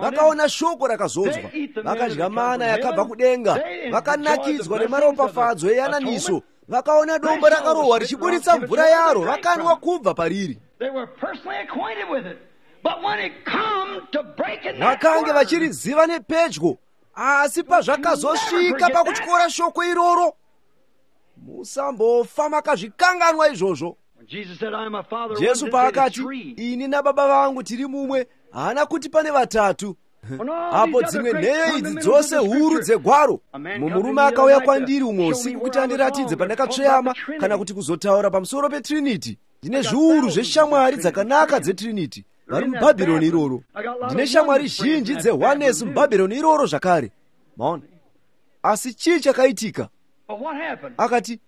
vakaona shoko rakazodzwa, vakadya mana yakabva kudenga, vakanakidzwa nemaropafadzo eyananiso, vakaona dombo rakarohwa richiburitsa mvura yaro, vakanwa kubva pariri. Vakange vachiriziva nepedyo, asi pazvakazosvika pakutyora shoko iroro, musambofa makazvikanganwa izvozvo. Jesu paakati, ini nababa vangu tiri mumwe, haana kuti pane vatatu. Apo dzimwe nheyo idzi dzose huru dzegwaro, mumurume akauya kwandiri umwe usiku kuti andiratidze pandakatsveyama kana kuti kuzotaura pamusoro peTrinity. Ndine zviuru zveshamwari dzakanaka dzeTrinity vari muBhabhironi iroro. Ndine shamwari zhinji dzeOneness muBhabhironi iroro zvakare. Maona? Asi chii chakaitika? Akati,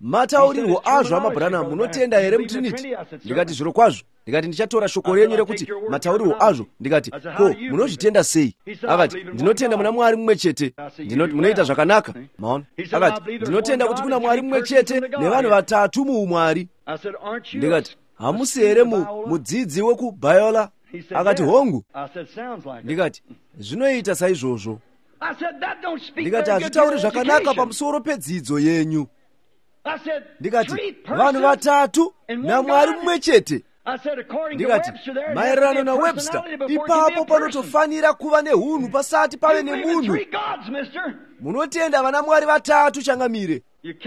mataurirwo azvo amaBranham, munotenda here muTrinity? Ndikati, zviro kwazvo. Ndikati, ndichatora shoko renyu rekuti mataurirwo azvo. Ndikati, ko munozvitenda sei? Akati, ndinotenda muna Mwari mumwe chete. Ndinoti, munoita zvakanaka. Maona? Akati, ndinotenda kuti kuna Mwari mumwe chete nevanhu vatatu muumwari. Ndikati, hamusi here mudzidzi wekuBiola? Akati, hongu. Ndikati, zvinoita saizvozvo. Ndikati, hazvitauri zvakanaka pamusoro pedzidzo yenyu. Ndikati, vanhu vatatu naMwari mumwe chete. Ndikati, maererano naWebster, ipapo panotofanira kuva nehunhu pasati pave nemunhu. Munotenda vana Mwari vatatu changamire.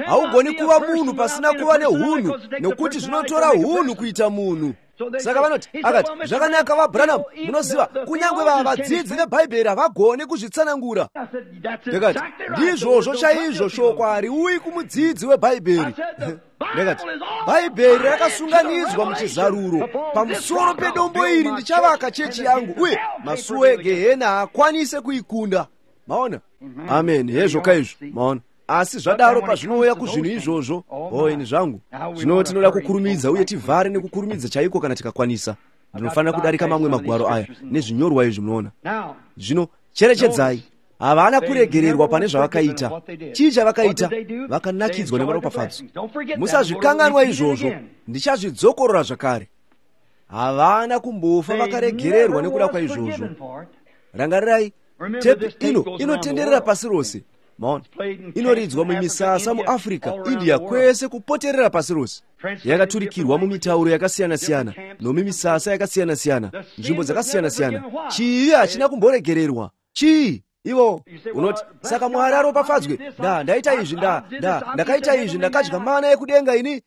Haugoni kuva munhu pasina kuva nehunhu, nokuti zvinotora hunhu kuita munhu. Saka vanoti, akati, zvakanaka vaBranham, munoziva, kunyange vadzidzi veBhaibheri havagoni kuzvitsanangura. Ndikati, ndizvozvo chaizvo, shoko hariuyi kumudzidzi weBhaibheri. Ndikati, Bhaibheri rakasunganidzwa muchizaruro. Pamusoro pedombo iri ndichavaka chechi yangu, uye masuo egehena haakwanise kuikunda. Maona? Amen. Hezvo kaizvo. Maona? Asi zvadaro pazvinouya kuzvinhu izvozvo, oh, ini zvangu, zvino tinoda kukurumidza uye tivhare nekukurumidza chaiko kana tikakwanisa. Ndinofanira kudarika mamwe magwaro aya nezvinyorwa izvi, munoona. Zvino cherechedzai, havana kuregererwa pane zvavakaita. Chii chavakaita? Vakanakidzwa nemaropafadzo. Musazvikanganwa izvozvo, ndichazvidzokorora zvakare. Havana kumbofa vakaregererwa nekuda kwaizvozvo. Rangarirai, tepi ino inotenderera pasi rose. Maona, inoridzwa mumisasa muAfrica, India, kwese kupoterera pasi rose. Yakaturikirwa mumitauro yakasiyana-siyana nomumisasa yakasiyana-siyana, nzvimbo dzakasiyana-siyana. Chii hachina kumboregererwa? Chii? Ivo unoti, saka Mwari aropafadzwe, nda ndaita izvi, nda nda ndakaita izvi, ndakadya mana yekudenga ini.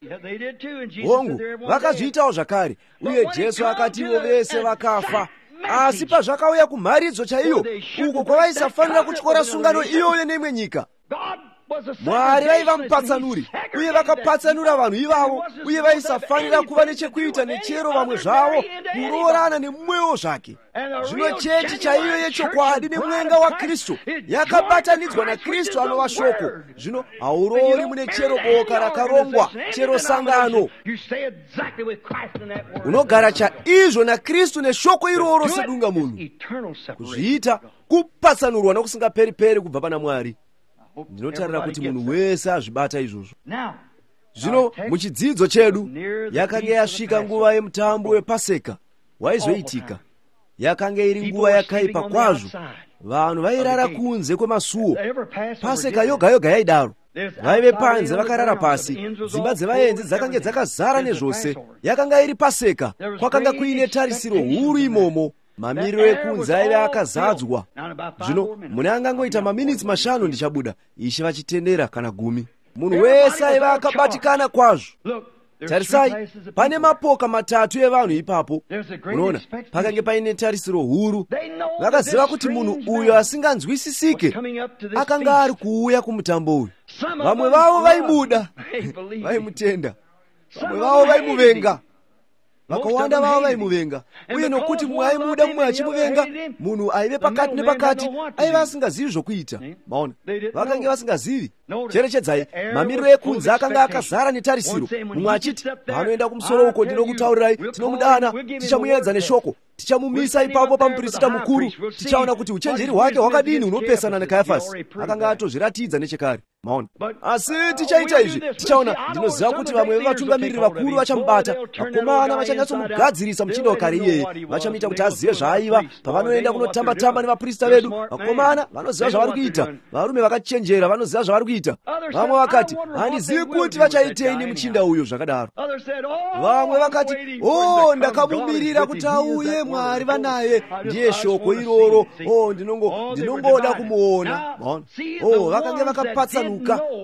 Hongu, vakazviitawo zvakare, uye Jesu akati ivo vese vakafa. Asi pazvakauya kumharidzo chaiyo, uko kwavaisafanira kutyora sungano iyoyo neimwe nyika, Mwari vaiva mupatsanuri, uye vakapatsanura vanhu ivavo, uye vaisafanira kuva nechekuita nechero vamwe zvavo, kuroorana nemumwewo zvake. Zvino chechi chaiyo yechokwadi nemwenga waKristu yakabatanidzwa naKristu anova shoko. Zvino hauroori mune chero boka rakarongwa, chero sangano. Unogara chaizvo naKristu neshoko iroro sedunga munhu. Kuzviita kupatsanurwa nokusingaperi-peri kubva pana Mwari. Ndinotarira kuti munhu wese azvibata izvozvo. Zvino muchidzidzo chedu yakanga yasvika nguva yemutambo wePaseka waizoitika. Yakanga iri nguva yakaipa kwazvo. Vanhu vairara kunze kwemasuo. Paseka yoga yoga yaidaro. Vaive panze vakarara pasi. Dzimba dzevaenzi dzakange dzakazara nezvose. Yakanga iri Paseka. Kwakanga kuine tarisiro huru imomo. Mamiriro ekunze aive akazadzwa. Zvino mune angangoita maminitsi mashanu ndichabuda, Ishe vachitendera, kana gumi. Munhu wese aiva akabatikana kwazvo. Tarisai, pane mapoka matatu evanhu ipapo. Unoona, pakange paine tarisiro huru. Vakaziva kuti munhu uyo asinganzwisisike akanga ari kuuya kumutambo uyu. Vamwe vavo vaimuda, vaimutenda. Vamwe vavo vaimuvenga. Vakawanda vavo vaimuvenga. Uye nokuti mumwe aimuda mumwe achimuvenga, munhu aive pakati nepakati aiva asingazivi zvokuita. Maona, vakange vasingazivi. Cherechedzai, mamiriro ekunze akanga akazara netarisiro. Mumwe achiti, vanoenda kumusoro uko, ndinokutaurirai, tinomudana, tichamuedza neshoko, tichamumisa ipapo pamuprista mukuru, tichaona kuti uchenjeri hwake hwakadini hunopesana naKayafasi. Akanga atozviratidza nechekare. Maona, asi tichaita izvi, tichaona. Ndinoziva kuti vamwe vevatungamiriri vakuru vachamubata. Vakomana vachanyatsomugadzirisa muchinda wakare iyeye, vachamuita kuti azive zvaaiva. Pavanoenda kunotamba-tamba nevaprista vedu, vakomana vanoziva zvavari kuita. Varume vakachenjera vanoziva zvavari kuita. Vamwe vakati, handizivi kuti vachaitei nemuchinda uyo zvakadaro. Vamwe vakati, o, ndakamumirira kuti auye, Mwari vanaye, ndiye shoko iroro. O, ndinongo ndinongoda kumuona. Maona, o, vakange vakapatsanuka.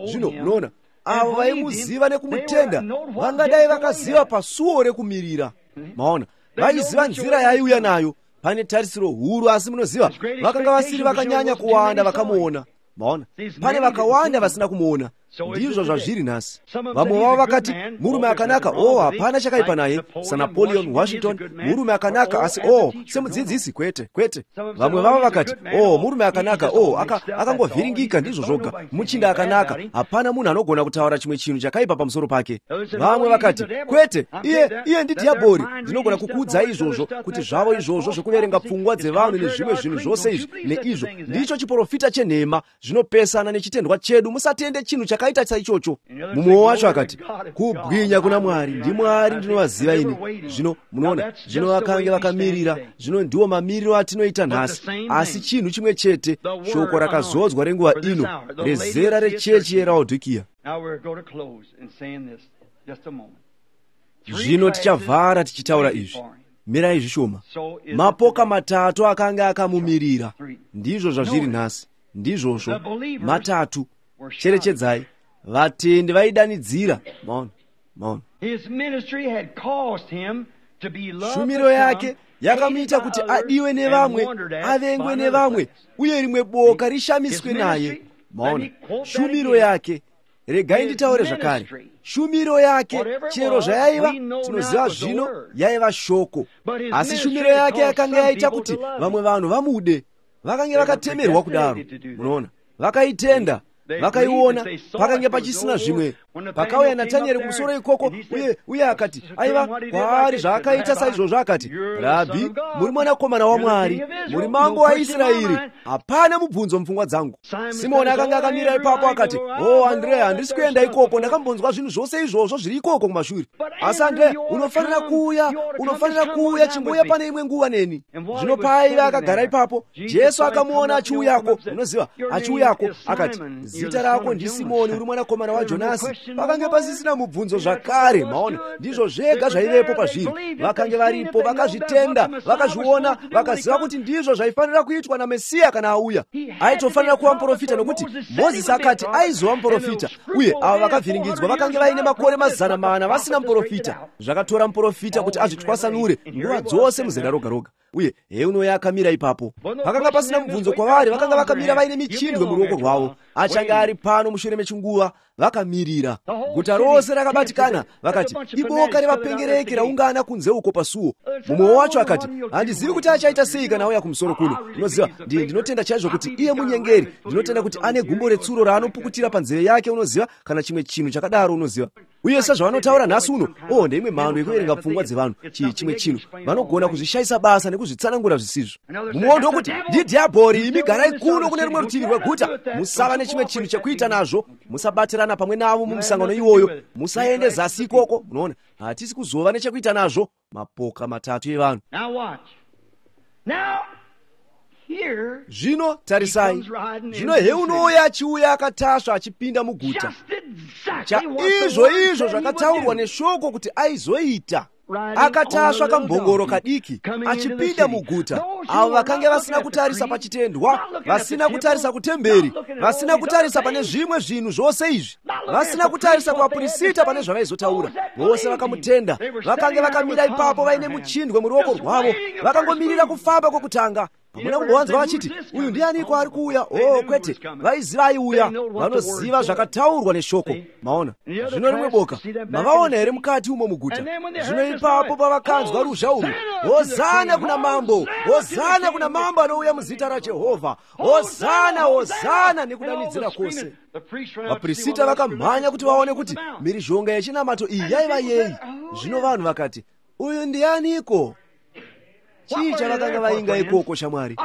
Zvino unoona, avo vaimuziva nekumutenda vangadai vakaziva pasuo rekumirira. Maona, vaiziva nzira yaiuya nayo. Pane tarisiro huru, asi munoziva, vakanga vasiri vakanyanya kuwanda vakamuona. Maona, pane vakawanda vasina kumuona. Ndizvo zvazviri nhasi. Vamwe vavo vakati, murume akanaka, o, hapana chakaipa naye, saNapoleon Washington, murume akanaka, asi o, semudzidzisi, kwete kwete. Vamwe vavo vakati, o, murume akanaka, o, akangovhiringika, ndizvo zvoga, muchinda akanaka, hapana munhu anogona kutaura chimwe chinhu chakaipa pamusoro pake. Vamwe vakati, kwete, iye iye ndidhiabhori. Ndinogona kukuudzai izvozvo, kuti zvavo izvozvo zvekuverenga pfungwa dzevanhu nezvimwe zvinhu zvose izvi neizvo, ndicho chiprofita chenhema, zvinopesana nechitendwa chedu. Musatende chinhu chakaita saichocho. Mumwe wacho akati, kubwinya kuna Mwari, ndiMwari ndinovaziva ini. Zvino munoona, zvino vakange vakamirira. Zvino ndiwo mamiriro atinoita nhasi. Asi chinhu chimwe chete, shoko rakazodzwa renguva ino, rezera rechechi yeRaodhikia. Zvino tichavhara tichitaura izvi. Mirai zvishoma. Mapoka matatu akanga akamumirira. Ndizvo zvazviri nhasi. Ndizvozvo matatu. Cherechedzai, vatendi vaidanidzira. Maona, maona. Shumiro yake yakamuita kuti adiwe nevamwe, avengwe nevamwe, uye rimwe boka rishamiswe naye. Maona, shumiro yake. Regai nditaure zvakare. Shumiro yake, chero zvayaiva, tinoziva zvino yaiva shoko. Asi shumiro yake yakanga yaita kuti vamwe vanhu vamude. Vakange vakatemerwa kudaro. Munoona, vakaitenda, vakaiona. Pakange pachisina zvimwe. Pakauya Natanieri kumusoro ikoko, uye uye akati, aiva kwaari zvaakaita saizvozvo, akati, Rabhi, muri mwanakomana waMwari, muri mambo waIsraeri. Hapana mubvunzo mupfungwa dzangu. Simoni akanga akamira ipapo akati, o, Andrea, handisi kuenda ikoko, ndakambonzwa zvinhu zvose izvozvo zviri ikoko kumashure. Asi Andrea, unofanira kuuya, unofanira kuuya, chimbuya pane imwe nguva neni. Zvino paaiva akagara ipapo, Jesu akamuona achiuyako, unoziva, achiuyako, akati, zita rako ndiSimoni, uri mwanakomana waJonasi. Pakange pasisina mubvunzo zvakare. Maona, ndizvo zvega zvaivepo pazviri. Vakange varipo, vakazvitenda, vakazviona, vakaziva kuti ndizvo zvaifanira kuitwa naMesiya kana auya. Aitofanira kuva muprofita, nokuti Mozisi akati aizova muprofita, uye ava vakavhiringidzwa vakange vaine makore mazana mana vasina muprofita. Zvakatora muprofita kuti azvitwasanure nguva dzose muzera roga roga. Uye heuno akamira ipapo. Pakanga pasina mubvunzo kwavari, vakanga vakamira vaine michindwe muruoko rwavo. Achange ari pano mushure mechinguva, vakamirira. Guta rose rakabatikana, vakati, iboka revapengereki raungana kunze uko pasuo. Mumwe wacho akati, handizivi kuti achaita sei kana auya kumusoro kuno. Unoziva, ndinotenda chaizvo kuti iye munyengeri. Ndinotenda kuti ane gumbo retsuro raanopukutira panzeve yake, unoziva, kana chimwe chinhu chakadaro, unoziva. Uye sezvavanotaura nhasi uno, oh, ndeimwe mhando yekuverenga pfungwa dzevanhu, chii chimwe chinhu vanogona kuzvishayisa basa nekuzvitsanangura zvisizvo. Mumwewo ndokuti ndidhiabhori, imi garai kuno kune rumwe rutivi rweguta, musava nechimwe chinhu chekuita nazvo, musabatirana pamwe navo mumusangano iwoyo, musaende zasi ikoko. Munoona, hatisi kuzova nechekuita nazvo. Mapoka matatu evanhu. Zvino tarisai, zvino heunouya achiuya akatasva achipinda muguta, chaizvo izvo zvakataurwa neshoko kuti aizoita. Akatasva kambongoro kadiki achipinda muguta. Avo vakange vasina kutarisa pachitendwa, vasina kutarisa kutemberi, vasina kutarisa pane zvimwe zvinhu zvose izvi, vasina kutarisa kuvapurisita pane zvavaizotaura, vose vakamutenda. Vakange vakamira ipapo vaine muchindwe muruoko rwavo, vakangomirira kufamba kwokutanga. Hamuna kumbowanzwa vachiti uyu ndianiko ari kuuya? Oh, kwete, vaiziva aiuya, vanoziva zvakataurwa neshoko. Maona? Zvino rimwe boka, mavaona here mukati umo muguta? Zvino ipapo pavakanzwa ruzha urwu, hozana kuna mambo, hozana kuna mambo anouya muzita raJehovha, hozana, hozana, nekudanidzira kwose. Vapurisita vakamhanya kuti vaone kuti mhirizhonga yechinamato iyi yaiva yei. Zvino vanhu vakati, uyu ndianiko? Chii chavakanga vainga ikoko, shamwari?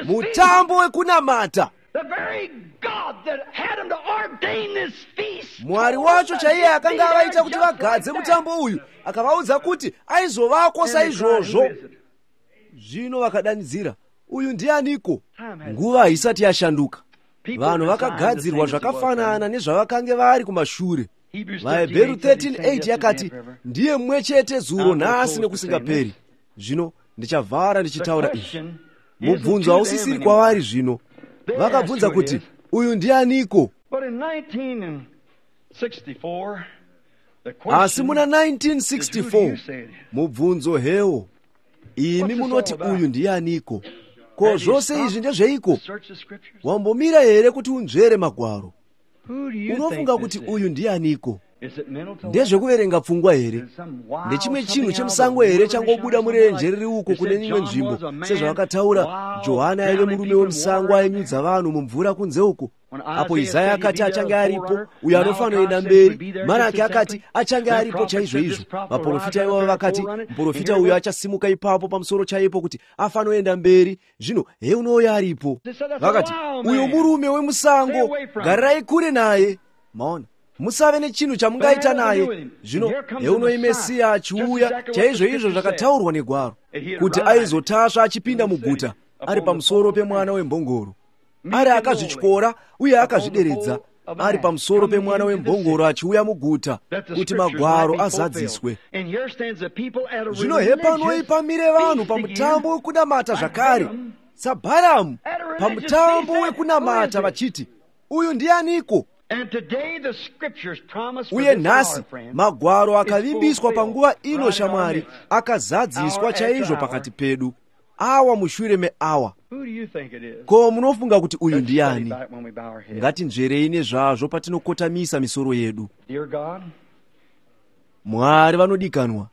Mutambo wekunamata. Mwari wacho chaiye akanga avaita kuti vagadze mutambo uyu, akavaudza kuti aizovako saizvozvo. Zvino vakadanidzira, uyu ndianiko? Nguva haisati yashanduka. Vanhu vakagadzirwa zvakafanana nezvavakange vari kumashure. VaHebheru thirteen eight yakati, ndiye mumwe chete zuro nhasi nekusingaperi. Zvino ndichavhara ndichitaura izvi. Mubvunzo hausisiri kwavari zvino. Vakabvunza kuti uyu ndianiko? Asi muna nineteen sixty-four mubvunzo hewo, imi munoti uyu ndianiko? Ko zvose izvi ndezveiko? Wambomira here kuti unzvere magwaro? Unofunga kuti uyu ndianiko? Ndezvekuverenga pfungwa here? Ndechimwe chinhu chemusango here changobuda murenje riri uko kune imwe nzvimbo, sezvavakataura Johana aive murume wemusango ainyudza vanhu mumvura kunze uko? Apo Isaya akati achange aripo, uyo anofanoenda mberi. Maraki akati achange aripo chaizvo izvo. Vaprofita ivavo vakati muprofita uyo achasimuka ipapo pamusoro chaipo kuti afanoenda mberi. Zvino heunouya aripo. Vakati uyo murume wemusango, garirai kure naye. Maona, musave nechinhu chamungaita naye. Zvino heunoi Mesiya achiuya chaizvo izvo zvakataurwa negwaro kuti aizotasva achipinda muguta ari pamusoro pemwana wembongoro, ari akazvityora uye akazvideredza, ari pamusoro pemwana wembongoro achiuya muguta kuti magwaro azadziswe. Zvino hepanoi pamire vanhu pamutambo wekunamata zvakare, saBharamu pamutambo wekunamata vachiti, uyu ndianiko? Uye nhasi magwaro akavimbiswa panguva ino, shamwari, akazadziswa chaizvo pakati pedu, awa mushure meawa. Ko munofunga kuti uyu ndiani? Ngatinzverei nezvazvo patinokotamisa misoro yedu. Mwari vanodikanwa,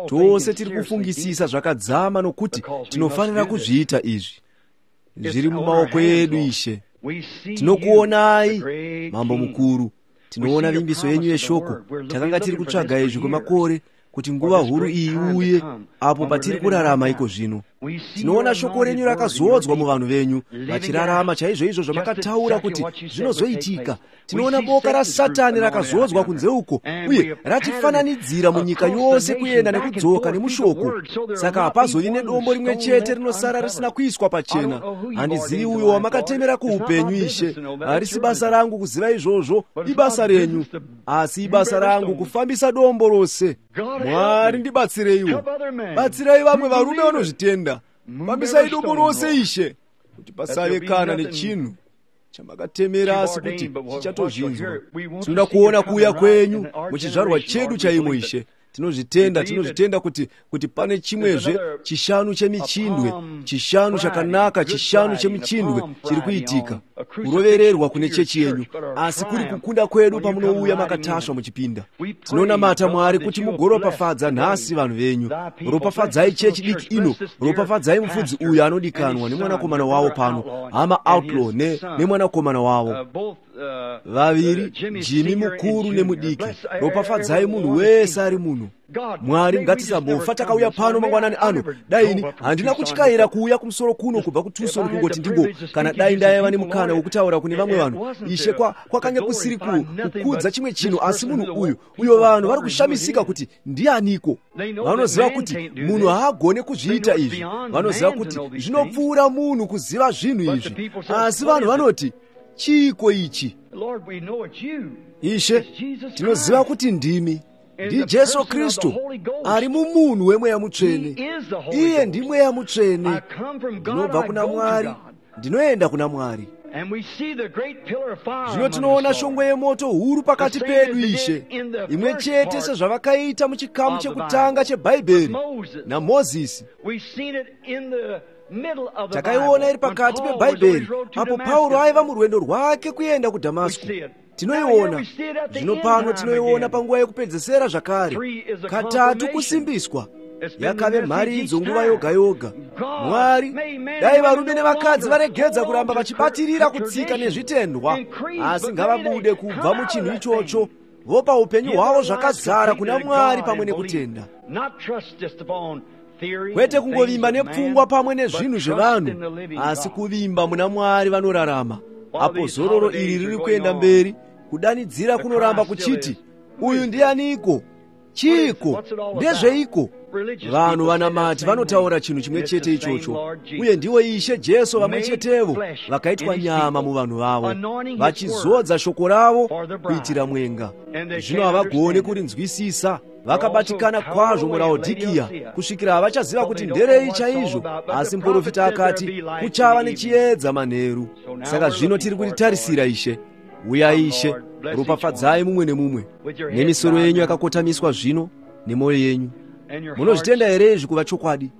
tose tiri kufungisisa zvakadzama nokuti tinofanira kuzviita izvi. Zviri mumaoko edu, Ishe. Tinokuonai, Mambo mukuru. Tinoona vimbiso yenyu yeshoko. Takanga tiri kutsvaga izvi kwemakore, kuti nguva huru iyi iuye apo patiri kurarama iko zvino. Tinoona shoko renyu rakazodzwa muvanhu venyu, vachirarama chaizvo izvo zvamakataura kuti zvinozoitika. Tinoona boka raSatani rakazodzwa kunze uko, uye ratifananidzira munyika yose kuenda nekudzoka nemushoko. Saka hapazovi nedombo rimwe chete rinosara risina kuiswa pachena. Handizivi uyo wamakatemera kuupenyu, Ishe. Harisi basa rangu kuziva izvozvo, ibasa renyu. Asi ibasa rangu kufambisa dombo rose. Mwari ndibatsireiwo, batsirai vamwe varume vanozvitenda. Fambisai dombo rose, Ishe, kuti pasave kana nechinhu chamakatemera asi kuti chichatozvinzwa. Tinoda kuona kuuya kwenyu muchizvarwa chedu chaimo, Ishe. Tinozvitenda, tinozvitenda kuti kuti pane chimwezve chishanu chemichindwe, chishanu chakanaka, chishanu chemichindwe chiri kuitika. kurovererwa kune chechi yenyu, asi kuri kukunda kwedu pamunouya makatasva muchipinda. Tinonamata Mwari kuti mugoropafadza nhasi vanhu venyu. Ropafadzai chechi diki ino, ropafadzai mufudzi uyu anodikanwa nemwanakomana wavo pano, hama Outlaw nemwanakomana wavo vaviri, Jimmy mukuru nemudiki. Ropafadzai munhu wese ari muno. Mwari, ngatisambofa takauya pano mangwanani ano. Dai ini handina kutyaira kuuya kumusoro kuno kubva kuTucson kungoti ndingo, kana dai ndaiva nemukana wokutaura kune vamwe vanhu, Ishe, kwakanga kusiri kukudza chimwe chinhu, asi munhu uyu uyo vanhu vari kushamisika kuti ndianiko. Vanoziva kuti munhu haagone kuzviita izvi, vanoziva kuti zvinopfuura munhu kuziva zvinhu izvi, asi vanhu vanoti, chiiko ichi? Ishe, tinoziva kuti ndimi, ndiJesu Kristu ari mumunhu wemweya mutsvene. Iye ndimweya mutsvene. Ndinobva kuna Mwari, ndinoenda kuna Mwari. Zvino tinoona shongwe yemoto huru pakati pedu, Ishe, imwe chete sezvavakaita muchikamu chekutanga cheBhaibheri naMozisi. Takaiona iri pakati peBhaibheri apo Pauro aiva murwendo rwake kuenda kuDhamasiko. Tinoiona zvino pano, tinoiona panguva yekupedzesera zvakare, katatu kusimbiswa. Yakave mharidzo nguva yoga yoga. Mwari, dai varume nevakadzi varegedza kuramba vachibatirira kutsika nezvitendwa, asi ngavabude kubva muchinhu ichocho, vopa upenyu hwavo zvakazara kuna Mwari pamwe nekutenda. Kwete kungovimba nepfungwa pamwe nezvinhu zvevanhu, asi kuvimba muna Mwari vanorarama. Apo zororo iri riri kuenda mberi, kudanidzira kunoramba kuchiti, uyu ndianiko? Chiiko? Ndezveiko? Vanhu vanamati vanotaura chinhu chimwe chete ichocho, uye ndiwo Ishe Jesu vamwe chetevo vakaitwa nyama muvanhu vavo, vachizodza shoko ravo kuitira mwenga. Zvino havagoni kurinzwisisa, vakabatikana kwazvo muLaodikia kusvikira havachaziva kuti nderei chaizvo. Asi muprofita akati kuchava nechiedza manheru. Saka zvino tiri kuritarisira, Ishe. Uyai Ishe, ropafadzai mumwe nemumwe. Nemisoro yenyu yakakotamiswa zvino nemwoyo yenyu. Munozvitenda here izvi kuva chokwadi?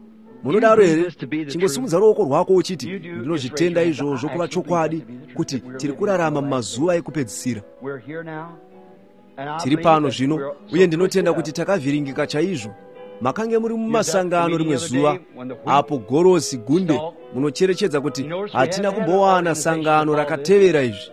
Munodaro here? Chingosimudza ruoko rwako uchiti, ndinozvitenda izvozvo kuva chokwadi, kuti tiri kurarama mumazuva ekupedzisira. Tiri pano zvino, uye ndinotenda kuti takavhiringika chaizvo. Makange muri mumasangano rimwe zuva apo gorosi gunde, munocherechedza kuti hatina kumbowana sangano rakatevera izvi.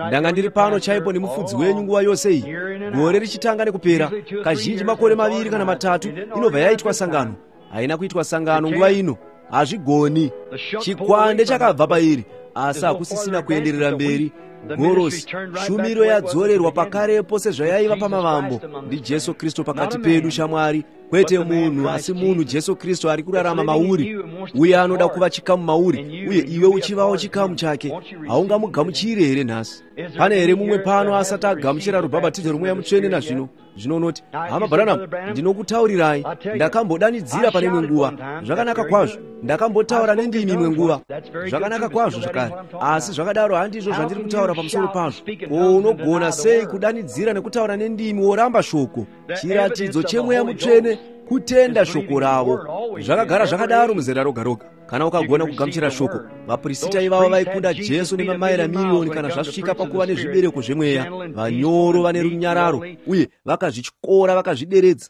Ndanga ndiri pano chaipo nemufudzi wenyu nguva yose iyi, gore richitanga nekupera. Kazhinji makore maviri kana matatu inobva yaitwa sangano. Haina kuitwa sangano nguva ino, hazvigoni. Chikwande chakabva pairi, asi hakusisina kuenderera mberi. Gorosi, shumiro yadzorerwa pakarepo sezvayaiva pamavambo. NdiJesu Kristu pakati pedu, shamwari, kwete munhu, asi munhu Jesu Kristu ari kurarama mauri, uye anoda kuva chikamu mauri, uye iwe uchivawo chikamu chake. Haungamugamuchiri here nhasi? Pane here mumwe pano asati agamuchira rubhabhatidzo rwomweya mutsvene nazvino? Zvino unoti, hama Branham, ndinokutaurirai, ndakambodanidzira pane imwe nguva zvakanaka kwazvo, ndakambotaura nendimi imwe nguva zvakanaka kwazvo zvakare, asi zvakadaro handizvo zvandiri kutaura pamusoro pazvo. Ko unogona sei kudanidzira nekutaura nendimi woramba shoko? Chiratidzo chemweya mutsvene kutenda shoko ravo. Zvakagara zvakadaro muzera roga roga. Kana ukagona kugamuchira shoko, vapurisita ivavo vaikunda Jesu nemamaira miriyoni kana zvasvika pakuva nezvibereko zvemweya, vanyoro vane runyararo, uye vakazvityora vakazvideredza.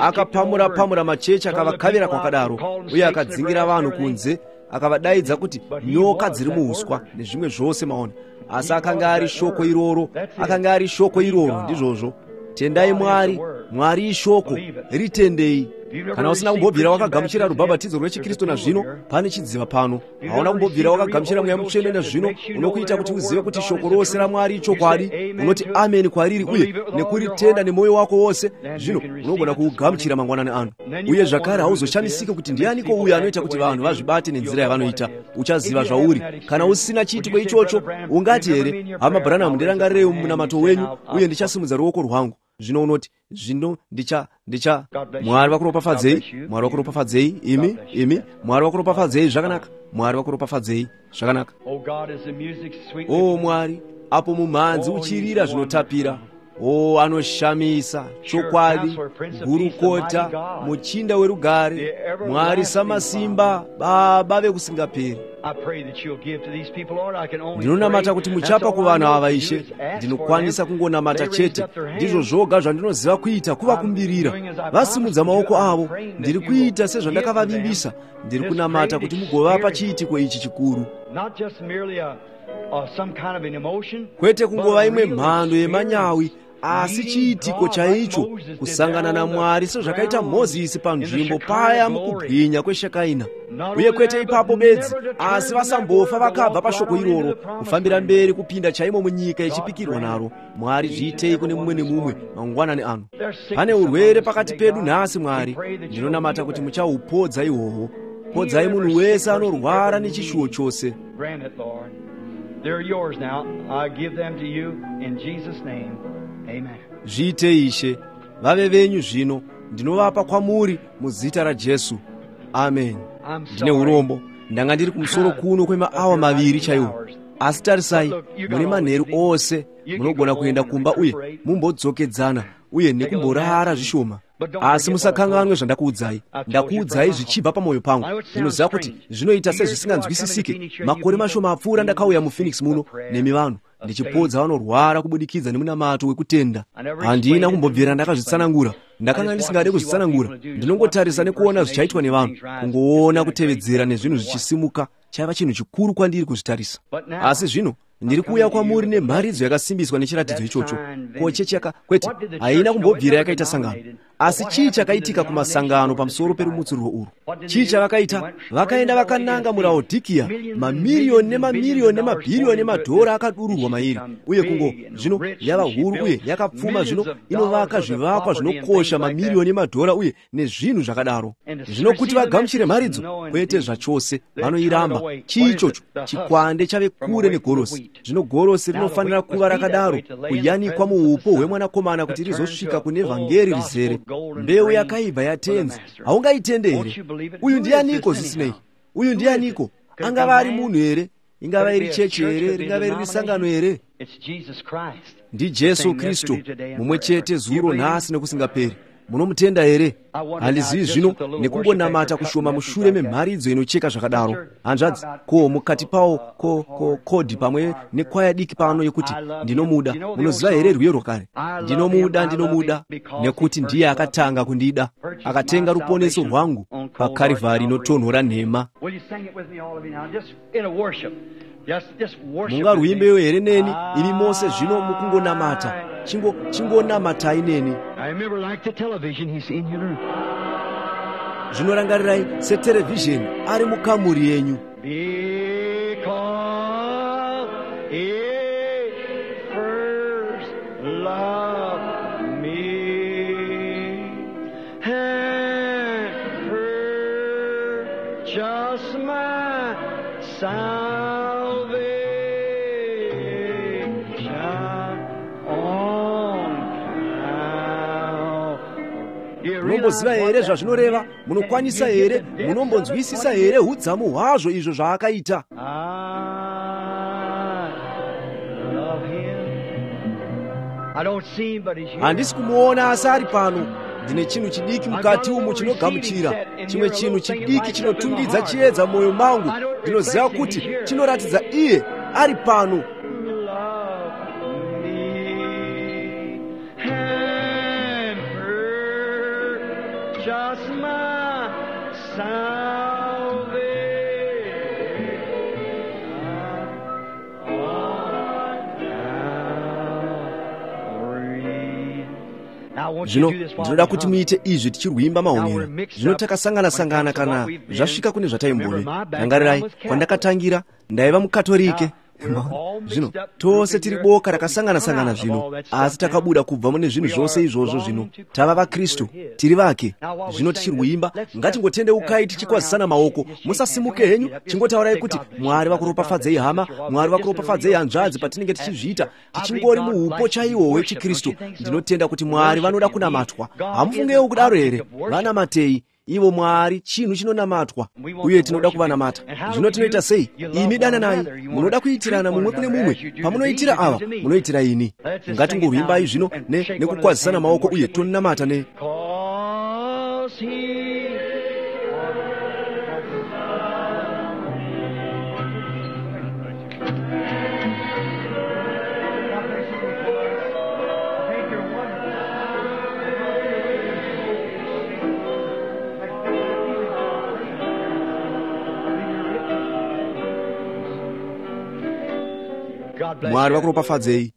Akapamura-pamura machechi akavakavira kwakadaro, uye akadzingira vanhu kunze, akavadaidza kuti nyoka dziri muuswa nezvimwe zvose, maona. Asi akanga ari shoko iroro, akanga ari shoko iroro, ndizvozvo. Tendai Mwari, Mwari ishoko, ritendei. Kana usina kumbobvira wakagamuchira rubhabhatidzo rwechiKristu nazvino, pane chidziva pano. Hauna kumbobvira wakagamuchira mweya mutsvene nazvino, unokuita kuti uzive kuti shoko rose raMwari ichokwadi. Unoti ameni kwariri uye nekuritenda nemwoyo wako wose, zvino unogona kuugamuchira mangwanani ano. Uye zvakare hauzoshamisiki kuti ndianiko uyo anoita kuti vanhu vazvibate nenzira yavanoita. Uchaziva zvauri. Kana usina chiitiko ichocho, ungati here, hama Branham, ndirangarirei mumunamato wenyu, uye ndichasimudza ruoko rwangu. Zvino unoti, zvino ndicha ndicha Mwari vakuropafadzei, Mwari vakuropafadzei, imi imi, Mwari vakuropafadzei zvakanaka, Mwari vakuropafadzei zvakanaka. O Mwari, apo mumhanzi uchirira zvinotapira, o anoshamisa, chokwadi, gurukota, muchinda werugare, Mwari samasimba, Baba vekusingaperi. Ndinonamata kuti muchapa kuvanhu ava, Ishe. Ndinokwanisa kungonamata chete, ndizvo zvoga zvandinoziva kuita, kuvakumbirira. Vasimudza maoko avo, ndiri kuita sezvandakavavimbisa. Ndiri kunamata kuti mugovapa chiitiko ichi chikuru, kwete kungova imwe mhando yemanyawi, asi chiitiko chaicho, kusangana naMwari sezvakaita Mozisi panzvimbo paya mukubwinya kweshakaina. Uye kwete ipapo bedzi, asi vasambofa vakabva pashoko iroro, kufambira mberi kupinda chaimo munyika yechipikirwa naro. Mwari, zviitei kune mumwe nemumwe mangwanani ano. Pane urwere pakati pedu nhasi, Mwari. Ndinonamata kuti muchahupodza ihwohwo. Podzai munhu wese anorwara nechishuwo chose. Zviitei, Ishe. Vave venyu zvino. Ndinovapa kwamuri muzita raJesu. Amen. Ndine urombo, ndanga ndiri kumusoro kuno kwemaawa maviri chaiwo, asi tarisai, mune manheru ose munogona kuenda kumba uye mumbodzokedzana uye nekumborara zvishoma. Asi musakanganwe zvandakuudzai. Ndakuudzai zvichibva pamwoyo pangu. Ndinoziva kuti zvinoita sezvisinganzwisisike. Makore mashoma apfuura ndakauya muPhoenix muno nemi vanhu, ndichipodza vanorwara kubudikidza nemunamato wekutenda. Handina kumbobvira ndakazvitsanangura. Ndakanga ndisingade kuzvitsanangura. Ndinongotarisa nekuona zvichaitwa nevanhu, kungoona kutevedzera nezvinhu zvichisimuka. Chaiva chinhu chikuru kwandiri kuzvitarisa. Asi zvino ndiri kuuya kwamuri nemharidzo yakasimbiswa nechiratidzo ichocho. Ko chechi yaka kwete, haina kumbobvira yakaita sangano. Asi chii chakaitika kumasangano pamusoro perumutsuriro urwu? Chii chavakaita? Vakaenda vakananga muLaodhikia, mamiriyoni nemamiriyoni nemabhiriyoni emadhora akadururwa mairi, uye kungo zvino yava huru uye yakapfuma, zvino inovaka zvivakwa zvinokosha mamiriyoni emadhora uye nezvinhu zvakadaro. Zvino kuti vagamuchire mharidzo? Kwete zvachose, vanoiramba. Chii ichocho? Chikwande chave kure negorosi. Zvino gorosi rinofanira kuva rakadaro, kuyanikwa muupo hwemwanakomana kuti rizosvika kune vhangeri rizere. Mbeu yakaibva yatenzi, haungaitende here? Uyu ndianiko zvisinei? Uyu ndianiko? Angava ari munhu here? Ingava iri chechi here? Ringava riri sangano here? NdiJesu Kristu, mumwe chete zuro, nhasi nekusingaperi. Munomutenda here? Handizivi zvino, nekungonamata kushoma mushure memharidzo inocheka zvakadaro. Hanzvadzi, ko mukati pawo ko ko kodhi pamwe nekwaya diki pano yekuti ndinomuda. Munoziva here rwiyo rwakare? Ndinomuda, ndinomuda, nekuti ndiye akatanga kundida. Akatenga ruponeso rwangu paKarivhari inotonhora nhema. Mungarwimbeyo here neni imi mose zvino mukungonamata? Chingo chingonamatai neni. Zvinorangarirai seterevhizheni ari mukamuri yenyu. Munomboziva here zvazvinoreva? Munokwanisa here? Munombonzwisisa here hudzamu hwazvo izvo zvaakaita? Handisi kumuona, asi ari pano. Ndine chinhu chidiki mukati umu chinogamuchira, chimwe chinhu chidiki chinotungidza chiedza mwoyo mangu. Ndinoziva kuti chinoratidza iye ari pano. Zvino ndinoda kuti muite izvi tichirwimba maonero. Zvino takasangana-sangana kana zvasvika kune zvataimbove. Rangarirai, kwandakatangira ndaiva muKatorike. Zvino tose tiri boka rakasangana-sangana zvino, asi takabuda kubva mune zvinhu zvose izvozvo. Zvino tava vaKristu, tiri vake. Zvino tichirwimba, ngatingotendeukai tichikwazisana maoko. Musasimuke henyu, chingotaurai kuti Mwari vakuropafadzei hama, Mwari vakuropafadzei hanzvadzi, patinenge tichizviita tichingori muupo chaiwo hwechiKristu. Ndinotenda kuti Mwari vanoda kunamatwa. Hamufungewo kudaro here? Vanamatei ivo Mwari, chinhu chinonamatwa, uye tinoda kuvanamata. Zvino tinoita sei? Imi dananai, munoda kuitirana mumwe kune mumwe. Pamunoitira ava, munoitira ini. Ngatingorwimbai zvino nekukwazisana maoko uye tonamata ne Mwari vakuropafadzei.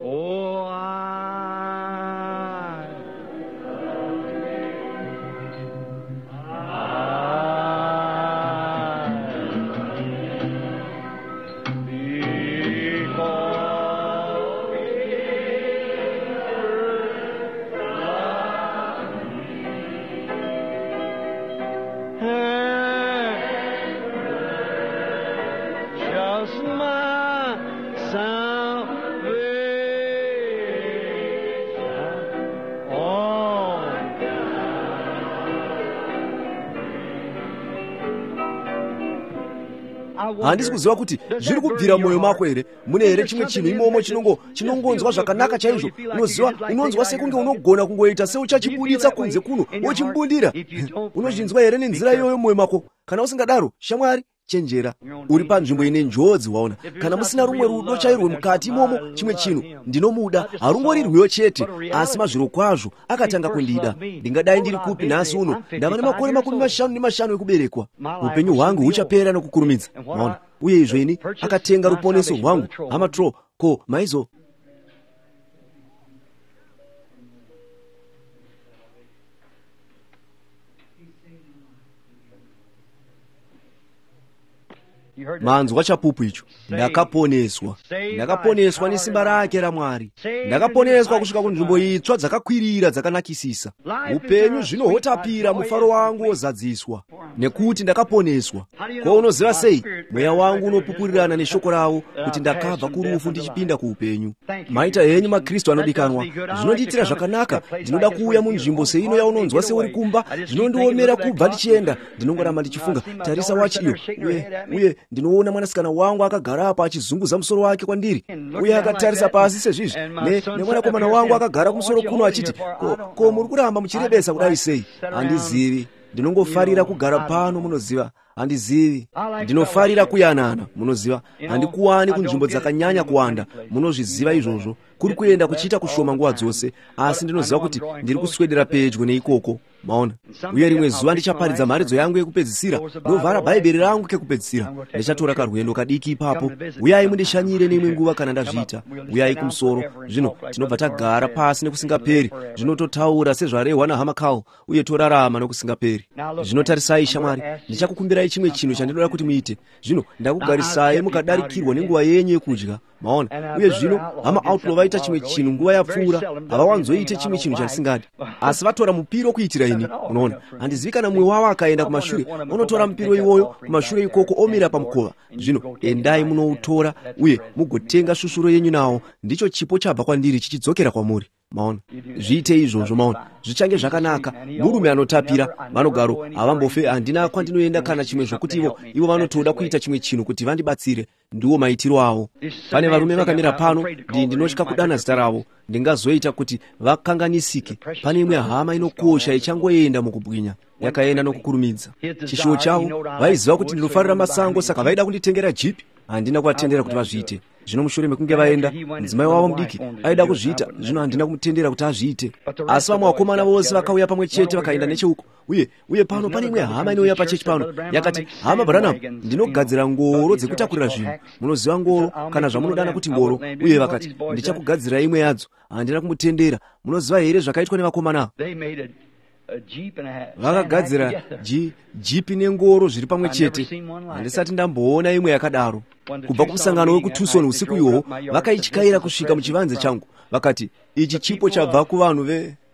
Handisi kuziva kuti zviri kubvira mwoyo mako here. Mune here chimwe chinhu imomo chinongo chinongonzwa zvakanaka chaizvo? Unoziva, unonzwa sekunge unogona kungoita seuchachibuditsa kunze kuno wochimbundira. Unozvinzwa here nenzira iyoyo mwoyo mako? Kana usingadaro, shamwari, chenjera, uri panzvimbo ine njodzi. Waona, kana musina rumwe rudo chairwo mukati imomo, chimwe chinhu ndinomuda, harungori rwiyo chete, asi mazviro kwazvo akatanga kundida. Ndingadai ndiri kupi nhasi uno? Ndava nemakore makumi mashanu nemashanu ekuberekwa. Upenyu hwangu huchapera nokukurumidza. Maona, uye izvo ini akatenga ruponeso rwangu. Hama Tro, ko maizo manzwa chapupu icho? Ndakaponeswa, ndakaponeswa nesimba rake raMwari. Ndakaponeswa kusvika kunzvimbo itsva dzakakwirira dzakanakisisa. Upenyu zvino hwotapira, mufaro wangu wozadziswa nekuti ndakaponeswa. Ko unoziva sei? Mweya wangu unopupurirana neshoko ravo kuti ndakabva kurufu ndichipinda kuupenyu. Maita henyu maKristu anodikanwa, zvinondiitira zvakanaka. Ndinoda kuuya munzvimbo seino yaunonzwa seuri kumba. Zvinondiomera kubva ndichienda. Ndinongoramba ndichifunga, tarisa wachi iyo, uye uye ndinoona mwanasikana wangu akagara apa achizunguza musoro wake kwandiri, uye akatarisa pasi sezvizvi, nemwanakomana wangu akagara kumusoro kuno achiti, ko, ko muri kuramba muchirebesa kudai sei? Handizivi. Ndinongofarira kugara pano, munoziva. Handizivi. Ndinofarira kuyanana, munoziva. Handikuwani kunzvimbo dzakanyanya kuwanda, munozviziva izvozvo. Kuri kuenda kuchiita kushoma nguva dzose, asi ndinoziva kuti ndiri kuswedera pedyo neikoko. Maona, uye rimwe zuva ndichaparidza mharidzo yangu yekupedzisira, ndovhara Bhaibheri rangu kekupedzisira. Ndichatora karwendo kadiki ipapo. Uyai mundishanyire neimwe nguva kana ndazviita. Uyai kumusoro. Zvino tinobva tagara pasi nekusingaperi. Zvino totaura sezvarehwa naHama Carl, uye torarama nokusingaperi. Zvino tarisai, shamwari, ndichakukumbirai chimwe chinhu chandinoda kuti muite. Zvino ndakugarisai mukadarikirwa nenguva yenyu yekudya. Maona, uye zvino Hama Outlaw vaita chimwe chinhu nguva yapfuura. Havawanzoite chimwe chinhu chandisingadi, asi vatora mupiro kuitira ini. Unoona, handizivi kana mumwe wavo akaenda kumashure unotora mupiro iwoyo kumashure ikoko omira pamukova. Zvino endai munoutora uye mugotenga svushuro yenyu nawo. Ndicho chipo chabva kwandiri chichidzokera kwamuri. Maona, zviite izvozvo. Maona, zvichange zvakanaka. Murume anotapira, vanogaro havambofe. Handina kwandinoenda kana chimwe zvokuti ivo ivo vanotoda kuita chimwe chinhu kuti vandibatsire. Ndiwo maitiro avo. Pane varume vakamira pano, ndinotya kudana zita ravo, ndingazoita kuti vakanganisike. Pane imwe hama inokosha ichangoenda mukubwinya, yakaenda nokukurumidza. Chishuwo chavo, vaiziva kuti ndinofarira masango, saka vaida kunditengera jipi. Handina kuvatendera kuti vazviite. Zvino mushure mekunge vaenda, mudzimai wavo mudiki aida kuzviita. Zvino handina kumutendera kuti azviite. Asi vamwe vakomana vose vakauya pamwe chete vakaenda necheuko. Uye uye pano pane imwe hama inouya pachechi pano, yakati, Hama Branham, ndinogadzira ngoro dzekutakurira zvinhu. Munoziva ngoro, kana zvamunodana kuti ngoro. Uye vakati, ndichakugadzira imwe yadzo. Handina kumutendera. Munoziva here zvakaitwa nevakomana? Vakagadzira jipi nengoro zviri pamwe chete. Handisati ndamboona imwe yakadaro. Kubva kumusangano wekuTucson usiku ihwohwo, vakaityaira kusvika muchivanze changu. Vakati, ichi chipo chabva kuvanhu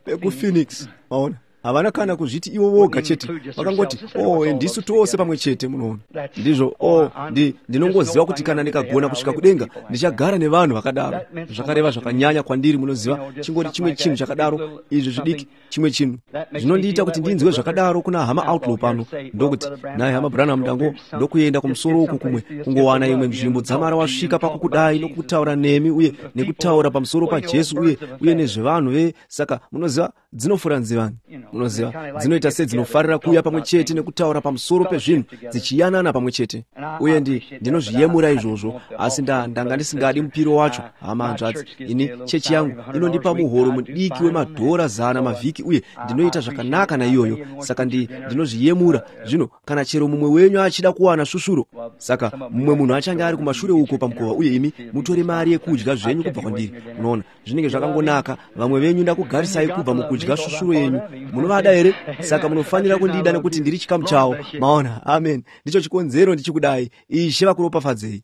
vekuPhoenix. Maona, havana kana kuzviti ivo voga chete, vakangoti, oh, ndisu tose pamwe chete. Munoona, ndizvo. Oh, ndi, ndinongoziva kuti kana ndikagona kusvika kudenga, ndichagara nevanhu vakadaro. Zvakareva zvakanyanya kwandiri, munoziva, chingori chimwe chinhu chakadaro, izvi zvidiki, chimwe chinhu zvinondiita kuti ndinzwe zvakadaro kuna Hama Outlaw pano. Ndokuti, naye Hama Branham, ndango ndokuenda kumusoro uku kumwe kungowana imwe nzvimbo dzamara wasvika pakukudai nokutaura nemi uye nekutaura pamusoro paJesu uye uye nezvevanhu ve saka munoziva dzinofura nzivani. Munoziva, dzinoita sedzinofarira kuuya pamwe chete nekutaura pamusoro pezvinhu, dzichiyanana pamwe chete. Uye ndi ndinozviyemura izvozvo, asi nda ndanga ndisingadi mupiro wacho, hama, hanzvadzi. Ini chechi yangu inondipa muhoro mudiki wemadhora zana mavhiki, uye ndinoita zvakanaka naiyoyo, saka ndi ndinozviyemura. Zvino kana chero mumwe wenyu achida kuwana svusvuro, saka mumwe munhu achange ari kumashure uko pamukova, uye imi mutore mari yekudya zvenyu kubva kwandiri. Munoona, zvinenge zvakangonaka. Vamwe venyu ndakugarisai kubva mukudya svusvuro yenyu. Munovada here? Saka munofanira kundida nekuti ndiri chikamu chavo. Maona? Amen. Ndicho chikonzero ndichikudai. Ishe vakuropafadzei.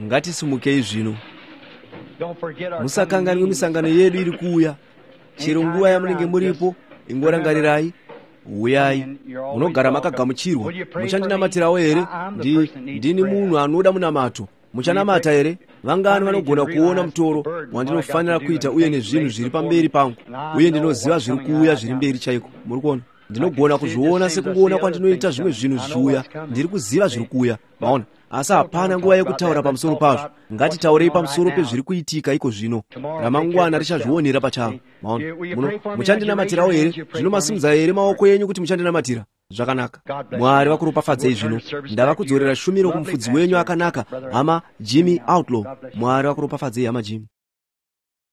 Ngatisimukei zvino. Musakanganwe misangano yedu iri kuuya. Chero nguva yamunenge muripo, ingorangarirai, uyai, munogara makagamuchirwa. Muchandinamatirawo here? Ndi, ndini munhu anoda munamato. Muchanamata here? Vangani vanogona kuona mutoro wandinofanira kuita uye nezvinhu zviri pamberi pangu? Uye ndinoziva zviri kuuya zviri mberi chaiko. Muri kuona? Ndinogona kuzviona sekungoona kwandinoita zvimwe zvinhu zvichiuya. Ndiri kuziva zviri kuuya. Maona? Asi hapana nguva yekutaura pamusoro pazvo. Ngatitaurei pamusoro pezviri kuitika iko zvino. Ramangwana richazvionera pachavo. Maona? Muno, muchandinamatirawo here? Zvino masimudza here maoko enyu kuti muchandinamatira? Zvakanaka. Mwari vakuropafadzei zvino. Ndava kudzorera shumiro kumufudzi wenyu akanaka, hama Jimmy Outlaw. Mwari vakuropafadzei, hama Jimmy.